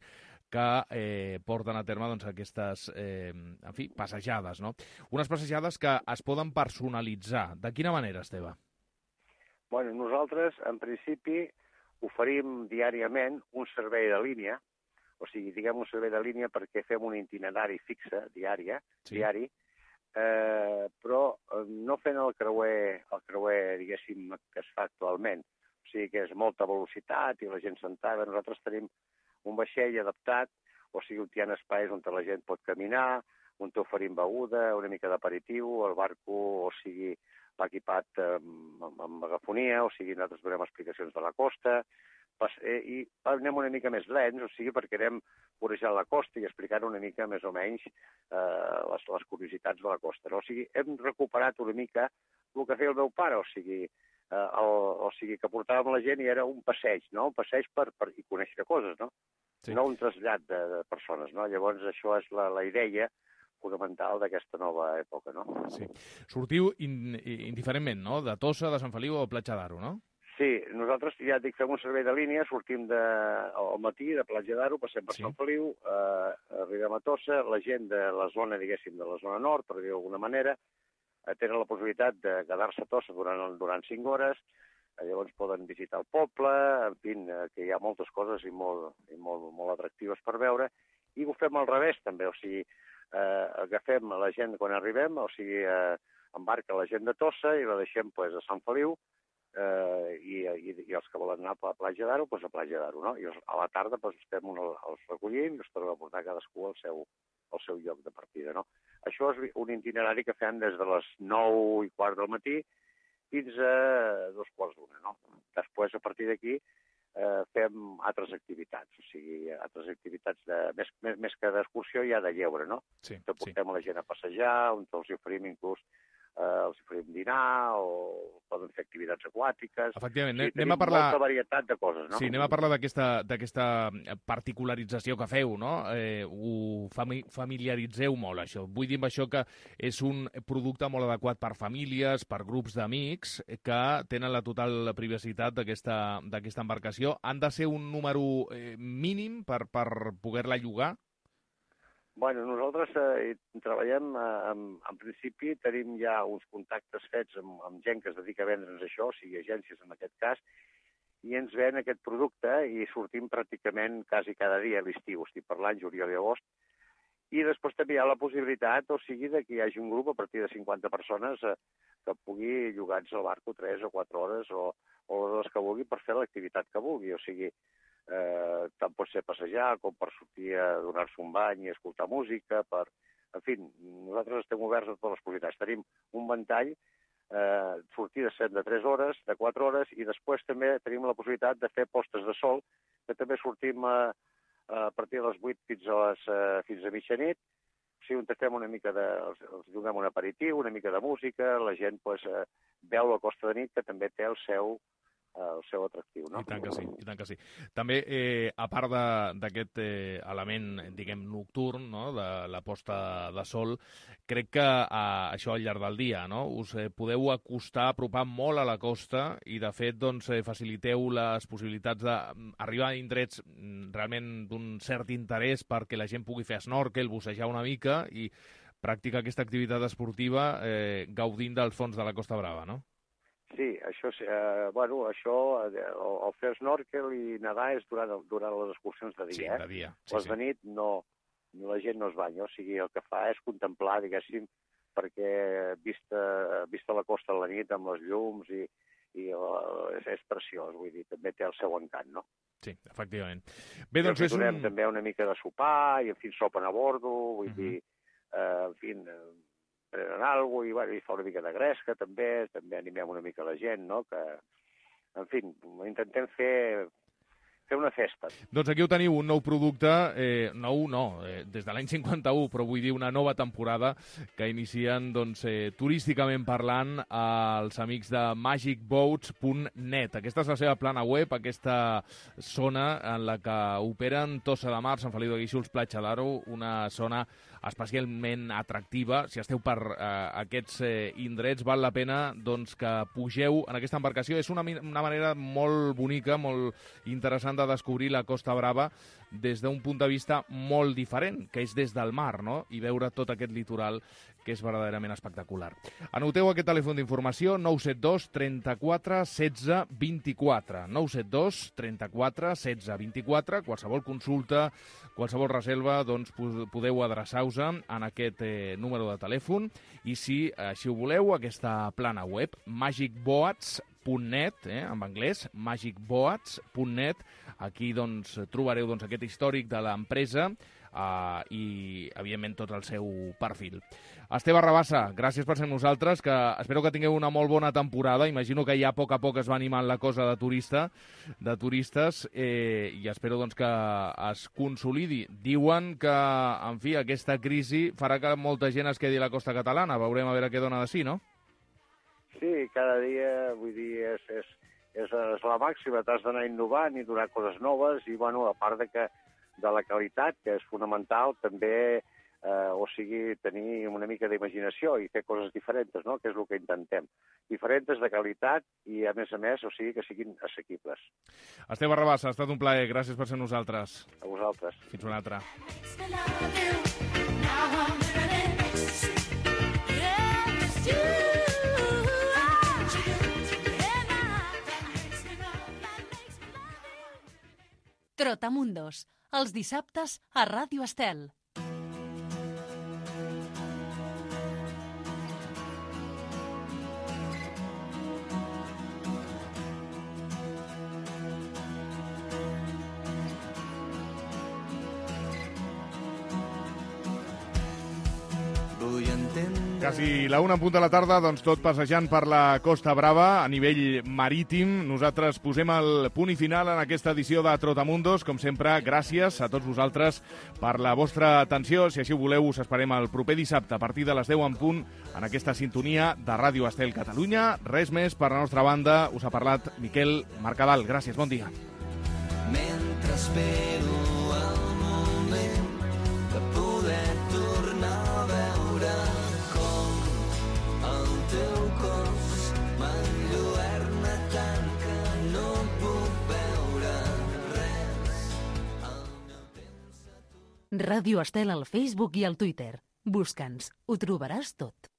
que eh, porten a terme doncs, aquestes eh, en fi, passejades, no? Unes passejades que es poden personalitzar. De quina manera, Esteve? Bueno, nosaltres, en principi, oferim diàriament un servei de línia, o sigui, diguem un servei de línia perquè fem un itinerari fixe, diària, sí. diari, eh, però no fent el creuer, el creuer, diguéssim, que es fa actualment. O sigui que és molta velocitat i la gent sentada. Nosaltres tenim un vaixell adaptat, o sigui, on hi ha espais on la gent pot caminar, on oferim beguda, una mica d'aperitiu, el barco, o sigui, va equipat amb, amb megafonia, o sigui, nosaltres donem explicacions de la costa, i anem una mica més lents, o sigui, perquè anem vorejant la costa i explicant una mica més o menys eh, les, les curiositats de la costa. No? O sigui, hem recuperat una mica el que feia el meu pare, o sigui, eh, el, o sigui que portàvem la gent i era un passeig, no? Un passeig per, per i conèixer coses, no? Sí. No un trasllat de, de persones, no? Llavors això és la, la idea fonamental d'aquesta nova època, no? Sí. Sortiu in, indiferentment, no? De Tossa, de Sant Feliu o Platja d'Aro, no? Sí, nosaltres ja dic, fem un servei de línia, sortim de, al matí de Platja d'Aro, passem per sí. Sant Feliu, eh, arribem a Tossa, la gent de la zona, diguéssim, de la zona nord, per dir d'alguna manera, eh, tenen la possibilitat de quedar-se a Tossa durant, durant cinc hores, eh, llavors poden visitar el poble, en fi, eh, que hi ha moltes coses i, molt, i molt, molt atractives per veure, i ho fem al revés també, o sigui, eh, agafem la gent quan arribem, o sigui, eh, embarca la gent de Tossa i la deixem pues, a Sant Feliu, eh, i, i, i els que volen anar a Platja d'Aro, doncs a Platja d'Aro, no? I a la tarda doncs, estem un, els recollim i els tornem a portar cadascú al seu, al seu lloc de partida, no? Això és un itinerari que fem des de les nou i quart del matí fins a dos quarts d'una, no? Després, a partir d'aquí, eh, fem altres activitats, o sigui, altres activitats de, més, més, més que d'excursió ja de lleure, no? Sí, que portem sí. la gent a passejar, on els oferim inclús eh, els oferim dinar o poden fer activitats aquàtiques. Efectivament, sí, anem a parlar... molta varietat de coses, no? Sí, anem a parlar d'aquesta particularització que feu, no? Eh, ho fami familiaritzeu molt, això. Vull dir amb això que és un producte molt adequat per famílies, per grups d'amics, que tenen la total privacitat d'aquesta embarcació. Han de ser un número eh, mínim per, per poder-la llogar? Bueno, nosaltres eh, treballem, eh, en, en principi tenim ja uns contactes fets amb, amb gent que es dedica a vendre'ns això, o sigui, agències en aquest cas, i ens ven aquest producte i sortim pràcticament quasi cada dia a l'estiu, estic parlant juliol i agost, i després també hi ha la possibilitat, o sigui, de que hi hagi un grup a partir de cinquanta persones eh, que pugui llogar-nos al barco tres o quatre hores o, o les que vulgui per fer l'activitat que vulgui, o sigui, Eh, tant pot ser passejar com per sortir a donar-se un bany i escoltar música, per... En fi, nosaltres estem oberts a totes les possibilitats. Tenim un ventall, eh, sortides de tres hores, de quatre hores, i després també tenim la possibilitat de fer postes de sol, que també sortim a, a partir de les vuit fins a, les, fins a mitjanit, o sigui, on fem una mica de... els, els donem un aperitiu, una mica de música, la gent pues, eh, veu la costa de nit, que també té el seu... el seu atractiu, no? I tant que sí, i tant que sí. També, eh, a part d'aquest eh, element, diguem, nocturn, no?, de la posta de sol, crec que eh, això al llarg del dia, no?, us eh, podeu acostar, apropar molt a la costa i, de fet, doncs, eh, faciliteu les possibilitats d'arribar a indrets realment d'un cert interès perquè la gent pugui fer snorkel, bussejar una mica i practicar aquesta activitat esportiva eh, gaudint dels fons de la Costa Brava, no? Sí, això, eh, bueno, això, el, el fer snorkel i nedar és durant, durant les excursions de dia. Sí, de dia. Sí, les de nit no, la gent no es banya, o sigui, el que fa és contemplar, diguéssim, perquè vista, vista la costa a la nit amb les llums i, i uh, és, és preciós, vull dir, també té el seu encant, no? Sí, efectivament. Bé, doncs és un... també una mica de sopar i, en fi, sopen a bordo, vull uh -huh. dir, eh, en fi... prenen alguna cosa i, bueno, i fa una mica de gresca, també, també animem una mica la gent, no?, que, en fi, intentem fer fer una festa. Doncs aquí ho teniu, un nou producte, eh, nou no, eh, des de l'any cinquanta-u, però vull dir una nova temporada que inicien, doncs, eh, turísticament parlant, els amics de magic boats punt net. Aquesta és la seva plana web, aquesta zona en la que operen Tossa de Mar, Sant Feliu de Guíxols, Platja d'Aro, una zona especialment atractiva. Si esteu per eh, aquests eh, indrets, val la pena doncs, que pugeu en aquesta embarcació. És una, una manera molt bonica, molt interessant de descobrir la Costa Brava des d'un punt de vista molt diferent, que és des del mar, no? I veure tot aquest litoral que és verdaderament espectacular. Anoteu aquest telèfon d'informació, nou set dos trenta-quatre setze vint-i-quatre. nou set dos trenta-quatre setze vint-i-quatre. Qualsevol consulta, qualsevol reserva, doncs podeu adreçar-vos en aquest eh, número de telèfon. I si així ho voleu, aquesta plana web, magic boats punt net, eh, en anglès, magic boats punt net. Aquí doncs, trobareu doncs, aquest històric de l'empresa uh, i, evidentment, tot el seu perfil. Esteve Rabassa, gràcies per ser amb nosaltres, que espero que tingueu una molt bona temporada. Imagino que ja a poc a poc es va animant la cosa de turista, de turistes, eh, i espero doncs, que es consolidi. Diuen que, en fi, aquesta crisi farà que molta gent es quedi a la costa catalana. Veurem a veure què dona de sí, no? Sí, cada dia, vull dir, és, és, és, és la màxima, t'has d'anar innovant i donar coses noves i, bueno, a part de, que, de la qualitat, que és fonamental, també, eh, o sigui, tenir una mica d'imaginació i fer coses diferents, no?, que és el que intentem. Diferents de qualitat i, a més a més, o sigui, que siguin assequibles. Esteve Rabassa, ha estat un plaer. Gràcies per ser amb nosaltres. A vosaltres. Fins una altra. Trotamundos, els dissabtes a Ràdio Estel. Quasi la una en punt de la tarda, doncs tot passejant per la Costa Brava a nivell marítim. Nosaltres posem el punt i final en aquesta edició de Trotamundos. Com sempre, gràcies a tots vosaltres per la vostra atenció. Si així ho voleu, us esperem el proper dissabte a partir de les deu en punt en aquesta sintonia de Ràdio Estel Catalunya. Res més per la nostra banda. Us ha parlat Miquel Mercadal. Gràcies, bon dia. Mentre espero el moment de poder tornar a veure teu cos m'enlluerna tant que no puc veure res. Ràdio Estel al Facebook i al Twitter. Busca'ns, ho trobaràs tot.